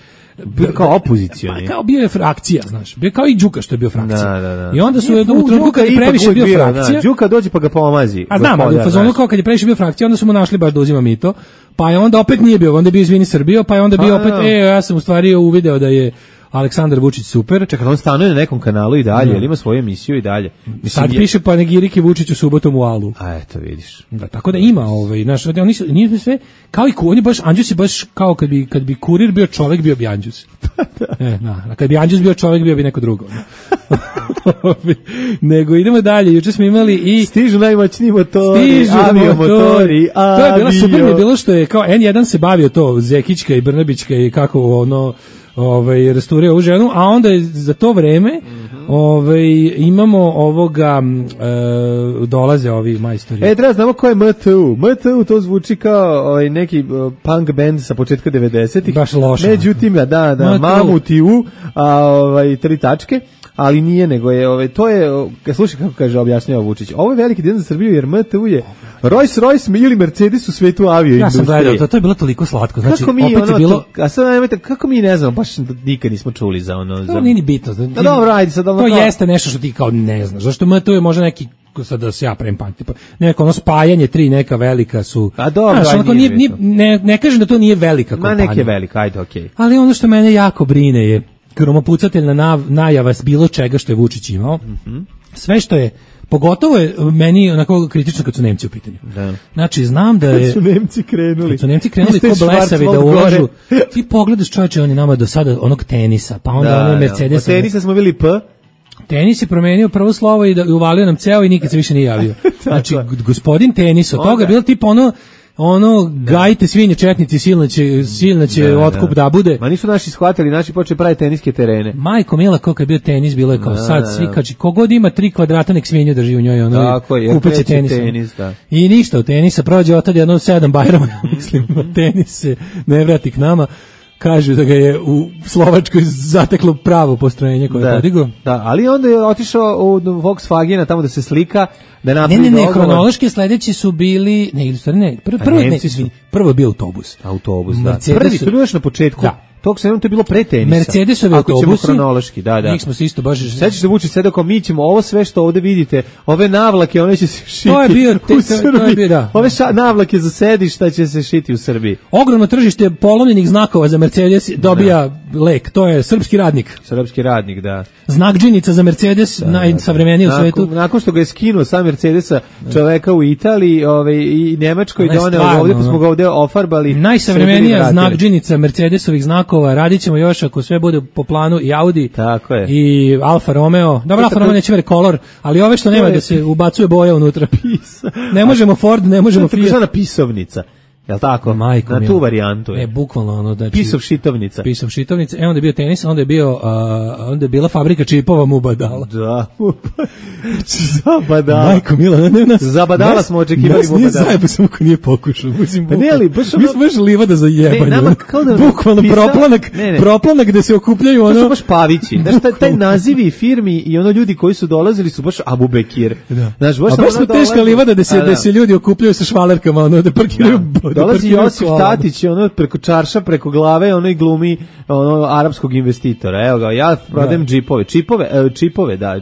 Speaker 6: Kao opozicioni.
Speaker 5: Kao bio je frakcija, znaš. Bio kao i Đuka što je bio frakcija. I onda su u trenutku kad je previše bio frakcija.
Speaker 6: Đuka dođe pa ga pomazi.
Speaker 5: A znam, ali u fazonu kao kad je previše bio frakcija, onda su mu našli baš da uzima mito. Pa je onda opet nije bio, onda je bio Izvini Srbijo, pa je onda bio opet, ja sam u stvari uvideo da je Aleksandar Vučić super.
Speaker 6: Čekaj, on stanuje na nekom kanalu i dalje, ili ima svoju emisiju i dalje.
Speaker 5: Sad piše panegirike Vučiću subotom u Alu.
Speaker 6: A eto, vidiš.
Speaker 5: Da, tako da ima, znaš, oni su, nije sve, kao i on je baš, Anđus je baš kao kad bi kurir bio čovjek, bio bi Anđus. A kad bi Anđus bio čovjek, bio bi neko drugo. Nego idemo dalje, juče smo imali i...
Speaker 6: Stižu najmoćniji motori, aviomotori,
Speaker 5: To je bilo super, mi je bilo što je kao N1 se bavio to, Zekićka i Brnabićka i kako restaurirao ovu ženu, a onda je za to vreme imamo ovoga dolaze ovi majstori.
Speaker 6: Treba znamo ko je MTU. MTU to zvuči kao neki punk band sa početka 90-ih.
Speaker 5: Baš loše.
Speaker 6: Međutim, da, Mamutiu, tri tačke. Ali nije, nego je, to je, slušaj kako kaže, objašnjava Vučić, ovo je veliki dan za Srbiju, jer MTU je Rolls-Royce ili Mercedes u svetu avioindustrije.
Speaker 5: Ja sam gledao, to je bilo toliko slatko, znači, opet je bilo...
Speaker 6: Kako mi ne znamo, baš nikad nismo čuli za ono...
Speaker 5: To nije ni bitno.
Speaker 6: Dobro, ajde sad...
Speaker 5: To jeste nešto što ti kao ne znaš, zašto MTU je možda neki, sad da se ja pravim pameti, neko ono spajanje tri neka velika su...
Speaker 6: A dobro,
Speaker 5: ne kažem da to nije velika kompanija.
Speaker 6: Ma nek je velika, ajde, okej.
Speaker 5: Ali ono što mene jako brine je kromopucateljna najava s bilo čega što je Vučić imao, sve što je, pogotovo je meni onako kritično kad su Nemci u pitanju.
Speaker 6: Da.
Speaker 5: Znači, znam da je...
Speaker 6: Kad su Nemci krenuli
Speaker 5: ko blesavi da ulažu. Ti pogledaš, čovječe, oni nama do sada onog tenisa, pa onda onaj Mercedes.
Speaker 6: Od tenisa smo bili P.
Speaker 5: Tenis je promenio prvo slovo i uvalio nam ceo i nikad se više nije javio. Znači, gospodin tenis, od toga je bilo tipa gajite svinje četnici, silna će otkup da bude.
Speaker 6: Ma nisu naši shvatili, naši počeli praviti teniske terene.
Speaker 5: Majko mila, koliko je bio tenis, bilo je kao sad svi, kaži, kogod ima 3 kvadrata nek svinju drži u njoj, kupit će tenis. I ništa od tenisa, prođe od tada 7 Bajrama, mislim, tenis se ne vrati k nama. Kažu da ga je u Slovačkoj zateklo pravo postrojenje koje je podigao. Da,
Speaker 6: ali onda je otišao u Volkswagena tamo da se slika, da napravi
Speaker 5: Ne, hronološki sledeći su bili, prvo je bio autobus.
Speaker 6: Autobus, da. Prvi, to je još na početku. Da. Tog se to je bilo pre tenisa.
Speaker 5: Mercedesovi autobusi.
Speaker 6: Hronološki, da.
Speaker 5: Njih smo se isto baš...
Speaker 6: Sećaš se Vučić sedao kao mi ćemo ovo sve što ovde vidite, ove navlake, one će se šiti
Speaker 5: to je bio, da.
Speaker 6: Ove navlake za sedišta će se šiti u Srbiji.
Speaker 5: Ogromno tržište polovljenih znakova za Mercedes dobija lek, to je srpski radnik.
Speaker 6: Srpski radnik, da.
Speaker 5: Znak džinica za Mercedes, najsavremeniji u svetu.
Speaker 6: Nakon što ga je skinuo sa Mercedesa čoveka u Italiji i Nemačkoj, doneo ovde, pa smo ga ovde ofarbali.
Speaker 5: Najsavremenija znak džinica Mercedesovih znakova, radit ćemo još ako sve bude po planu i Audi.
Speaker 6: Tako je.
Speaker 5: I Alfa Romeo. Dobro, Alfa Romeo neće veri kolor, ali ove što nema da se ubacuje boja unutra. Ne možemo Ford, ne možemo Fiat.
Speaker 6: To je pisovnica. Jel tako?
Speaker 5: Majko,
Speaker 6: na tu varijantu je.
Speaker 5: Bukvalno ono da
Speaker 6: pisov šitovnica.
Speaker 5: Pisov šitovnica. Onda je bio tenis, onda je bila fabrika čipova Mubadala.
Speaker 6: Da. Zabadala.
Speaker 5: Majko mila, ne nas.
Speaker 6: Zabadala smo očekivali Mubadala.
Speaker 5: Nije zajebo samo ko nije pokušao. Mislim,
Speaker 6: pa ne ali baš
Speaker 5: mi smo baš livada za jebanje. Bukvalno proplanak gde se okupljaju ono.
Speaker 6: To su baš Pavići. Znaš, taj nazivi firmi i ono ljudi koji su dolazili su baš Abu Bekir.
Speaker 5: Znaš, baš smo teška livada da se ljudi okupljaju sa švalerkama, ono da parkiraju.
Speaker 6: Dolazi Josif Tatić, ono preko čarša, preko glave, ono i glumi arapskog investitora. Evo ga, ja prodajem džipove. Čipove.
Speaker 5: Da,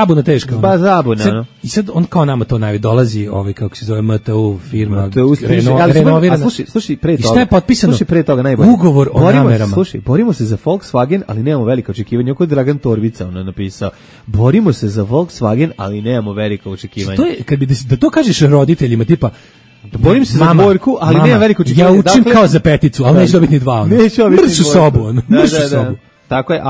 Speaker 5: zabuna teška.
Speaker 6: Ba zabuna.
Speaker 5: I sad on kao nama to dolazi, kako se zove MTU firma,
Speaker 6: renovirana. Slušaj, pre toga.
Speaker 5: I šta je potpisano?
Speaker 6: Slušaj, pre toga najbolje.
Speaker 5: Ugovor o namerama.
Speaker 6: Slušaj, borimo se za Volkswagen, ali nemamo velika očekivanja. Oko Dragan Torbica napisao. Borimo se za Volkswagen, ali nemamo velika očekivanja.
Speaker 5: To je, kad bi da to kažeš roditeljima, tipa,
Speaker 6: borim se za dvojku, ali nema veliko očekivanja.
Speaker 5: Ja učim kao za peticu, ali neću dobiti ni 2. Mršu sobu.
Speaker 6: Tako je,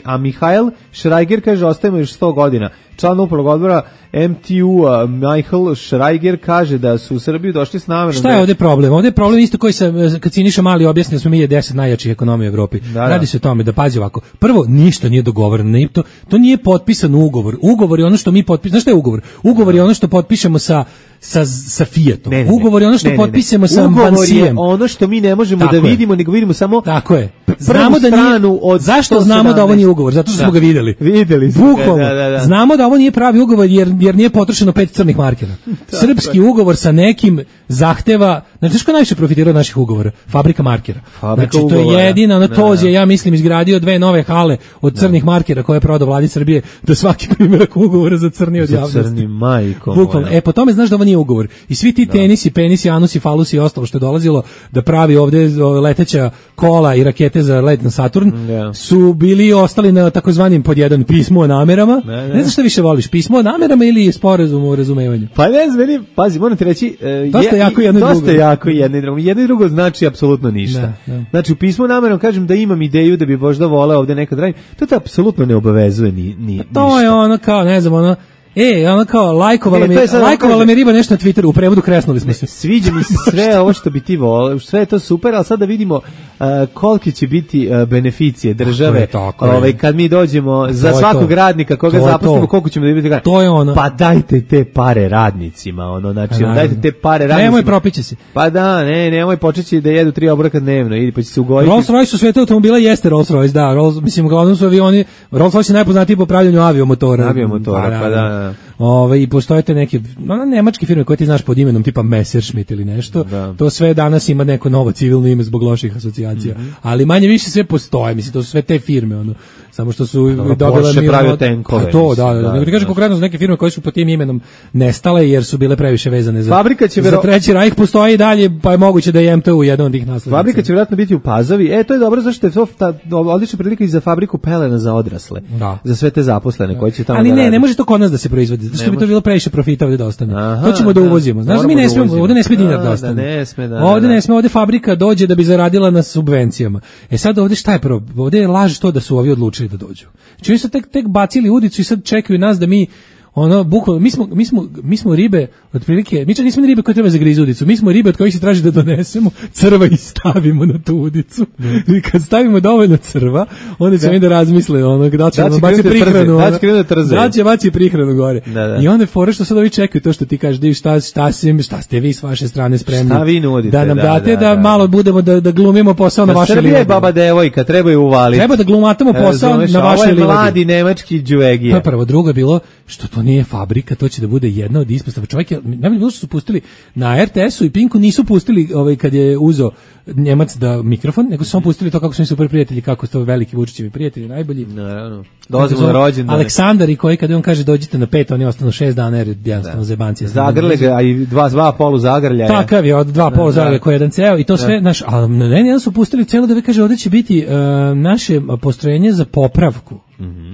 Speaker 6: a Mihael Šrajger kaže ostajemo još 100 godina. Član upravnog odbora MTU Michael Šrajger kaže da su u Srbiju došli s namerom.
Speaker 5: Šta je ovdje problem? Ovdje je problem isto koji kad Siniša Mali objasnio da smo mi 10 najjačih ekonomija u Evropi. Radi se o tome da pazi ovako. Prvo, ništa nije dogovoreno. To nije potpisan ugovor. Ugovor je ono što mi potpišemo. Znaš šta je ugovor? Ugovor je ono što potpišemo sa Fiatom. Ugovor je ono što potpišemo sa Vansijem.
Speaker 6: Ugovor je ono što mi ne možemo da vidimo, nego vidimo samo
Speaker 5: tako je. Znamo da nije, zašto znamo da ovo nije ugovor? Zato što smo ga videli. Bukvalno. Znamo da ovo nije pravi ugovor jer nije potrošeno 5 crnih markera. Srpski ugovor sa nekim zahteva, znači ko najviše profitirao od naših ugovora? Fabrika markera. Znači to je jedina, Toz je, ja mislim, izgradio 2 nove hale od crnih markera koje je prodao vladi Srbije, da svaki primjerak ugovora za crni od javnosti.
Speaker 6: Za crni majkom.
Speaker 5: Bukvalno. Po tome znaš da ovo nije ugovor. I svi ti tenisi, penisi, anusi, falusi i ostalo što je dolazilo da pravi ovde leteća kola i rakete za let na Saturn, su bili ostali na takozvanim pod jedan pismo o namerama. Ne znam šta više voliš, pismo o namerama ili sporazum o razumevanju?
Speaker 6: Pa ne znam, meni, pazi, moram ti reći,
Speaker 5: dosta jako jedno i drugo.
Speaker 6: Dosta jako jedno i drugo. Jedno i drugo znači apsolutno ništa. Znači, u pismu o namerom kažem da imam ideju da bi možda voleo ovde nekad raditi. To te apsolutno ne obavezuje ništa.
Speaker 5: To je ono kao, ne znam, ono, ona kao lajkovala mi riba nešto na Twitteru, u prevodu kresnuli smo se.
Speaker 6: Sviđa mi se sve ovo što bi ti voleo, sve je to super, ali sad da vidimo koliki će biti beneficije države, kad mi dođemo za svakog radnika koga zaposlimo, koliko ćemo dobiti.
Speaker 5: To je ono.
Speaker 6: Pa dajte te pare radnicima, znači dajte te pare radnicima.
Speaker 5: Nemoj propiće se.
Speaker 6: Pa da, nemoj počeći da jedu 3 obroka dnevno, ili pa će se ugojiti.
Speaker 5: Rolls-Royce u svetu automobila jeste Rolls-Royce, da, mislim, uglavnom su avioni, Rolls-Royce je najpoznatiji po pravljanju aviomotora,
Speaker 6: pa da.
Speaker 5: I postoje te neke nemačke firme koje ti znaš pod imenom tipa Messerschmitt ili nešto, to sve danas ima neko novo civilno ime zbog loših asocijacija, ali manje više sve postoje, mislim, to su sve te firme, samo što su dobile
Speaker 6: Porsche pravio tenkove.
Speaker 5: To, da ti kažem konkretno za neke firme koje su pod tim imenom nestale jer su bile previše vezane za Treći Rajh, postoji i dalje, pa je moguće da je MTU jedan od tih naslednica.
Speaker 6: Fabrika će vjerojatno biti u Pazovi, to je dobro zašto je to odlična prilika i za fabriku pelena za odrasle, za sve te zaposlene koji će tamo
Speaker 5: ali ne može to kod nas da se proizvodi, zato što bi to bilo previše profita ovdje da ostane. To ćemo da uvozimo. Znaš da mi ne smijemo, ovdje ne smije dinar da ostane. Ovdje ne smije, ovdje fabrika dođe da bi zaradila na subvencijama. Sad ovdje šta je problem? Ovdje je laž to da su ovi odlučili da dođu. Čini su tek bacili udicu i sad čekaju nas da mi bukvalno, mi smo ribe, otprilike, mi čak nismo ribe koje treba zagrizu udicu, mi smo ribe od kojih se traži da donesemo crva i stavimo na tu udicu. I kad stavimo dovoljno crva, onda će mi da razmisle, da će baci prihranu, da će baci prihranu gore. I onda je fora što sad ovi čekaju to što ti kažeš, divi šta ste vi s vaše strane spremni,
Speaker 6: šta vi nudite,
Speaker 5: da nam date da malo budemo da glumimo posao na vašoj liniji.
Speaker 6: Srbija je baba devojka, treba je uvaliti.
Speaker 5: Treba da glumatamo posao na vašoj liniji.
Speaker 6: Mladi nemački džuvegija.
Speaker 5: Prvo, drugo je bilo što to nije fabrika, to će da bude jedna od ispostava. Čovjek je, najbolje bilo što su pustili na RTS-u i Pinku, nisu pustili kad je uzo Njemac da mikrofon, nego su samo pustili to kako su mi super prijatelji, kako su to veliki Vučićevi prijatelji, najbolji.
Speaker 6: Naravno. Dolazimo na rođendan.
Speaker 5: Aleksandar i koji kada on kaže dođite na 5, oni ostanu 6 dana jer jednostavno zebancije.
Speaker 6: Zagrle ga, a i dva polu zagrljaja.
Speaker 5: Takav je, od 2 polu zagrljaja koji je jedan ceo i to sve, ali ne su pustili celo da kaže ovdje će biti naše postrojenje za popravku.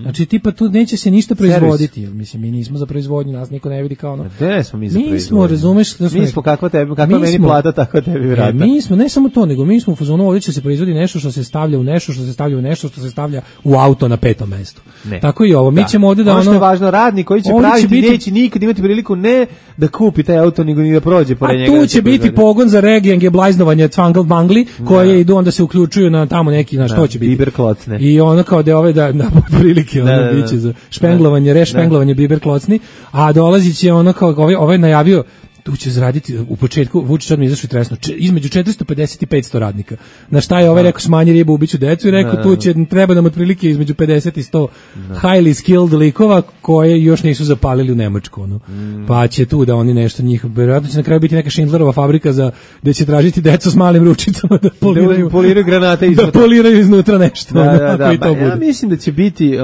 Speaker 5: Znači tipa tu neće se ništa proizvoditi, mislim mi nismo za proizvodnju, nas niko ne vidi kao
Speaker 6: Gde smo mi za proizvodnju?
Speaker 5: Mi smo, razumeš,
Speaker 6: mi smo kakva meni plata, tako tebi vrata.
Speaker 5: Mi smo, ne samo to, nego mi smo u fazonu ovdje će se proizvodi nešto što se stavlja u nešto, što se stavlja u nešto, što se stavlja u auto na 5. mestu. Tako i ovo, mi ćemo ovdje da
Speaker 6: što je važno, radnik koji će praviti neće nikad imati priliku ne da kupi taj auto, nego ni da prođe pored njega.
Speaker 5: A tu će biti pogon za regijenge, blajznovanje, cvangl bangli, koje idu onda se uključuju na tamo neki, na što će biti.
Speaker 6: Biberklocne.
Speaker 5: I ono kao da ove da prilike biće za špenglovanje, rešpenglovanje biber klocni, a dolazit će ono kao ovaj najavio tu će zaraditi u početku, Vučić odmah izašao i tresno, između 450 i 500 radnika. Na šta je ovaj rekao smanji ribu, ubiću decu i rekao tu će, treba nam otprilike između 50 i 100 highly skilled likova koje još nisu zapalili u Nemačku. Pa će tu da oni nešto njih, vjerojatno će na kraju biti neka Schindlerova fabrika gde će tražiti decu s malim ručicama da poliraju
Speaker 6: granate
Speaker 5: da poliraju iznutra nešto.
Speaker 6: Ja mislim da će biti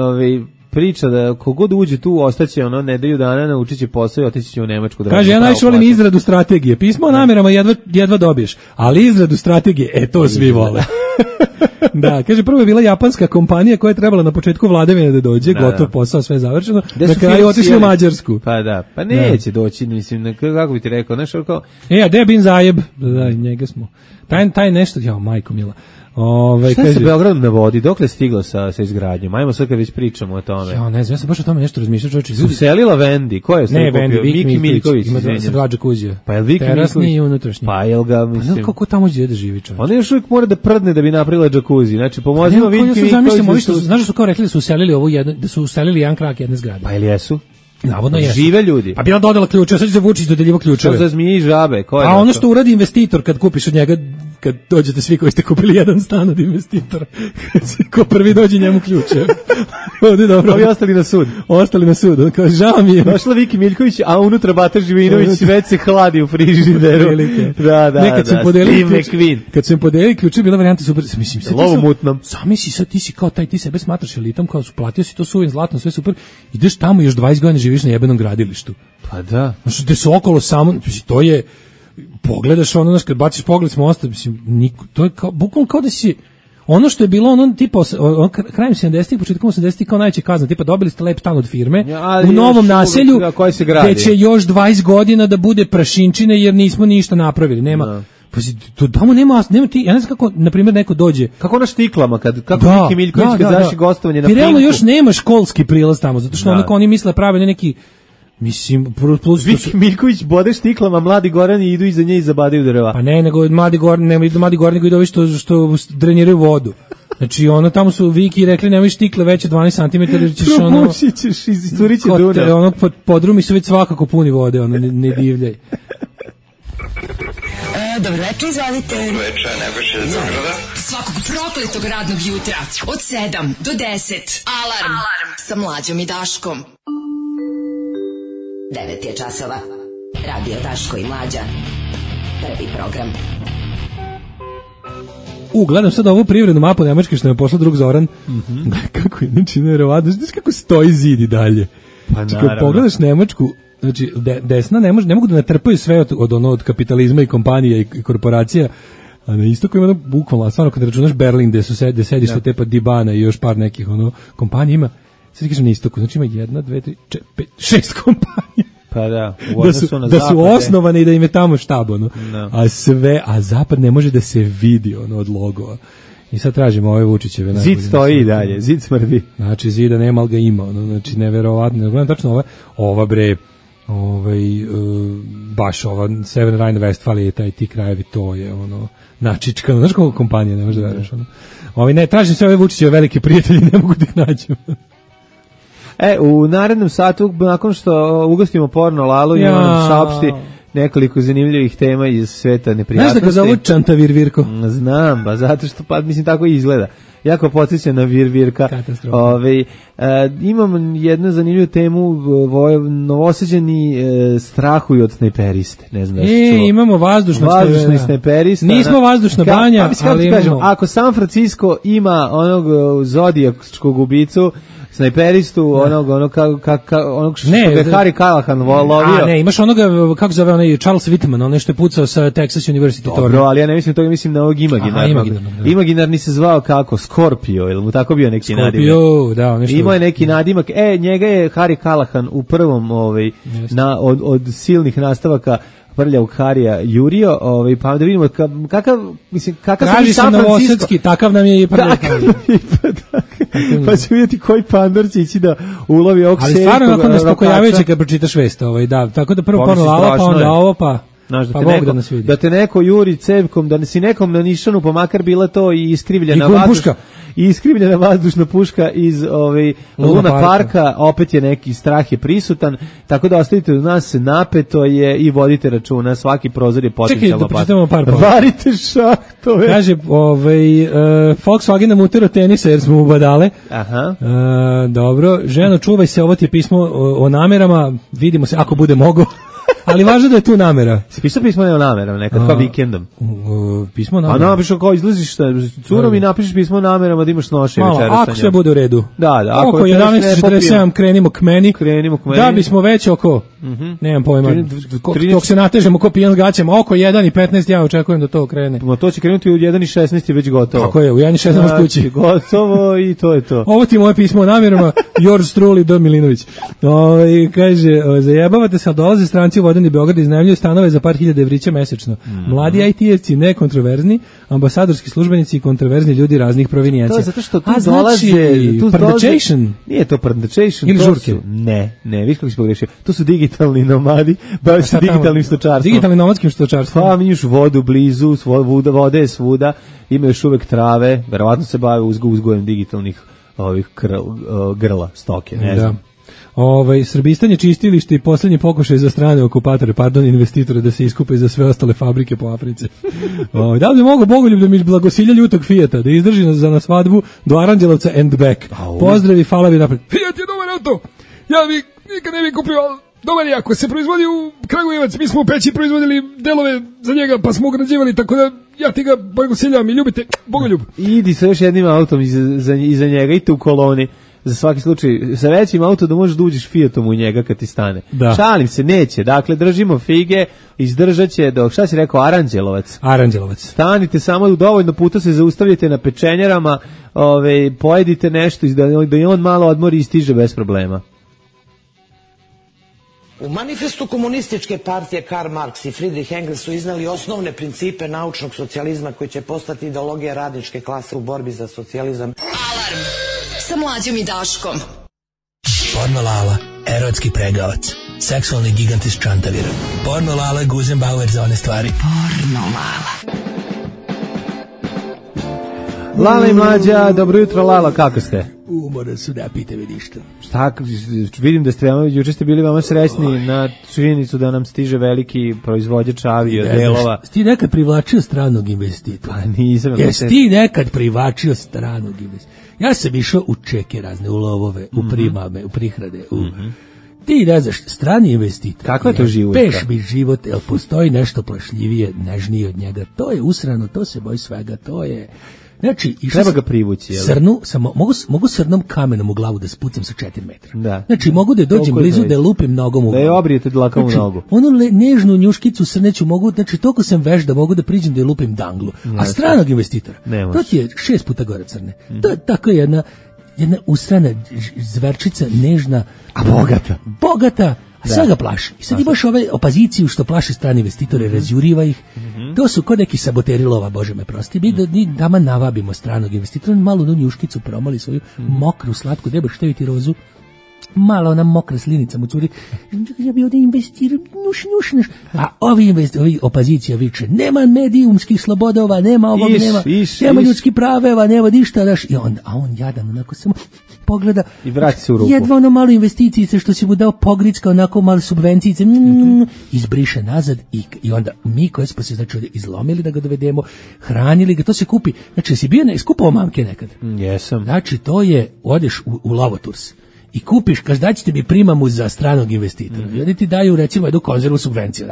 Speaker 6: priča da kogod uđe tu ostaće ono nedelju dana, naučit će posao i otići će u Nemačku.
Speaker 5: Kaže, ja najviše volim izradu strategije. Pismo o namerama jedva dobiješ, ali izradu strategije, to svi vole. Da, kaže, prvo je bila japanska kompanija koja je trebala na početku vladavine da dođe, gotov posao, sve završeno, na kraju otišli u Mađarsku.
Speaker 6: Pa da, pa neće doći, mislim, kako bi ti rekao, znaš, kao...
Speaker 5: Gde je Bin Zajeb? Da, njega smo. Taj nešto, majko mila.
Speaker 6: Šta je sa Beogradom na vodi? Dokle je stiglo sa izgradnjom? Ajmo sad kad već pričamo o tome.
Speaker 5: Ne znam, ja sam baš o tome nešto razmišljao, čovječe.
Speaker 6: Uselila Vendi, ko je
Speaker 5: ne, Vendi, Viki Miljković. Ima se dva džakuzija.
Speaker 6: Pa je Viki Miljković?
Speaker 5: Terasni i unutrašnji.
Speaker 6: Pa je ga, mislim...
Speaker 5: Pa kako tamo gdje da živi čovječe?
Speaker 6: Ona još uvijek mora da prdne da bi napravila džakuzi. Znači, pomozimo Viki Miljković.
Speaker 5: Znaš da su kao rekli da su uselili da su uselili jedan krak jedne zgrade.
Speaker 6: Pa ili jesu?
Speaker 5: Navodno jesu.
Speaker 6: Žive ljudi.
Speaker 5: Pa bila dodala ključe, sad će se Vučić dodeljivo ključeve.
Speaker 6: Što za zmije i žabe?
Speaker 5: A ono što uradi investitor kad kupiš od njega, kad dođete svi koji ste kupili jedan stan od investitora, ko prvi dođe njemu ključe. Ovdje dobro.
Speaker 6: Ovi ostali na sud.
Speaker 5: Ostali na sud. On kao, žao mi je.
Speaker 6: Došla Viki Miljković, a unutra Bata Živinović već se hladi u frižideru. Da.
Speaker 5: Nekad sam podelili ključe. Kad sam podelili ključe, bila varijanta super. Mislim,
Speaker 6: lovomutnom.
Speaker 5: Zamisli sad, ti si kao taj, ti sebe smatraš elitom, kao su platio si to suvim zlatom, sve super. Ideš tamo još 20 godina živiš na jebenom gradilištu.
Speaker 6: Pa da.
Speaker 5: Znači, gde su okolo samo, to je, pogledaš ono, kad baciš pogled s mosta, mislim, to je kao, bukvalno kao da si, ono što je bilo, ono tipa, krajem 70-ih, početkom 80-ih, kao najveća kazna, tipa dobili ste lep stan od firme, u novom naselju, gde će još 20 godina da bude prašinčine, jer nismo ništa napravili, nema... Pa tamo nema ti, ja ne znam kako, na primjer, neko dođe.
Speaker 6: Kako na štiklama, kako Viki Miljković kad zaši gostovanje na Pinku.
Speaker 5: Ti realno još nema školski prilaz tamo, zato što oni misle prave neki, mislim, plus...
Speaker 6: Viki Miljković bode štiklama, mladi gorani idu iza nje i zabadaju drva.
Speaker 5: Pa ne, nego mladi gorani nego idu ovi što dreniraju vodu. Znači, tamo su Viki rekli, nemoj štikle veće 12 cm, jer ćeš
Speaker 6: ćeš, isturit će Dunav.
Speaker 5: Podrumi su već svakako puni vode, ne divljaj.
Speaker 8: Dobro večer, izvalite.
Speaker 4: Dobro večer, Nebojša iz Beograda.
Speaker 8: Svakog prokletog radnog jutra od 7 do 10. Alarm sa Mlađom i Daškom.
Speaker 9: 9 je časova. Radio Daško i Mlađa. Prvi program.
Speaker 5: Gledam sad ovu privrednu mapu Nemačke što me poslao drug Zoran. Kako je, znači, nevjerovatno. Znaš kako stoji zid i dalje.
Speaker 6: Pa naravno.
Speaker 5: Kad pogledaš Nemačku, znači, desna ne mogu da natrpaju sve od kapitalizma i kompanija i korporacija, a na istoku ima bukvalno, stvarno kad računaš Berlin, gde sedište tepa Dibana i još par nekih kompanija ima, sad ti kažem na istoku, znači ima 1, 2, 3, 4, 5, 6 kompanija.
Speaker 6: Pa da,
Speaker 5: da su osnovane i da im je tamo štab, a zapad ne može da se vidi od logova. I sad tražimo ove Vučićeve.
Speaker 6: Zid stoji i dalje, zid smrdi.
Speaker 5: Znači, zida nema, ali ga ima. Znači, neverovatno. Gledam tačno ova bre, baš ova Severna Rajna-Vestfalija, ti krajevi, to je načičkano. Znaš kako kompanija, ne može da veriš. Ne, tražim sve ove Vučićeve velike prijatelji, ne mogu da ih nađem.
Speaker 6: U narednom satu, nakon što ugostimo porno Lalu, i on saopšti nekoliko zanimljivih tema iz sveta neprijatnosti.
Speaker 5: Znaš da ga zovu Čanta Virvirko?
Speaker 6: Znam, zato što, mislim, tako izgleda. Jako podsjeća na Virvirka. Imam jednu zanimljivu temu, novosađeni strahuju od snajperiste. Ne znam da se čuo.
Speaker 5: Imamo vazdušni
Speaker 6: snajperista.
Speaker 5: Nismo vazdušna banja, ali imamo.
Speaker 6: Ako San Francisco ima onog zodijakskog ubicu, snajperistu, onog što je Harry Callahan lovio.
Speaker 5: Ne, imaš onoga, kako zove onaj Charles Whitman, onaj što je pucao sa Texas University.
Speaker 6: Dobro, ali ja ne mislim toga, mislim na ovog imaginarnog. Imaginarni se zvao kako? Scorpio, ili mu tako bio neki nadimak?
Speaker 5: Scorpio, da.
Speaker 6: Imao je neki nadimak, njega je Harry Callahan u prvom od silnih nastavaka prljavog Harija jurio, pa da vidimo kakav
Speaker 5: traži se novosadski, takav nam je i prljavog Harija.
Speaker 6: Pa će vidjeti koji pandor će ići da ulovi ovog
Speaker 5: ali stvarno onako nespokojavajuće kad pročitaš vest, da, tako da prvo porno Lala, pa onda ovo, pa Bog da nas vidi.
Speaker 6: Da te neko juri cevkom, da si nekom na nišanu, pa makar bila to i iskrivljena vazdušna puška iz Luna Parka, opet je neki strah je prisutan, tako da ostavite od nas, napeto je i vodite računa, svaki prozor je potencijalno
Speaker 5: opasan. Čekaj, da pročitamo par
Speaker 6: varite šahtove.
Speaker 5: Kaže, Volkswagen nam utero tenisa jer smo u badale.
Speaker 6: Aha.
Speaker 5: Dobro, ženo, čuvaj se, ovo ti je pismo o namerama, vidimo se ako bude mogo. Ali važno da je tu namera.
Speaker 6: Si pisao pismo namerom nekad, kao vikendom?
Speaker 5: Pismo namerom?
Speaker 6: A napišao kao izlaziš sa curom i napišeš pismo namerom, da imaš noše večera sa njom.
Speaker 5: Ako sve bude u redu.
Speaker 6: Da.
Speaker 5: Oko 11:47 krenimo k meni. Da bismo već oko, nemam pojma, dok se natežemo ko pijan gaćama, oko 1:15 ja očekujem da to krene.
Speaker 6: Ma to će krenuti u 1:16 je već gotovo.
Speaker 5: Tako je, u 1:16 možeš kući.
Speaker 6: Gotovo i to je to.
Speaker 5: Ovo ti moje pismo o namerama, yours truly, D. Milinović. Kaže, zajebavate se, dolaze stranci u vodeni Beograd, iznajmljuju stanove za par hiljada evrića mesečno. Mladi IT-evci nekontroverzni, ambasadorski službenici i kontroverzni ljudi raznih provinijencija.
Speaker 6: To je zato što tu dolaze...
Speaker 5: Pardečation?
Speaker 6: Nije to pardečation.
Speaker 5: Ili žurke?
Speaker 6: Ne, viš kako si pogrešio. To su digitalni nomadi, bavaju se digitalnim stočarstvom.
Speaker 5: Digitalnim nomadskim stočarstvom.
Speaker 6: Pa, mi još vodu blizu, vode je svuda, ima još uvek trave, verovatno se bave uzgojem digitalnih ovih grla, stoke, ne znam.
Speaker 5: Srbistan je čistilište i posljednji pokušaj za strane okupatore, investitore da se iskupe za sve ostale fabrike po Africi. Da li bi mogo Bogoljub da mi blagosilja ljutog Fijata, da izdrži za na svadbu do Aranđelovca and back. Pozdravi, falavi napred.
Speaker 10: Fijat je dobar auto, ja bi nikad ne bi kupio, dobar je, ako se proizvodi u Kragujevac, mi smo u Peći proizvodili delove za njega, pa smo ugrađivali, tako da ja ti ga blagosiljavam i ljubite, Bogoljub.
Speaker 6: Idi sa još jednim autom iza njega, idite u koloni. Za svaki slučaj, sa većim auto da možeš da uđeš Fiatom u njega kad ti stane. Da. Šalim se, neće. Dakle, držimo fige, izdržat će do, šta si rekao, Aranđelovac?
Speaker 5: Aranđelovac.
Speaker 6: Stanite samo dovoljno puta, se zaustavljate na pečenjarama, pojedite nešto, da je on malo odmori i stiže bez problema.
Speaker 11: U manifestu komunističke partije Karl Marx i Friedrich Engels su iznali osnovne principe naučnog socijalizma koji će postati ideologija radničke klase u borbi za socijalizam.
Speaker 8: Alarm sa Mlađom i Daškom.
Speaker 12: Porno Lala, erotski pregavac, seksualni gigant iz Čantavira. Porno Lala, Guzenbauer za one stvari.
Speaker 8: Porno Lala.
Speaker 6: Lala i Mlađa, dobro jutro Lala, kako ste?
Speaker 12: Umoran su, da pite mi ništa.
Speaker 6: Šta, vidim da ste juče ste bili veoma srećni na činjenicu da nam stiže veliki proizvođač avio delova.
Speaker 12: Ti nekad privlačio stranog investitora?
Speaker 6: Pa nisam.
Speaker 12: Jesi ti nekad privlačio stranog investitora? Ja sam išao u čeke razne, u lovove, u primame, u prihrade, Ti ne znaš, strani investitor.
Speaker 6: Kako je to život?
Speaker 12: Peš mi život, jel postoji nešto plašljivije, nežnije od njega? To je usrano, to se boji svega, to je... Znači,
Speaker 6: treba ga privući, jel?
Speaker 12: Srnu, samo mogu srnom kamenom u glavu da spucam sa 4 metra.
Speaker 6: Da.
Speaker 12: Znači, mogu da dođem blizu, da je lupim nogom u glavu.
Speaker 6: Da je obrijete dlakom u nogu.
Speaker 12: Onu nežnu njuškicu srneću mogu, znači, toliko sam veš da mogu da priđem da je lupim danglu. A stranog investitora, to ti je 6 puta gore crne. To je tako jedna usrana zverčica, nežna.
Speaker 6: A
Speaker 12: bogata. A sve ga plaši. I sad imaš ove opoziciju što plaši strani investitore, razjuriva ih. To su kod neki saboteri lova, Bože me prosti. Mi dama navabimo stranog investitora, malo onu njuškicu promali svoju mokru, slatku, treba števiti rozu. Malo ona mokra slinica mu curi. Ja bi ovdje investirao, njuš. A ovi opozicija viče, nema medijumskih slobodova, nema ovog, nema ljudskih praveva, nema ništa, a on jadan, onako samo pogleda
Speaker 6: i vrati se u ruku.
Speaker 12: Jedva ono malo investicijice što si mu dao pogricka, onako malo subvencijice, izbriše nazad i onda mi koji smo se znači izlomili da ga dovedemo, hranili ga, to se kupi. Znači, si bio skupao mamke nekad?
Speaker 6: Jesam.
Speaker 12: Znači, to je, odeš u Lovoturs i kupiš, kaži daćete mi primamu za stranog investitora. I oni ti daju recimo jednu konzervu subvenciju.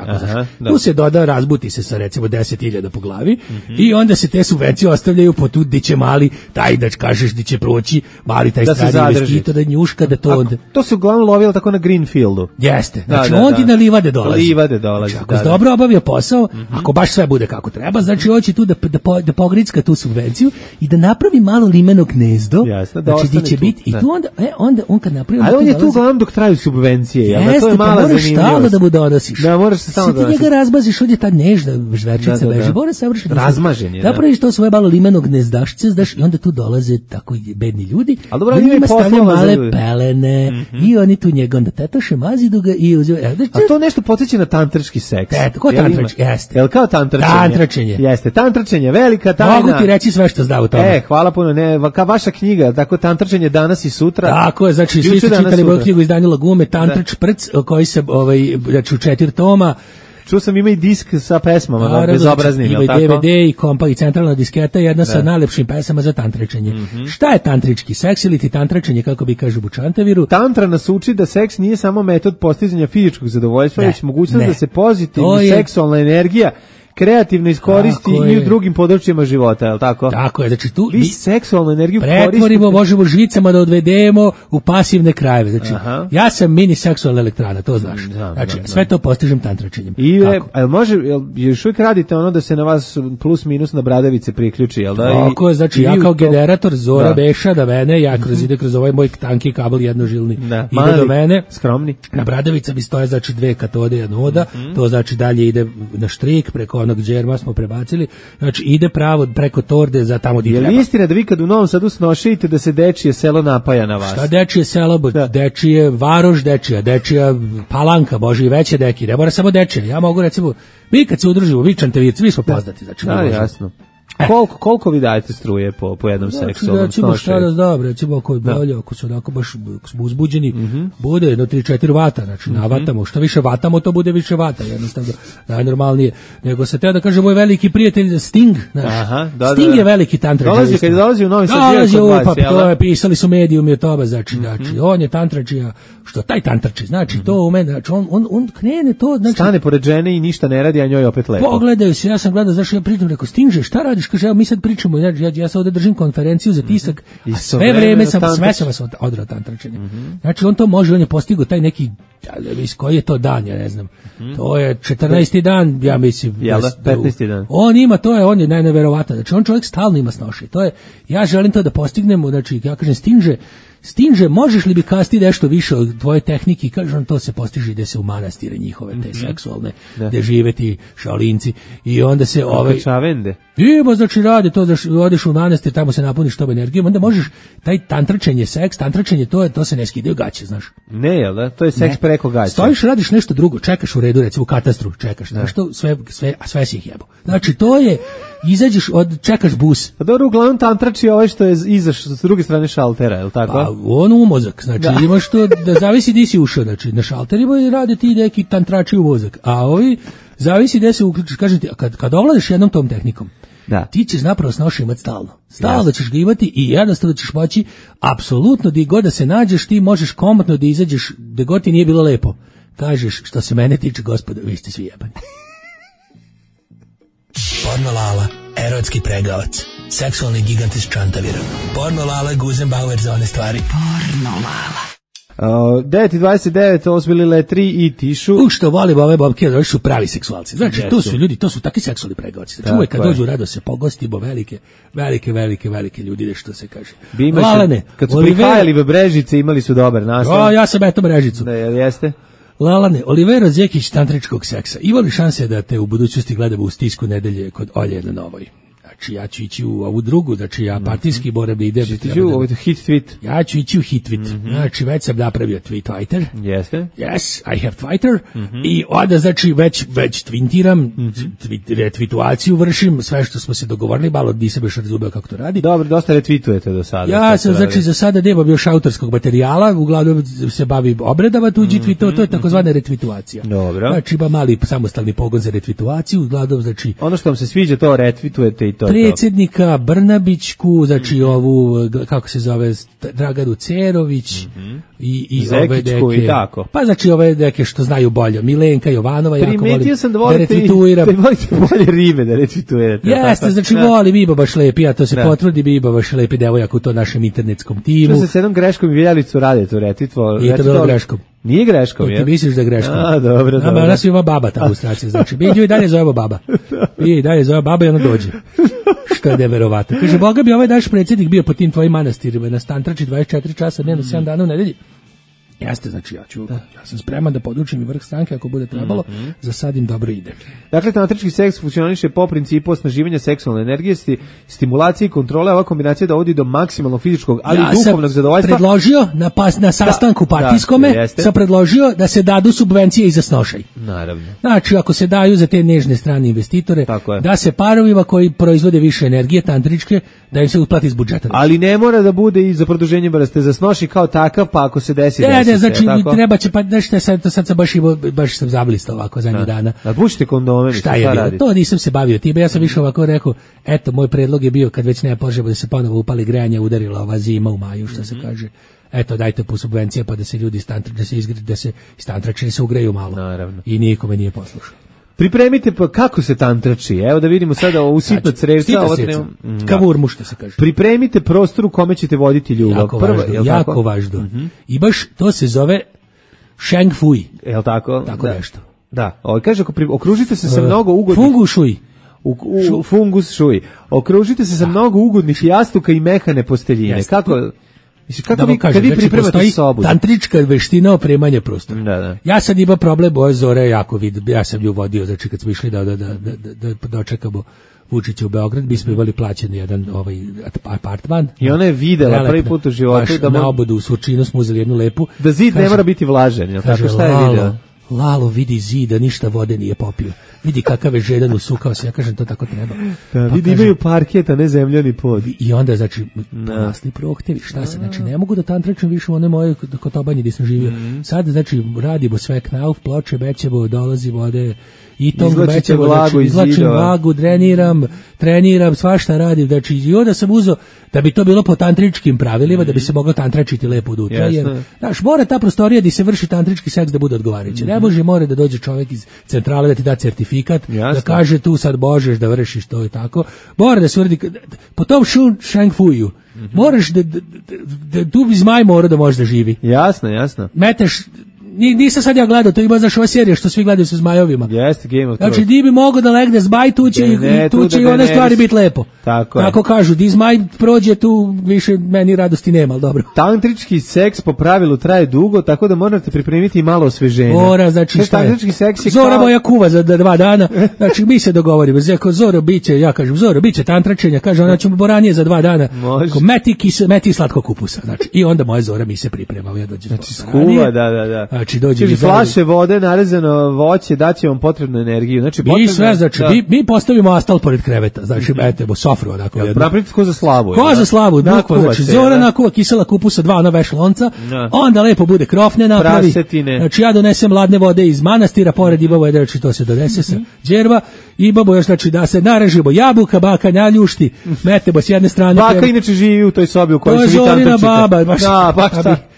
Speaker 12: Tu se doda, razbuti se sa recimo 10.000 po glavi i onda se te subvencije ostavljaju po tu gdje će mali, taj da kažeš gdje će proći, mali taj strani investitor, da njuška, da to onda...
Speaker 6: To se uglavnom lovilo tako na Greenfieldu.
Speaker 12: Jeste, znači on ti na livade dolazi. Znači, ako se dobro obavio posao, ako baš sve bude kako treba, znači hoće tu da pogricka tu subvenciju i da napravi malo limeno gnezdo, znači gdje će biti, i tu onda on kad napravio...
Speaker 6: Ali on je tu uglavnom dok traju subvencije,
Speaker 12: jeste,
Speaker 6: to je mala zanimljivost.
Speaker 12: Jeste, pa moraš da mu donosiš.
Speaker 6: Da, moraš se stalno donosiš.
Speaker 12: Sad ti njega razbaziš, ovdje ta nežna žverčica leži, mora savršeno.
Speaker 6: Razmažen je, da.
Speaker 12: Napraviš to svoje malo limeno gnezdašce, i onda tu dolaze tako bedni ljudi.
Speaker 6: Ali dobro, oni imaju poslova za
Speaker 12: male pelene i oni tu njega onda tetoše, mazidu ga i uzimaju.
Speaker 6: A to nešto podsjeća na tantrički seks.
Speaker 12: Ko tantračenje? Jeste.
Speaker 6: Jel kao tantračenje? Jeste, tantračenje, velika tajna.
Speaker 12: Mogu ti reći sve što zna u tome.
Speaker 6: Hvala puno, kao vaša knjiga, tako tantračenje danas i sutra.
Speaker 12: Tako je, znači svi ste čitali moju knjigu izdanju Lagume, Tantrač Prc, koji se, znači u 4 toma,
Speaker 6: Čuo sam ima i disk sa pesmama, bezobraznim, je li tako?
Speaker 12: Ima i DVD i kompa i centralna disketa, jedna sa najlepšim pesama za tantričenje. Šta je tantrički seks ili ti tantračenje, kako bi kažu Bučantaviru?
Speaker 6: Tantra nas uči da seks nije samo metod postizanja fizičkog zadovoljstva, već mogućnost da se pozitivna seksualna energija kreativno iskoristi i u drugim područjima života, je li tako?
Speaker 12: Tako je, znači tu
Speaker 6: vi seksualnu energiju
Speaker 12: pretvorimo, možemo žicama da odvedemo u pasivne krajeve. Znači, ja sam mini seksualna elektrana, to znaš. Znači, sve to postižem tantračenjem.
Speaker 6: I može, još uvijek radite ono da se na vas plus minus na bradavice priključi, jel da?
Speaker 12: Tako je, znači ja kao generator Zora Beša da mene, ja ide kroz ovaj moj tanki kabel jednožilni, ide do mene,
Speaker 6: skromni.
Speaker 12: Na bradavica mi stoje, znači 2 katode, jedna oda, to znači dalje ide na štrik preko onog džerma smo prebacili, znači ide pravo preko torde za tamo gdje treba.
Speaker 6: Je li istina da vi kad u Novom Sadu snošite da se dečije selo napaja na vas?
Speaker 12: Šta dečije selo? Dečije Varoš, dečija Palanka, bože i veće deki, ne mora samo dečije. Ja mogu recimo, mi kad se udružimo, vi Čantavirci, mi smo poznati. Znači,
Speaker 6: jasno. Koliko vi dajete struje po jednom seksualnom
Speaker 12: snošaju? Recimo šta da znam, recimo ako je bolje, ako su onako baš smo uzbuđeni, bude jedno 3-4 vata, znači navatamo, što više vatamo, to bude više vata, jednostavno najnormalnije. Nego se teo da kaže moj veliki prijatelj Sting, znaš, Sting je veliki tantrač.
Speaker 6: Kad dolazi u Novi Sad,
Speaker 12: to je pisali su medijumi o tome, znači, on je tantračija, što taj tantrači, znači to u mene, znači on krene to, znači
Speaker 6: stane pored žene i ništa ne radi, a njoj opet lepo.
Speaker 12: Pogledaju se, ja sam gledao, znači ja pritom rekao Stinže, šta radiš? Kaže, evo mi sad pričamo, ja sad ovdje držim konferenciju za tisak, a sve vreme sam odrao tantračenje. Znači on to može, on je postigao taj neki, koji je to dan, ja ne znam, to je 14. dan, ja mislim.
Speaker 6: 15. dan.
Speaker 12: On je najneverovatno, znači on čovjek stalno ima snoši, to je, ja želim to da postignemo, znači ja kažem Stinže, možeš li bi kasti nešto više od tvoje tehnike? Kaže on, to se postiže ide se u manastire njihove, te seksualne, gde žive ti šaolinci. I onda se
Speaker 6: čavende.
Speaker 12: Znači radi to, da odeš u manastir, tamo se napuniš tom energijom, onda možeš, taj tantračenje, to se ne skidaju gaće, znaš.
Speaker 6: Ne, jel da? To je seks preko gaće.
Speaker 12: Stojiš, radiš nešto drugo, čekaš u redu, recimo u katastru, čekaš, nešto, sve si ih jebo. Znači, to je, izađeš, čekaš bus.
Speaker 6: Pa dobro, uglavnom tantrači ovaj što je izaš s druge strane šaltera, je li tako?
Speaker 12: Pa, on u mozak, znači imaš to, da zavisi di si ušao, znači na šalterima i rade ti neki tantrači u mozak, a ovi zavisi gde se uključiš, kažem ti, kad ovladaš jednom tom tehnikom, ti ćeš napravo snoša imati stalno ćeš ga imati i jednostavno ćeš moći, apsolutno gdje god da se nađeš, ti možeš komotno da izađeš, gdje god ti nije bilo lepo, kažeš, što se mene tiče, gospodo, vi ste svi jebani.
Speaker 13: Porno Lala, erotski pregavac, seksualni gigant iz Čantavira. Porno Lala, Guzenbauer za one stvari. Porno Lala.
Speaker 6: 9:29, ovo su bili Letri i Tišu.
Speaker 12: Što volim ove bobke, oni su pravi seksualci. Znači, to su ljudi, to su takvi seksualni pregavaci. Znači, uvek kad dođu rado se pogostimo, velike ljudi, što se kaže.
Speaker 6: Lalane, kad su prihajali Brežice, imali su dobar naslov.
Speaker 12: Ja sam eto Brežicu.
Speaker 6: Da, jeste?
Speaker 12: Lalane, Olivero Zekić tantričkog seksa. Ima li šanse da te u budućnosti gledamo u Stisku nedelje kod Olje na Novoj? Znači, ja ću ići u ovu drugu, znači ja partijski moram da idem.
Speaker 6: Hit tweet.
Speaker 12: Ja ću ići u hit tweet. Znači, već sam napravio Twitter.
Speaker 6: Jeste?
Speaker 12: Yes, I have Twitter. I onda, znači, već twintiram, retvituaciju vršim, sve što smo se dogovorili, malo nisam još razumeo kako to radi.
Speaker 6: Dobro, dosta retvitujete do sada.
Speaker 12: Ja sam, znači, za sada nemam još autorskog materijala, uglavnom se bavim obradama tuđi tweetova, to je takozvana retvituacija.
Speaker 6: Dobro.
Speaker 12: Znači, ima mali samostalni pogon za retvituaciju, uglavnom, znači...
Speaker 6: Ono što vam se sviđa, to retvitujete i to.
Speaker 12: Predsjednika Brnabićku, znači ovu, kako se zove, Draganu Cerović i ove deke.
Speaker 6: I tako.
Speaker 12: Pa znači ove deke što znaju bolje. Milenka Jovanova, jako volim
Speaker 6: da retvituiram. Da volite bolje ribe da retvitujete.
Speaker 12: Jeste, znači volim Biba baš lepi, ja to se potrudi, Biba baš lepi devojak u to našem internetskom timu.
Speaker 6: Što se s jednom greškom i Vjelicu radi to retvitvalo?
Speaker 12: Nije to bilo greškom.
Speaker 6: Nije greškom, je?
Speaker 12: Ti misliš da je greškom.
Speaker 6: A, dobro.
Speaker 12: Ona svi ima baba ta ilustracija, znači. Mi i dalje zovemo baba. I dalje zove baba i ona dođe. Što je neverovatno. Kaže, Boga bi ovaj naš predsjednik bio po tim tvojim manastirima, na Stantrači 24 časa dnevno, 7 dana u nedelji. Jeste, znači ja sam spreman da podučim i vrh stranke ako bude trebalo, za sad im dobro ide.
Speaker 6: Dakle, tantrički seks funkcioniše po principu osnaživanja seksualne energije, stimulacije i kontrole, ova kombinacija dovodi do maksimalnog fizičkog, ali i duhovnog zadovoljstva.
Speaker 12: Ja sam predložio na sastanku partijskome, sam predložio da se dadu subvencije i za snošaj.
Speaker 6: Naravno.
Speaker 12: Znači, ako se daju za te nežne strane investitore, da se parovima koji proizvode više energije, tantričke, da im se uplati iz budžeta.
Speaker 6: Ali ne mora da bude i za produženje brste, za snoši kao takav, pa ako se desi.
Speaker 12: Ne, znači treba će, pa nešto sad sam baš sam zablistao ovako zadnjih dana.
Speaker 6: Da pušite kondome,
Speaker 12: šta je bilo? To nisam se bavio time, ja sam više ovako rekao, eto, moj predlog je bio kad već nema potrebe da se ponovo upali grejanje, udarila ova zima u maju, što se kaže. Eto, dajte po subvencije pa da se ljudi da se istantrače se ugreju malo.
Speaker 6: Naravno.
Speaker 12: I nikome nije poslušao.
Speaker 6: Pripremite pa kako se tantrači. Evo da vidimo sada u sitno crevca, ovo treba
Speaker 12: kavurmu, što se kaže.
Speaker 6: Pripremite prostor u kome ćete voditi ljubav.
Speaker 12: Jako važno. I baš to se zove Sheng Fui.
Speaker 6: Jel tako?
Speaker 12: Tako nešto.
Speaker 6: Da. Kaže okružite se sa mnogo ugodnih
Speaker 12: Fungu Shui.
Speaker 6: Fungus Shui. Okružite se sa mnogo ugodnih jastuka i mehane posteljine. Kako
Speaker 12: da vi pripremate sobu? Tantrička veština opremanja prostora.
Speaker 6: Da.
Speaker 12: Ja sad imam problem, boje Zore jako ja sam ju vodio, znači kad smo išli da dočekamo Vučića u Beograd, bismo imali plaćen jedan apartman.
Speaker 6: I ona je videla prvi put u životu
Speaker 12: na obodu u Surčinu smo uzeli jednu lepu.
Speaker 6: Da zid ne mora biti vlažen,
Speaker 12: kaže, šta je video? Lalo, vidi zida, ništa vode nije popio. Vidi kakav je žedan, usukao se, ja kažem, to tako treba.
Speaker 6: Da, vidi, imaju parket, a ne zemljani pod.
Speaker 12: I onda, znači, porasli prohtevi, šta se, znači, ne mogu da tantračem više u one moje kotobanje gdje sam živio. Sad, znači, radimo sve knauf, ploče, bećemo, dolazi vode, i to bećemo, znači, izlačim vlagu, treniram, svašta radim, znači, i onda sam uzeo, da bi to bilo po tantričkim pravilima, da bi se moglo tantračiti lepo od utra, jer, znaš, mora ta prostorija gdje se vrši tantrički seks da bude odgovarajući. Ne može, mora da dođe čovjek iz centrale da ti da certifikat, da kaže tu sad možeš da vršiš to i tako. Mora da se uradi, po tom Sheng Fuiju, moraš da tu zmaj mora da može da živi.
Speaker 6: Jasno.
Speaker 12: Meteš, nisam sad ja gledao, to ima znaš ova serija što svi gledaju sa zmajovima.
Speaker 6: Jeste, Game of Thrones.
Speaker 12: Znači, di bi mogo da legne zmaj, tu će i one stvari biti lepo. Tako kažu, di zmaj prođe, tu više meni radosti nema, ali dobro.
Speaker 6: Tantrički seks po pravilu traje dugo, tako da morate pripremiti malo osveženja.
Speaker 12: Mora, znači šta je? Zora moja kuva za 2 dana, znači mi se dogovorimo, Zoro biće, ja kažem, Zoro biće tantračenja, kaže ona ćemo boranije za 2 dana. Meti slatko kupusa, znači i onda moja Zora mi se priprema.
Speaker 6: Znači skuva, da.
Speaker 12: Znači dođe
Speaker 6: flaše vode, narezano voće, daće vam potrebnu energiju. Znači
Speaker 12: i sve, znači mi postavimo astal pored kreveta, znači metemo sofru onako jedno.
Speaker 6: Napravite ko za slavu.
Speaker 12: Ko za slavu, bukvalno, znači Zora nakuva kisela kupusa 2 na veš lonca, onda lepo bude krofne napravi. Znači ja donesem ladne vode iz manastira, pored imamo jedan, znači to se donese sa džerva, imamo još, znači da se narežimo jabuka, baka naljušti, metemo s jedne strane.
Speaker 6: Baka inače živi u toj sobi u kojoj se vi tantračite.
Speaker 12: Baba, baš.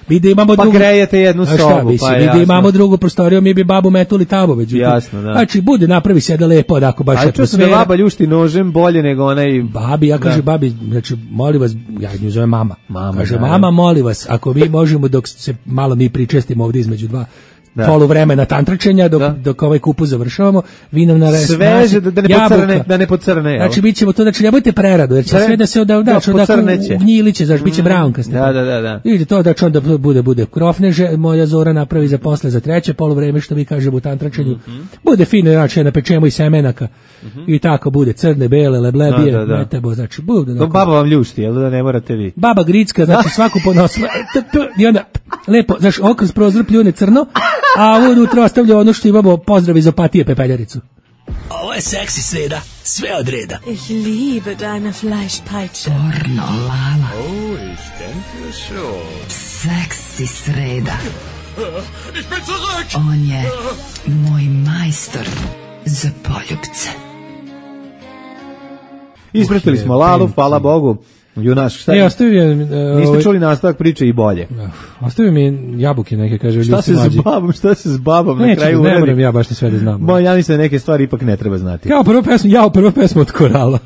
Speaker 12: Mi da imamo
Speaker 6: drugu, grejete jednu sobu,
Speaker 12: mi da imamo drugu prostoriju, mi bi babu metuli tamo, međutim.
Speaker 6: Jasno, da.
Speaker 12: Znači, napravi se da lepo, onako, baš atmosfera.
Speaker 6: A čuo se da baba ljušti nožem bolje nego onaj...
Speaker 12: Babi, ja kažem babi, znači, molim vas, ja nju zovem mama. Kaže, mama, molim vas, ako mi možemo, dok se malo mi pričestimo ovdje između 2 poluvremena tantračenja dok ovaj kupus završavamo, vi nam
Speaker 6: sveže da ne pocrne.
Speaker 12: Znači bit ćemo to, znači nemojte preradu, jer će sve da se ugnjiliće, znači bit će brownkaste.
Speaker 6: Da.
Speaker 12: Vidite to da će onda bude krofneže, moja Zora napravi za posle za 3. poluvreme, što mi kažemo u tantračenju. Bude fino, znači napečemo i semenaka i tako bude, crne, bele, leblebije, metebo, znači bude.
Speaker 6: Baba vam ljušti, jel da ne morate vi?
Speaker 12: Baba gricka, znači svaku ponosla i onda lepo, znači okroz prozor pljune crno, a unutra ostavlja ono što imamo, pozdrav iz Opatije pepeljaricu.
Speaker 13: Ovo je seksi sreda, sve od reda.
Speaker 14: Ich liebe deine Fleischpeitsche.
Speaker 3: Pornolala.
Speaker 4: Oh, ich denke schon.
Speaker 3: Seksi sreda.
Speaker 4: Ich bin zurück.
Speaker 3: On je moj majstor za poljubce.
Speaker 6: Ispratili smo Lalu, hvala Bogu. Junaš, šta je? Niste čuli nastavak priče i bolje.
Speaker 5: Ostavio mi jabuke neke, kaže.
Speaker 6: Šta se s babom na kraju uredi?
Speaker 5: Ne moram ja baš ni sve da znam.
Speaker 6: Ja mislim da neke stvari ipak ne treba znati.
Speaker 5: Kao prva pesma od Korala.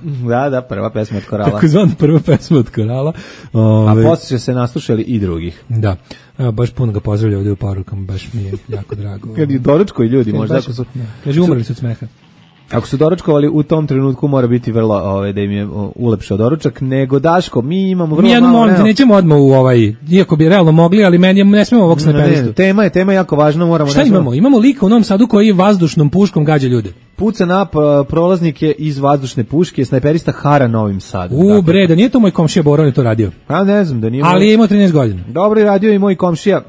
Speaker 6: Da, prva pesma od Korala.
Speaker 5: Tako zvana prva pesma od Korala.
Speaker 6: A poslije se naslušali i drugih.
Speaker 5: Da. Evo, baš puno ga pozdravlja ovdje u porukama, baš mi je jako drago.
Speaker 6: Kad i doručko i ljudi, možda ako su...
Speaker 5: Kaže, umrli su od smeha.
Speaker 6: Ako su doručkovali u tom trenutku mora biti vrlo da im je ulepšao doručak, nego Daško, mi imamo vrlo malo.
Speaker 5: Nećemo odmah u iako bi realno mogli, ali meni ne smemo ovog snajperistu.
Speaker 6: Tema je jako važna, moramo.
Speaker 5: Šta imamo? Imamo lika u Novom Sadu koji vazdušnom puškom gađa ljude.
Speaker 6: Puca na prolaznike iz vazdušne puške, snajperista hara Novim Sadom.
Speaker 5: Bre, da nije to moj komšija Boro je to radio.
Speaker 6: A ne znam da nije.
Speaker 5: Ali je imao 13 godina.
Speaker 6: Dobro je radio i moj komšija.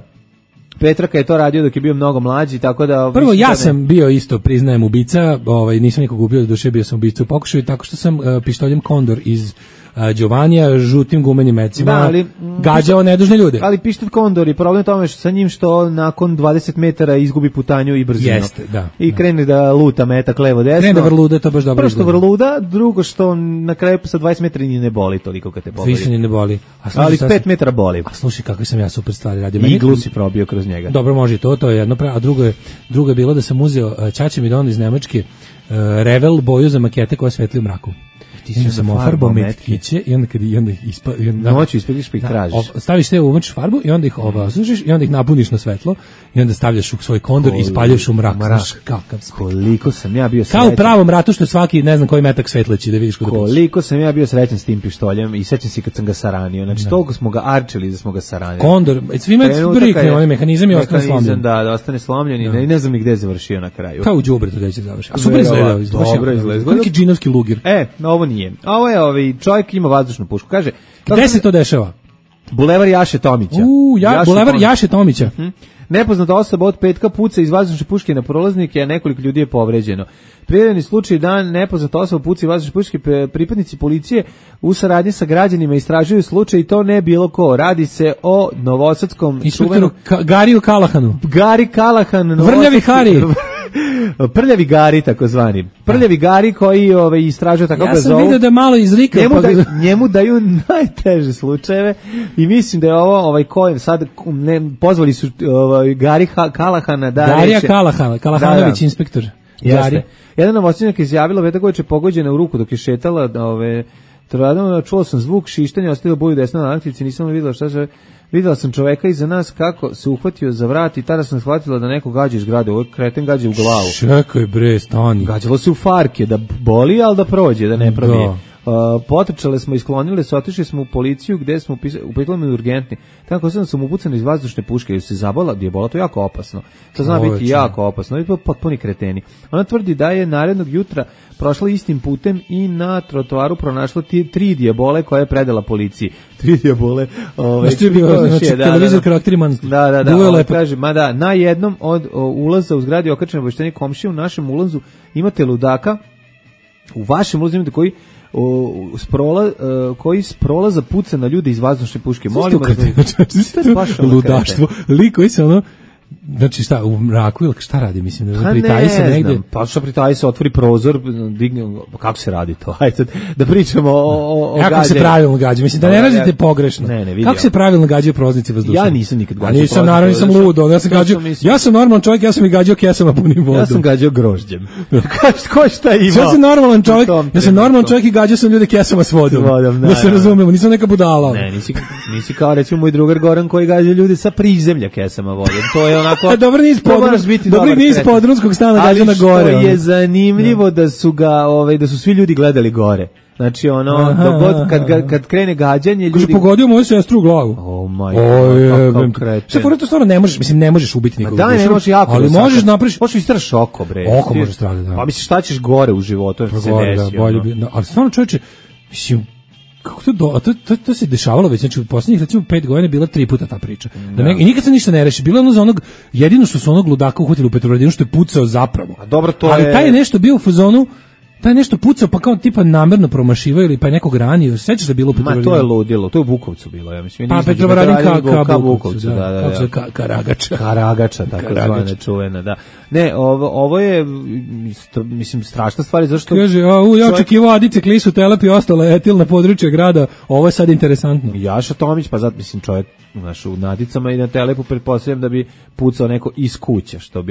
Speaker 6: Petraka je to radio dok je bio mnogo mlađi, tako da...
Speaker 5: Prvo, ja sam bio isto, priznajem, ubica, nisam nikog ubio, doduše bio sam ubica u pokušaju, tako što sam pištoljem Kondor iz Giovanija žutim gumenim mecima,
Speaker 6: ali
Speaker 5: gađao nedužne ljude.
Speaker 6: Ali pištet Kondor i problem tome što sa njim što nakon 20 metara izgubi putanju i brzinu.
Speaker 5: Jeste, da.
Speaker 6: I krene da luta metak levo desno.
Speaker 5: Krene da vrluda, to baš dobro.
Speaker 6: Prvo što vrluda, drugo što na kraju sa 20 metara ni ne boli toliko kad te boli.
Speaker 5: Više ni ne boli.
Speaker 6: Ali 5 metara boli.
Speaker 5: A slušaj kako sam ja super stvari radio.
Speaker 6: Iglu si probio kroz njega.
Speaker 5: Dobro, može to je jedno, a drugo je bilo da sam uzeo Ćaća mi don iz Nemačke Revel boju za makete koja svetli u mraku. Ti si sam ofarbao metkiće i onda kad
Speaker 6: noću ispediš pa ih tražiš.
Speaker 5: Staviš te umočiš farbu i onda ih osušiš i onda ih napuniš na svetlo i onda stavljaš u svoj kondor i spaljaš u mrak. Kakav
Speaker 6: koliko sam ja bio srećan.
Speaker 5: Kao u pravom ratu što svaki ne znam koji metak svetleći da vidiš kod.
Speaker 6: Koliko sam ja bio srećan s tim pištoljem i sećam se kad sam ga saranio. Znači toliko smo ga arčili da smo ga saranili.
Speaker 5: Kondor, svima brikne onaj mehanizam i ostane slomljen.
Speaker 6: Da ostane slomljen i ne znam ni gde je završio na kraju.
Speaker 5: Kao u đubretu gde će završiti. A super izgleda.
Speaker 6: Dobro izgleda.
Speaker 5: Koliki džinovski lugir.
Speaker 6: Ovo nije. A ovo je čovjek ima vazdušnu pušku. Kaže,
Speaker 5: gde se to dešava?
Speaker 6: Bulevar Jaše Tomića.
Speaker 5: Bulevar Jaše Tomića.
Speaker 6: Nepoznata osoba od petka puca iz vazdušne puške na prolaznike, a nekoliko ljudi je povređeno. Prijavljeni slučaj dan nepoznata osoba puca iz vazdušne puške, pripadnici policije u saradnji sa građanima istražuju slučaj i to ne bilo ko. Radi se o novosadskom
Speaker 5: inspektoru Gariju Kalahanu.
Speaker 6: Gari Kalahan.
Speaker 5: Vrljavi Hari.
Speaker 6: Prljavi Gari takozvani. Prljavi Gari koji istražuje tako ga zovu.
Speaker 5: Ja sam vidio da malo izrika.
Speaker 6: Njemu daju najteže slučajeve i mislim da je ovo koji sad pozvali su Gari Kalahana da
Speaker 5: Garija Kalahanović inspektor.
Speaker 6: Jeste. Jedan novosadčanin je izjavila već da je pogođena u ruku dok je šetala čuo sam zvuk šištanja, ostavila boju desna na aktici, nisam videla šta se. Videla sam čoveka iza nas kako se uhvatio za vrat i tada sam shvatila da neko gađa iz zgrade. Ovo kreten gađa u glavu.
Speaker 5: Čekaj bre, stani.
Speaker 6: Gađalo se u farke, da boli, ali da prođe, da ne probije. Potrčale smo, isklonile se, otišli smo u policiju gde smo upitali me urgentni. Tako sam upucana iz vazdušne puške jer se zabala, gdje je bola, to je jako opasno. To zna biti jako opasno. I to potpuni kreteni. Ona tvrdi da je narednog jutra prošla istim putem i na trotoaru pronašla 3 dijabole koje je predala policiji. 3 dijabole.
Speaker 5: Televizor karakterimanski.
Speaker 6: Da. Kaže, na jednom od ulaza u zgradi okačene obaveštenje komšije, u našem ulazu imate ludaka, u vašem ulazu imate koji s prolaza puca na ljude iz vazdušne puške. Molimo
Speaker 5: da ludaštvo. Liko se znači šta, u mraku ili šta radi, mislim, da pritaji se negde?
Speaker 6: Pa što pritaji se, otvori prozor, digne, kako se radi to? Hajde sad, da pričamo o gađanju.
Speaker 5: Kako se pravilno gađa? Mislim, da ne radite pogrešno.
Speaker 6: Ne,
Speaker 5: kako se pravilno gađaju proznici vazdušne?
Speaker 6: Ja nisam nikad gađao.
Speaker 5: Nisam, naravno, nisam ludo. Ja sam normalan čovjek, ja sam i gađao kesama punim vodom.
Speaker 6: Ja sam gađao grožđem. Ko šta ima?
Speaker 5: Ja sam normalan čovjek, i gađao sam ljude kesama s vodom. Da se razumemo, nisam neka budala.
Speaker 6: Ne, nisi kao recimo moj drugar Goran koji gađa ljude sa prizemlja kesama vodom. To je onako
Speaker 5: Dobri niz podrumskog stana gađa na gore.
Speaker 6: Ali što je zanimljivo da su svi ljudi gledali gore. Znači kad krene gađanje ljudi...
Speaker 5: Kaže, pogodio moju sestru u glavu.
Speaker 6: Kakav kreten.
Speaker 5: Šta to stvarno ne možeš ubiti nikog.
Speaker 6: Da, ne možeš jako.
Speaker 5: Ali možeš napraviš...
Speaker 6: Možeš istraš oko, bre.
Speaker 5: Oko može stradati, da.
Speaker 6: Pa misliš šta ćeš gore u životu, što se desi.
Speaker 5: Ali stvarno čovječe, mislim, kako to se dešavalo već, znači u posljednjih recimo 5 godina bila 3 puta ta priča. I nikad se ništa ne reši. Bilo je ono za onog, jedino što su onog ludaka uhvatili u Petrovaradinu što je pucao zapravo. Ali taj je nešto bio u fazonu, taj nešto pucao pa kao tipa namerno promašivao ili pa je nekog ranio. Sećaš da je bilo u Petrovaradinu?
Speaker 6: Ma to je ludilo, to je u Bukovcu bilo, ja mislim.
Speaker 5: Pa Petrovaradin ka Bukovcu, da. Karagača,
Speaker 6: tako zvane čuvena, da. Ne, ovo je, mislim, strašna stvar, zašto...
Speaker 5: Kaže, ja očekivao Adice, Klisu, Telep i ostalo etil na području grada, ovo je sad interesantno.
Speaker 6: Jaša Tomić, pa zato, mislim, čovjek, u Nadicama i na Telepu pretpostavljam da bi pucao neko iz kuće, što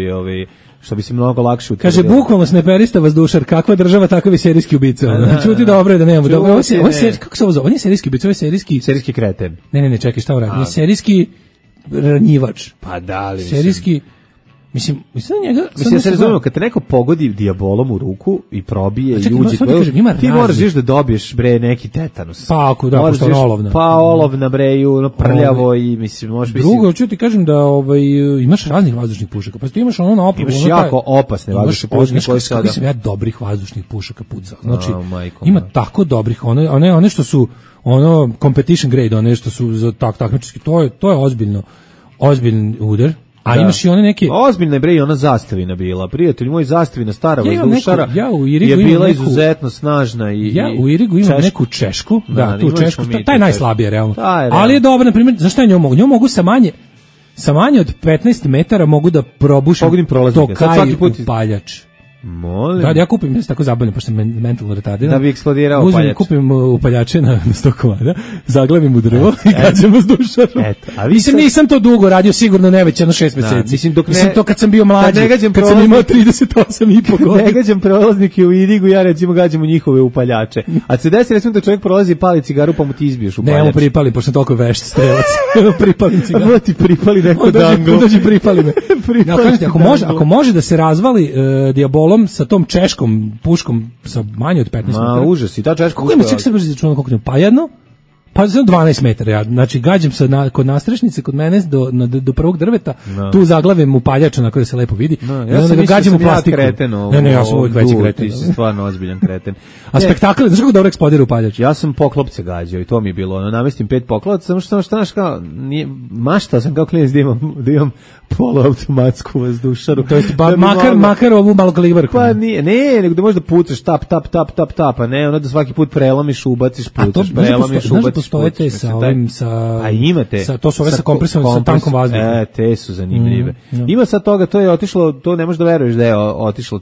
Speaker 6: bi se mnogo lakše utvrdio.
Speaker 5: Kaže, bukvalno sneperista vazdušar, kakva država, takav je serijski ubica. Čuti dobro je da nemamo. Kako se ovo zove? On je serijski ubica, ovo je
Speaker 6: serijski kreten.
Speaker 5: Ne, čekaj, šta on radi? On je serijski ranjivač.
Speaker 6: Pa da li,
Speaker 5: serijski... Mislim njega...
Speaker 6: Mislim, se razumemo, kad te neko pogodi dijabolom u ruku i probije i uđe, ti moraš da dobiješ, bre, neki tetanus.
Speaker 5: Pa ako da, pošto je olovna.
Speaker 6: Pa olovna, bre, prljavo i, mislim, možeš...
Speaker 5: Drugo, ću ti kažem da imaš raznih vazdušnih pušaka, pa ti imaš ono na opravu...
Speaker 6: Imaš jako opasne vazdušne pušake koje sada...
Speaker 5: Kako sam ja dobrih vazdušnih pušaka pucao. Znači, ima tako dobrih, one što su, competition grade, one što su za takmičarski, to je ozbiljan udar. A imaš i one neke...
Speaker 6: Ozbiljna je bre i ona zastavina bila. Prijatelj moj, zastavina stara vazdušara je bila izuzetno snažna.
Speaker 5: Ja u Irigu imam neku češku, tu češku, taj je najslabije realno. Ali je dobro, na primjer, zašto ja njom mogu? Njom mogu sa manje od 15 metara mogu da probušim to kaj upaljač.
Speaker 6: Molim.
Speaker 5: Da, ja kupim, ja se tako zabavljam, pošto sam mentalno retardiran.
Speaker 6: Da bi eksplodirao upaljač.
Speaker 5: Kupim upaljače na 100 komada, zaglavim u drvo i gađam vazdušarom. Mislim, nisam to dugo radio, sigurno ne već jedno 6 meseci. Mislim, to kad sam bio mlađi, kad sam imao 38,5 godina.
Speaker 6: Ne gađam prolaznike u Irigu, ja recimo gađam u njihove upaljače. A se desi recimo da čovjek prolazi i pali cigaru, pa mu ti izbiješ upaljač.
Speaker 5: Ne, mu pripali, pošto sam toliko vešt strelac. Pripalim cigaru.
Speaker 6: Ovo ti pripali neko dango.
Speaker 5: Dođi pripali me. Ako može da se razvali Diabol sa tom češkom puškom sa manje od 15 metara.
Speaker 6: Užas, i ta češka.
Speaker 5: Kako ima ček se brže začuno koliko ima? Pa jedno? Pa za 12 metara. Ja. Znači, gađam se kod nastrešnice, kod mene do prvog drveta, tu zaglavim upaljač onako da se lepo vidi. I onda ga gađam u plastiku. Ne, ja sam uvijek veći kreten.
Speaker 6: Ti si stvarno ozbiljan kreten.
Speaker 5: A spektakl, znaš kako dobro eksplodira upaljač?
Speaker 6: Ja sam poklopce gađao i to mi je bilo. Namestim 5 poklopaca, samo što znaš kao, maštao sam kao klinac da imam poluautomatsku vazdušaru.
Speaker 5: To jest makar ovu malokalibarku.
Speaker 6: Pa ne, nego da možeš da pucaš tap, a ne, onda da svaki put prelomiš, ubaciš, pucaš, prelomiš, ubaciš.
Speaker 5: Postojete sa ovim,
Speaker 6: a imate.
Speaker 5: To su ove sa kompresom, sa tankom vazduha.
Speaker 6: Te su zanimljive. Ima sad toga, to je otišlo, to ne možeš da veruješ da je otišlo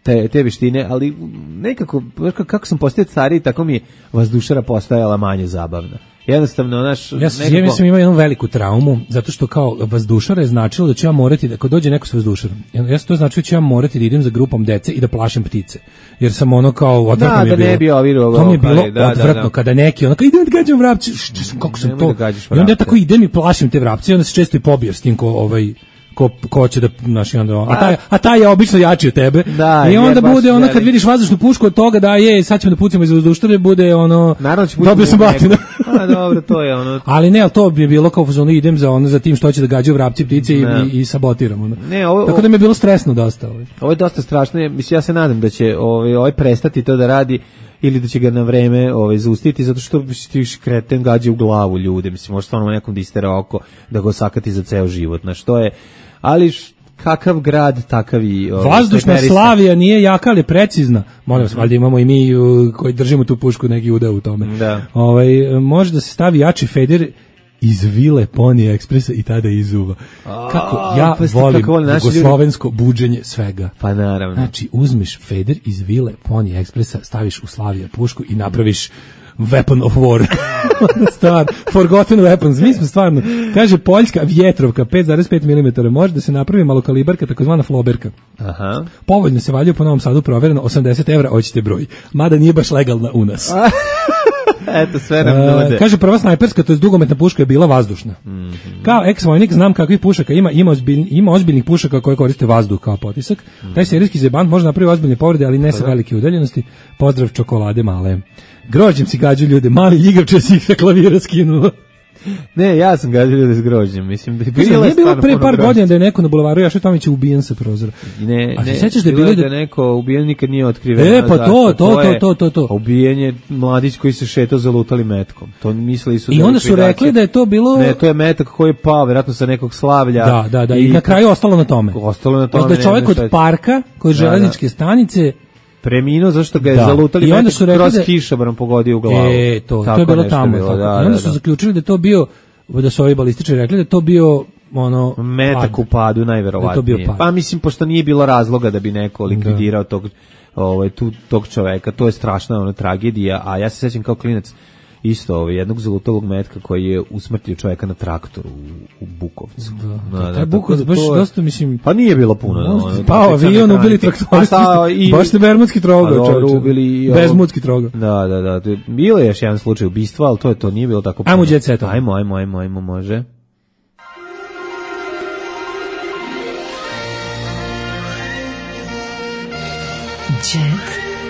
Speaker 6: te veštine, ali nekako, kako sam postao stariji, tako mi je vazdušara postajala manje zabavna. Jednostavno, naš...
Speaker 5: Ja sam imao jednu veliku traumu, zato što kao vazdušara je značilo da ću ja morati, da kad dođe neko s vazdušarom, ja sam to značilo da ću ja morati da idem za grupom dece i da plašim ptice. Jer sam ono kao, odvratno mi je bilo.
Speaker 6: Da ne bi ovirao.
Speaker 5: To mi je bilo odvratno, kada neki, ono kao, idem da gađam vrapci, kako sam to... I onda ja tako idem i plašim te vrapce i onda se često i pobio s tim ko će da, znaš, a taj je obično jači od tebe. I onda bude ono, kad vidiš vazdušnu pušku od toga, da je, sad ćemo da pucamo iz vazduštare, bude ono, dobio sam batina.
Speaker 6: A dobro, to je ono.
Speaker 5: Ali ne, ali to bi bilo kao fazonu, idem za tim što će da gađaju vrapci, ptice i sabotiramo. Tako da mi je bilo stresno dosta.
Speaker 6: Ovo je dosta strašno, mislim, ja se nadam da će ovaj prestati to da radi, ili da će ga na vreme zaustiti, zato što ti kreten gađa u glavu ljude, mislim, može stvarno nekom da istera oko, da go sakati za ceo život, na što je, ali kakav grad, takav i...
Speaker 5: Vazdušna Slavija nije jaka, ali precizna. Molim vas, valjda imamo i mi koji držimo tu pušku neki udeo u tome.
Speaker 6: Da.
Speaker 5: Može da se stavi jači feder iz vile Pony Expressa i tada izuva. Kako ja volim jugoslovensko buđenje svega.
Speaker 6: Pa naravno.
Speaker 5: Znači, uzmiš feder iz vile Pony Expressa, staviš u Slavija pušku i napraviš weapon of war. Stvar, forgotten weapons. Mi smo stvarno, kaže Poljska vjetrovka 5,5 mm, može da se napravi malokalibarka, takozvana floberka.
Speaker 6: Aha.
Speaker 5: Povoljno se valjaju po Novom Sadu, provereno, 80 €, hoćete broj. Mada nije baš legalna u nas.
Speaker 6: Eto, sve nam nude.
Speaker 5: Kaže, prva snajperska, to je dugometna puška, je bila vazdušna. Kao ex-vojnik znam kakvih pušaka ima ozbiljnih pušaka koje koriste vazduh kao potisak. Taj serijski zebant može napraviti ozbiljne povrede, ali ne sa velike udaljenosti. Pozdrav čokolade male. Grožđem si gađu ljude, mali ljigavče si ih sa klavira skinuo.
Speaker 6: Ne, ja sam gađao ljude s grožđem, mislim da je
Speaker 5: nije bilo pre par godina da je neko na bulevaru Jaše Tomića ubijen sa prozora.
Speaker 6: Ne,
Speaker 5: a se sećaš da je
Speaker 6: bilo neko ubijen nikad nije otkriven.
Speaker 5: Pa to.
Speaker 6: Ubijen je mladić koji se šetao zalutali metkom. To mislili su.
Speaker 5: I onda su rekli da je to bilo.
Speaker 6: Ne, to je metak koji je pao verovatno sa nekog slavlja.
Speaker 5: Da, i na kraju ostalo na tome.
Speaker 6: Da
Speaker 5: je čovjek od parka, kod železničke stanice
Speaker 6: preminuo zašto ga je zalutali i onda su kroz kišobran pogodio u glavu.
Speaker 5: To je bilo tamo. I onda su zaključili da je to bio, da su ovi balističari rekli da je to bio ono
Speaker 6: metak u padu najverovatnije. Pa mislim, pošto nije bilo razloga da bi neko likvidirao tog čoveka, to je strašna tragedija, a ja se sećam kao klinac isto jednog zalutalog metka koji je usmrtio čovjeka na traktoru u Bukovcu.
Speaker 5: Taj Bukovac baš dosta, mislim...
Speaker 6: Pa nije bilo puno.
Speaker 5: Pao avion, ubili traktoristi. Baš ste bermudski trogao,
Speaker 6: čovječe.
Speaker 5: Bezmudski trogao.
Speaker 6: Da. Bilo je još jedan slučaj ubistva, ali to nije bilo tako puno.
Speaker 5: Ajmo jet setom.
Speaker 6: Ajmo, može.
Speaker 8: Jet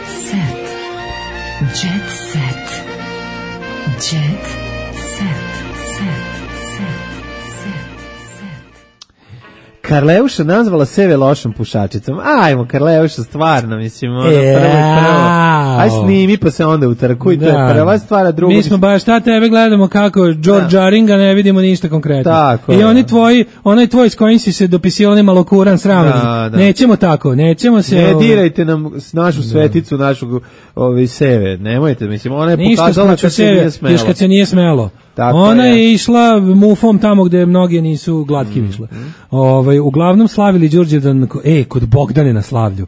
Speaker 8: set. Jet set. Jet set.
Speaker 6: Karleuša nazvala Seve lošom pušačicom. Ajmo, Karleuša, stvarno, mislim, ono, prvo. Aj snimi, pa se onda utrkuj, to je prva stvar, a drugo...
Speaker 5: Mi smo baš šta tebe gledamo kako George Aringa, ne vidimo ništa konkretno.
Speaker 6: Tako,
Speaker 5: i oni tvoji, onaj tvoj s kojim si se dopisio, onaj malokuran sramni. Nećemo tako, nećemo se...
Speaker 6: Ne dirajte nam našu sveticu, našu Seve, nemojte, mislim, ona je pokazala kad se nije smelo.
Speaker 5: Još kad se nije smelo. Tako ona je išla mufom tamo gde mnoge nisu glatki išle. Uglavnom slavili Đurđevdan kod Bogdane na slavlju.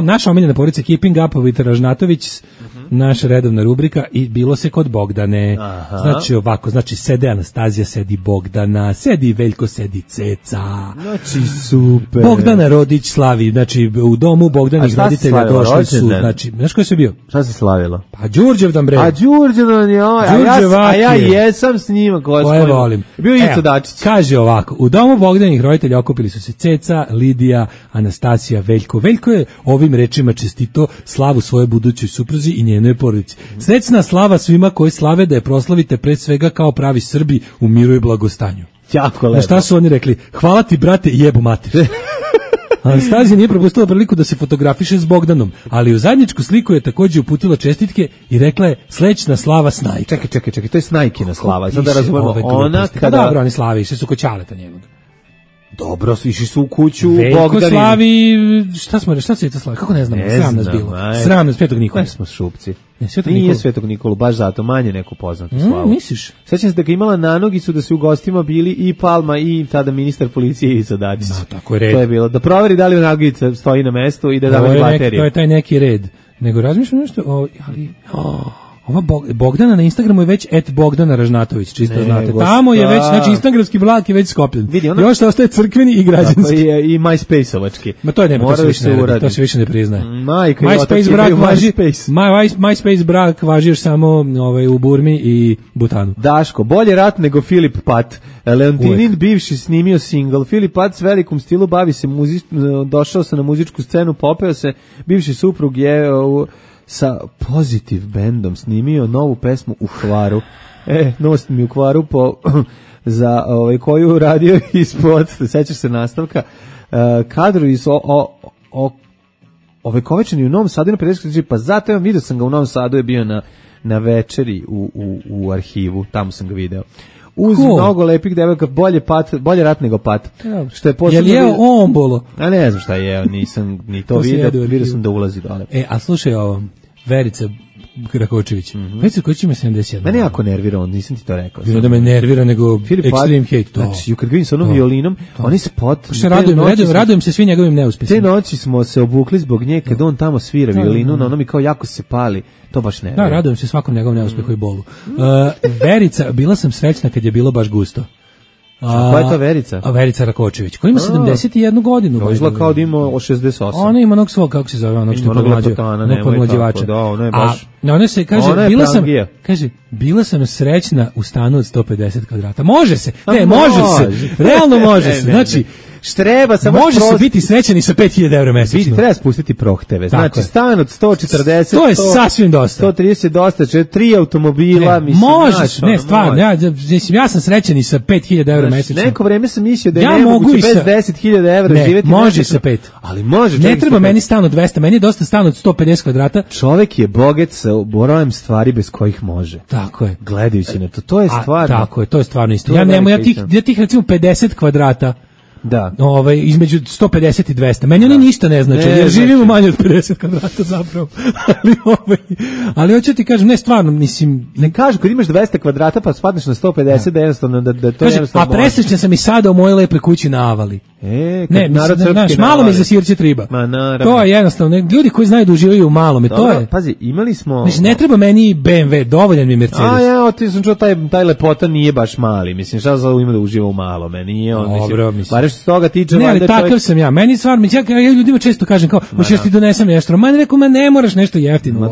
Speaker 5: Naša omiljena porodica Keeping Up with Ražnatović, naša redovna rubrika i bilo se kod Bogdane. Znači ovako, sede Anastazija, sedi Bogdana, sedi Veljko, sedi Ceca.
Speaker 6: Znači super.
Speaker 5: Bogdana Rodić slavi, znači u domu Bogdanih roditelja došli su, znači, znaš ko je sve bio?
Speaker 6: Šta se slavilo?
Speaker 5: Pa Đurđevdan bre.
Speaker 6: A Đurđevdan je, a ja jesam s njima koje
Speaker 5: volim.
Speaker 6: Bio Ico Dačić.
Speaker 5: Kaže ovako, u domu Bogdanih roditelja okupili su se Ceca, Lidija, Anastasija, Veljko. Veljko je ovim rečima čestito slavu svoje budućoj supruzi i njenoj porodici. Srećna slava svima koji slave da je proslavite pre svega kao pravi Srbi u miru i blagostanju.
Speaker 6: Jako lepo.
Speaker 5: Na šta su oni rekli? Hvala ti brate, jebu mater. Anastazija nije propustila priliku da se fotografiše s Bogdanom, ali u zajedničku sliku je također uputila čestitke i rekla je srećna slava Snajka.
Speaker 6: Čekaj, to je Snajkina slava. Sad da razumemo, ona kada...
Speaker 5: Dobro, oni slavi, išli su kod Ćaleta njenog.
Speaker 6: Dobro, išli su u kuću
Speaker 5: Veljko slavi, šta se to slavi? Kako ne znamo? Sram nas bilo. Sram nas Svetog Nikolu.
Speaker 6: Smo šupci. Nije Svetog Nikolu, baš zato, manje neku poznatu slavu.
Speaker 5: Misliš?
Speaker 6: Sećam se da ga imala na nogicu da su u gostima bili i Palma i tada ministar policije Ivica Dačić.
Speaker 5: Tako je red.
Speaker 6: To je bilo. Da proveri da li nogica stoji na mestu i da davali baterije.
Speaker 5: To je taj neki red. Nego razmišljam nešto, ali... Ova Bogdana na Instagramu je već @Bogdana Ražnatović, čisto znate. Tamo je već, znači instagramski blak je već skopljen. Još se ostaje crkveni i građanski.
Speaker 6: Tako je i MySpace-ovački.
Speaker 5: Ma to je nema, to se više ne priznaje. MySpace brak važi još samo u Burmi i Butanu.
Speaker 6: Daško, bolje rat nego Filip Pat. Leontinin bivši snimio single. Filip Pat s velikom stilu bavi se došao se na muzičku scenu, popeo se, bivši suprug je sa Pozitiv bendom snimio novu pesmu u Hvaru. Nost mi u Hvaru za koju radio ispod, sećaš se nastavka, kadru iz ovekovečeni u Novom Sadu na 50, pa zato vidio sam ga u Novom Sadu, je bio na večeri u arhivu, tamo sam ga video. Uz mnogo lepih devojaka, bolje rat nego Pat. Što je posebno...
Speaker 5: Je li ombolo?
Speaker 6: A ne znam šta je, nisam ni to vidio sam da ulazi dole.
Speaker 5: A slušaj ovo, Verica Rakočević. Verica Rakočević ima 71.
Speaker 6: Mene jako nervira, nisam ti to rekao.
Speaker 5: Bilo da me nervira nego extreme hate.
Speaker 6: Znači, kad vidim sa onom violinom, oni spot...
Speaker 5: Radujem se svi njegovim neuspjesima.
Speaker 6: Te noći smo se obukli zbog nje, kad on tamo svira violinu, na ono mi kao jako se pali. To baš ne.
Speaker 5: Da, radujem se svakom njegovom neuspehu i bolu. Verica, bila sam srećna kad je bilo baš gusto.
Speaker 6: Koja je to Verica?
Speaker 5: Verica Rakočević, koja ima 71 godinu.
Speaker 6: To izgleda kao da ima 68.
Speaker 5: Ona ima onog svog, kako se zove, onog što je podmlađivača.
Speaker 6: Da, ona je baš...
Speaker 5: Ona se kaže, bila sam srećna u stanu od 150 kvadrata. Može se, može se, realno može se. Znači,
Speaker 6: treba samo
Speaker 5: može se biti srećan i sa 5000 € mesečno.
Speaker 6: Treba spustiti prohteve. Znači, stan od 140,
Speaker 5: to je sasvim dosta.
Speaker 6: 130 dosta, 3 automobila, mislim.
Speaker 5: Možeš, ne, stvarno, ja sam srećan i sa 5000 € mesečno.
Speaker 6: Neko vreme sam mislio da je nemoguće bez 10.000 € živjeti.
Speaker 5: Ne, može sa 5.
Speaker 6: Ali može.
Speaker 5: Ne treba meni stan od 200, meni je dosta stan od 150 kvadrata.
Speaker 6: Čovjek je bogat sa brojem stvari bez kojih može.
Speaker 5: Tako je.
Speaker 6: Gledajući na to je stvarno.
Speaker 5: Tako je, to je stvarno isto. Ja tih recimo 50 kvadrata.
Speaker 6: Da.
Speaker 5: Između 150 i 200. Meni oni ništa ne znači, jer živimo manje od 50 kvadrata zapravo. Ali hoću ti kažem, ne stvarno, mislim...
Speaker 6: Ne kažu, kad imaš 200 kvadrata pa spadneš na 150, da jednostavno, da to jednostavno...
Speaker 5: A presrećan sam i sada u mojoj lepoj kući na Avali. Ne, znaš, malo me za sirće triba. To je jednostavno, ljudi koji znaju da uživaju u malome, to je...
Speaker 6: Pazi, imali smo...
Speaker 5: Znači, ne treba meni BMW, dovoljan mi Mercedes.
Speaker 6: Ti sam čuo, taj lepota nije baš mali, mislim, šta za ima da uživa u malome, nije on, mislim, što se toga tiče...
Speaker 5: Ne, ali takav sam ja. Meni stvarno, ja ljudima često kažem kao, hoćeš ti donesem nešto. Ma rekao, ne moraš nešto jeftino.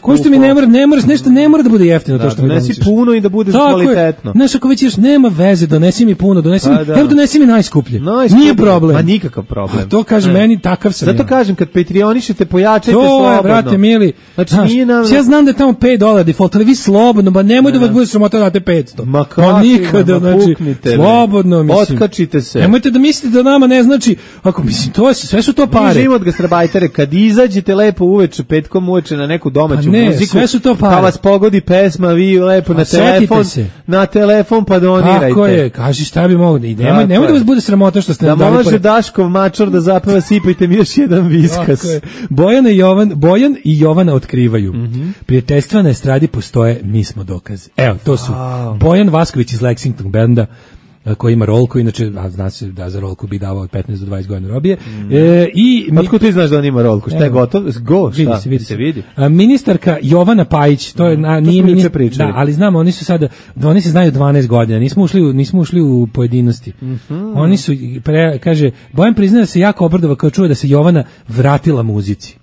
Speaker 5: Ko što mi ne moraš nešto, ne mora da bude jeftino to što mi donesiš.
Speaker 6: Donesi puno i da bude kvalitetno.
Speaker 5: Znaš, ako već još nema veze, donesi mi puno, donesi mi najskuplje. Nije problem.
Speaker 6: Ma nikakav problem.
Speaker 5: To kažem, meni takav sam ja.
Speaker 6: Zato kažem, kad Patreonišete, pojačajte slobodno.
Speaker 5: To je, brate, mili. Ja znam da je tamo $5 default, ali vi slobodno, ba nemoj da vas bude sramota da date 500.
Speaker 6: Ma nikada,
Speaker 5: znači, slobodno, mislim.
Speaker 6: Otkačite se.
Speaker 5: Nemojte nemojte da mislite da nama ne znači, ako mislim, sve su to pare.
Speaker 6: Mi živimo od gastarbajtere, kad izađete lepo uveče, petkom uveče na neku domaću muziku,
Speaker 5: sve su to pare.
Speaker 6: Pa vas pogodi pesma, vi lepo na telefon pa donirajte.
Speaker 5: Kako je, kaži šta bi mogo da ide. Nemoj da vas bude sramota što ste nam dali.
Speaker 6: Da može Daškov mačor da zapeva sipajte mi još jedan viskas.
Speaker 5: Bojan i Jovana otkrivaju. Prijateljstva na estradi postoje, mi smo dokazi. Evo, to su Bojan Vasković iz Lexington benda, koji ima rolku, inače, zna se da za rolku bi davao od 15 do 20 godina robije.
Speaker 6: Otkud ti znaš da on ima rolku? Šta je gotov? Vidi se.
Speaker 5: Ministarka Jovana Pajić, to je nije ministar, da, ali znamo, oni su sada, oni se znaju 12 godina, nismo ušli u pojedinosti. Oni su, kaže, Bojan priznaje da se jako obradova kao čuje da se Jovana vratila muzici.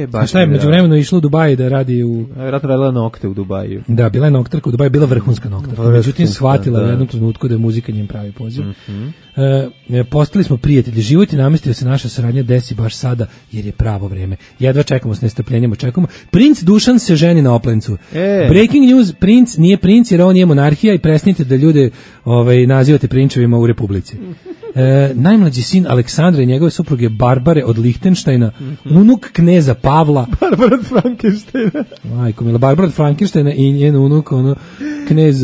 Speaker 6: Baš
Speaker 5: šta je međuvremeno išlo u Dubaji da radi u...
Speaker 6: Vjerojatno radila nokte u Dubaju.
Speaker 5: Da, bila je noktarka u Dubaju, bila vrhunska noktarka. Međutim, shvatila u jednom trenutku da je muzika njem pravi poziv. Postali smo prijatelji, život je namestio se naša saradnja desi baš sada, jer je pravo vreme. Jedva čekamo s nestrpljenjem, očekujemo. Princ Dušan se ženi na Oplencu. Breaking news, princ nije princ jer on je monarhija i presnite da ljude nazivate prinčevima u Republici. Najmlađi sin Aleksandra i njegove supruge Barbare od Lihtenštajna, unuk kneza Pavla.
Speaker 6: Barbara od Frankenštajna.
Speaker 5: Majko mila, Barbara od Frankenštajna i njen unuk, knez...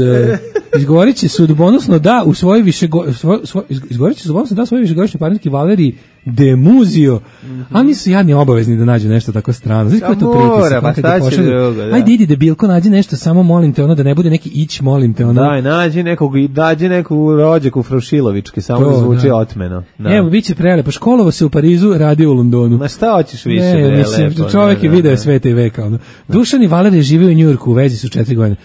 Speaker 5: Izgovorit će sudbonosno da u svojoj višegodišnjoj partnerki Valeriji de Muzio, ali nisu jadni obavezni da nađu nešto tako strano. Znaš kako je to pritisak?
Speaker 6: Pa šta će drugo, da.
Speaker 5: Ajde, idi debilko, nađi nešto, samo molim te, da ne bude neki ić, molim te.
Speaker 6: Daj, nađi neku rođaku Frušilovičke, samo da zvuči otmeno. Da.
Speaker 5: Evo, bit će prelepo. Školovao se u Parizu, radio u Londonu.
Speaker 6: Ma šta hoćeš više, prelepo?
Speaker 5: Čovjek je video sveta i veka. Dušan i Valerija žive u Njujorku, u vezi su 4 godine.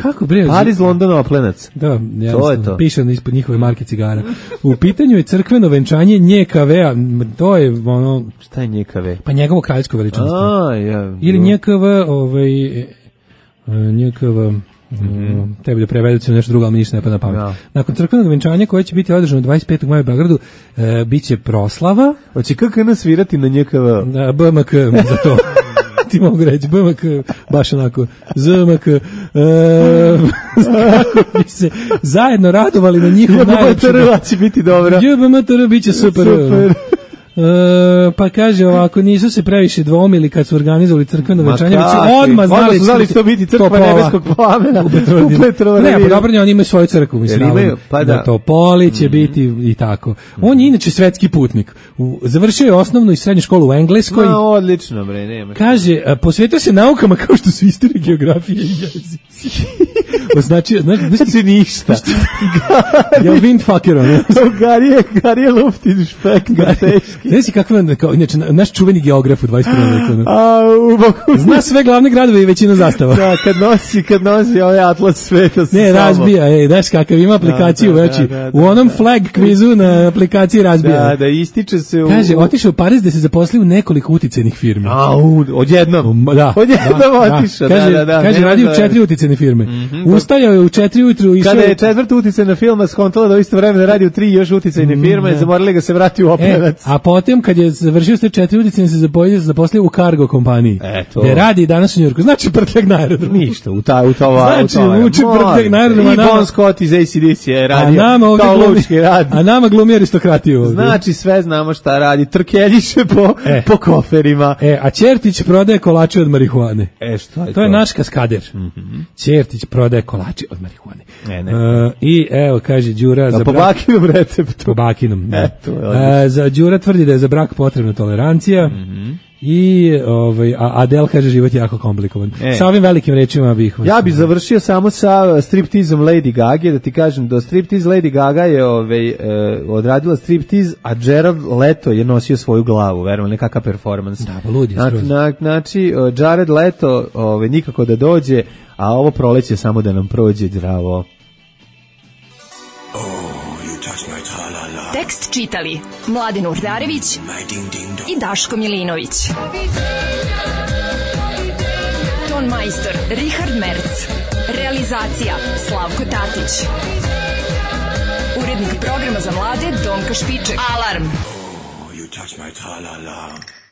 Speaker 5: Kako bre?
Speaker 6: Pariz, London, Oplenac.
Speaker 5: Da, to piše ispod njihove marke cigara. U pitanju je crkveno venčanje NJKV-a, to je ono...
Speaker 6: Šta je NJKV?
Speaker 5: Pa njegovo kraljevsko veličanstvo. Ili NJKV, NJKV... tebi da prevedu nešto drugo, ali mi ništa ne pada na pamet. Nakon crkvenog venčanja koje će biti održano 25. maja u Beogradu, bit će proslava.
Speaker 6: Hoće KKN svirati na NJKV?
Speaker 5: BMK za to. Ti mogu reći, BMK, baš onako, ZMK, kako bi se zajedno radovali na njihov najlepši.
Speaker 6: JBMTR će biti dobro.
Speaker 5: JBMTR bit će super. Pa kaže ovako, nisu se previše dvomili kad su organizovali crkveno venčanje, već su odmah znali
Speaker 6: što biti crkva nebeskog plamena u Petrovareviru.
Speaker 5: Ne, pa dobro, oni imaju svoju crkvu, mislim, da Topoli će biti i tako. On je inače svetski putnik. Završio je osnovnu i srednju školu u Engleskoj.
Speaker 6: Odlično, bre, nema.
Speaker 5: Kaže, posvetio se naukama kao što su istorija, geografija i jezici. Znači
Speaker 6: ništa.
Speaker 5: Ja windfucker, ne?
Speaker 6: Garije luftin špek na teški.
Speaker 5: Znaš kakva, inače, naš čuveni geograf u 21. veku. Zna sve glavne gradove i većinu zastava.
Speaker 6: Da, kad nosi ovaj atlas sveta.
Speaker 5: Ne, razbija, znaš kakav, ima aplikaciju, znači, u onom flag kvizu na aplikaciji razbija.
Speaker 6: Da, ističe se u...
Speaker 5: Kaže, otišao u Pariz da se zaposlio u nekoliko uticajnih firmi.
Speaker 6: Odjednom. Odjednom otišao, da.
Speaker 5: Kaže, radi u 4 uticajne firme. Ustajao je u 4 ujutru.
Speaker 6: Kada je 4. uticajna firma skontala da u isto vreme radi u 3 još uticajne firme, zamorali ga se vrati u Oplenac.
Speaker 5: A potom, kad je završio sve 4 uticajne, se zaposlio u kargo kompaniji. Gde radi danas u Njujorku. Znači prtljak na aerodromu.
Speaker 6: Ništa, u
Speaker 5: Znači, uči prtljak na aerodromu.
Speaker 6: I Bon Scott iz AC/DC je radio kao lučki rad.
Speaker 5: A nama glumi aristokratiju ovdje.
Speaker 6: Znači, sve znamo šta radi. Trkeljiše po koferima.
Speaker 5: A Ćertić prodaje kolače od marihuane.
Speaker 6: Šta je to?
Speaker 5: To je naš kaskader. Ćertić prodaje kolače od marihuane. I evo, kaže Đura...
Speaker 6: Po Bakinom receptu.
Speaker 5: Po Bakinom, da. Za Đura tvrdi da je za brak potrebna tolerancija. I Adel kaže život je jako komplikovan. Sa ovim velikim rečima bih vas...
Speaker 6: Ja bih završio samo sa striptizom Lady Gaga, da ti kažem, do striptiz Lady Gaga je odradila striptiz, a Jared Leto je nosio svoju glavu, verujem, nekakav performans.
Speaker 5: Da, pa ludi.
Speaker 6: Znači, Jared Leto nikako da dođe, a ovo proleće samo da nam prođe zdravo.
Speaker 8: Tekst čitali Mladen Urdarević i Daško Milinović. Ton majstor Richard Merc. Realizacija Slavko Tatić. Urednik programa za mlade Donka Špiček. Alarm! Oh, you touch my tra-la-la.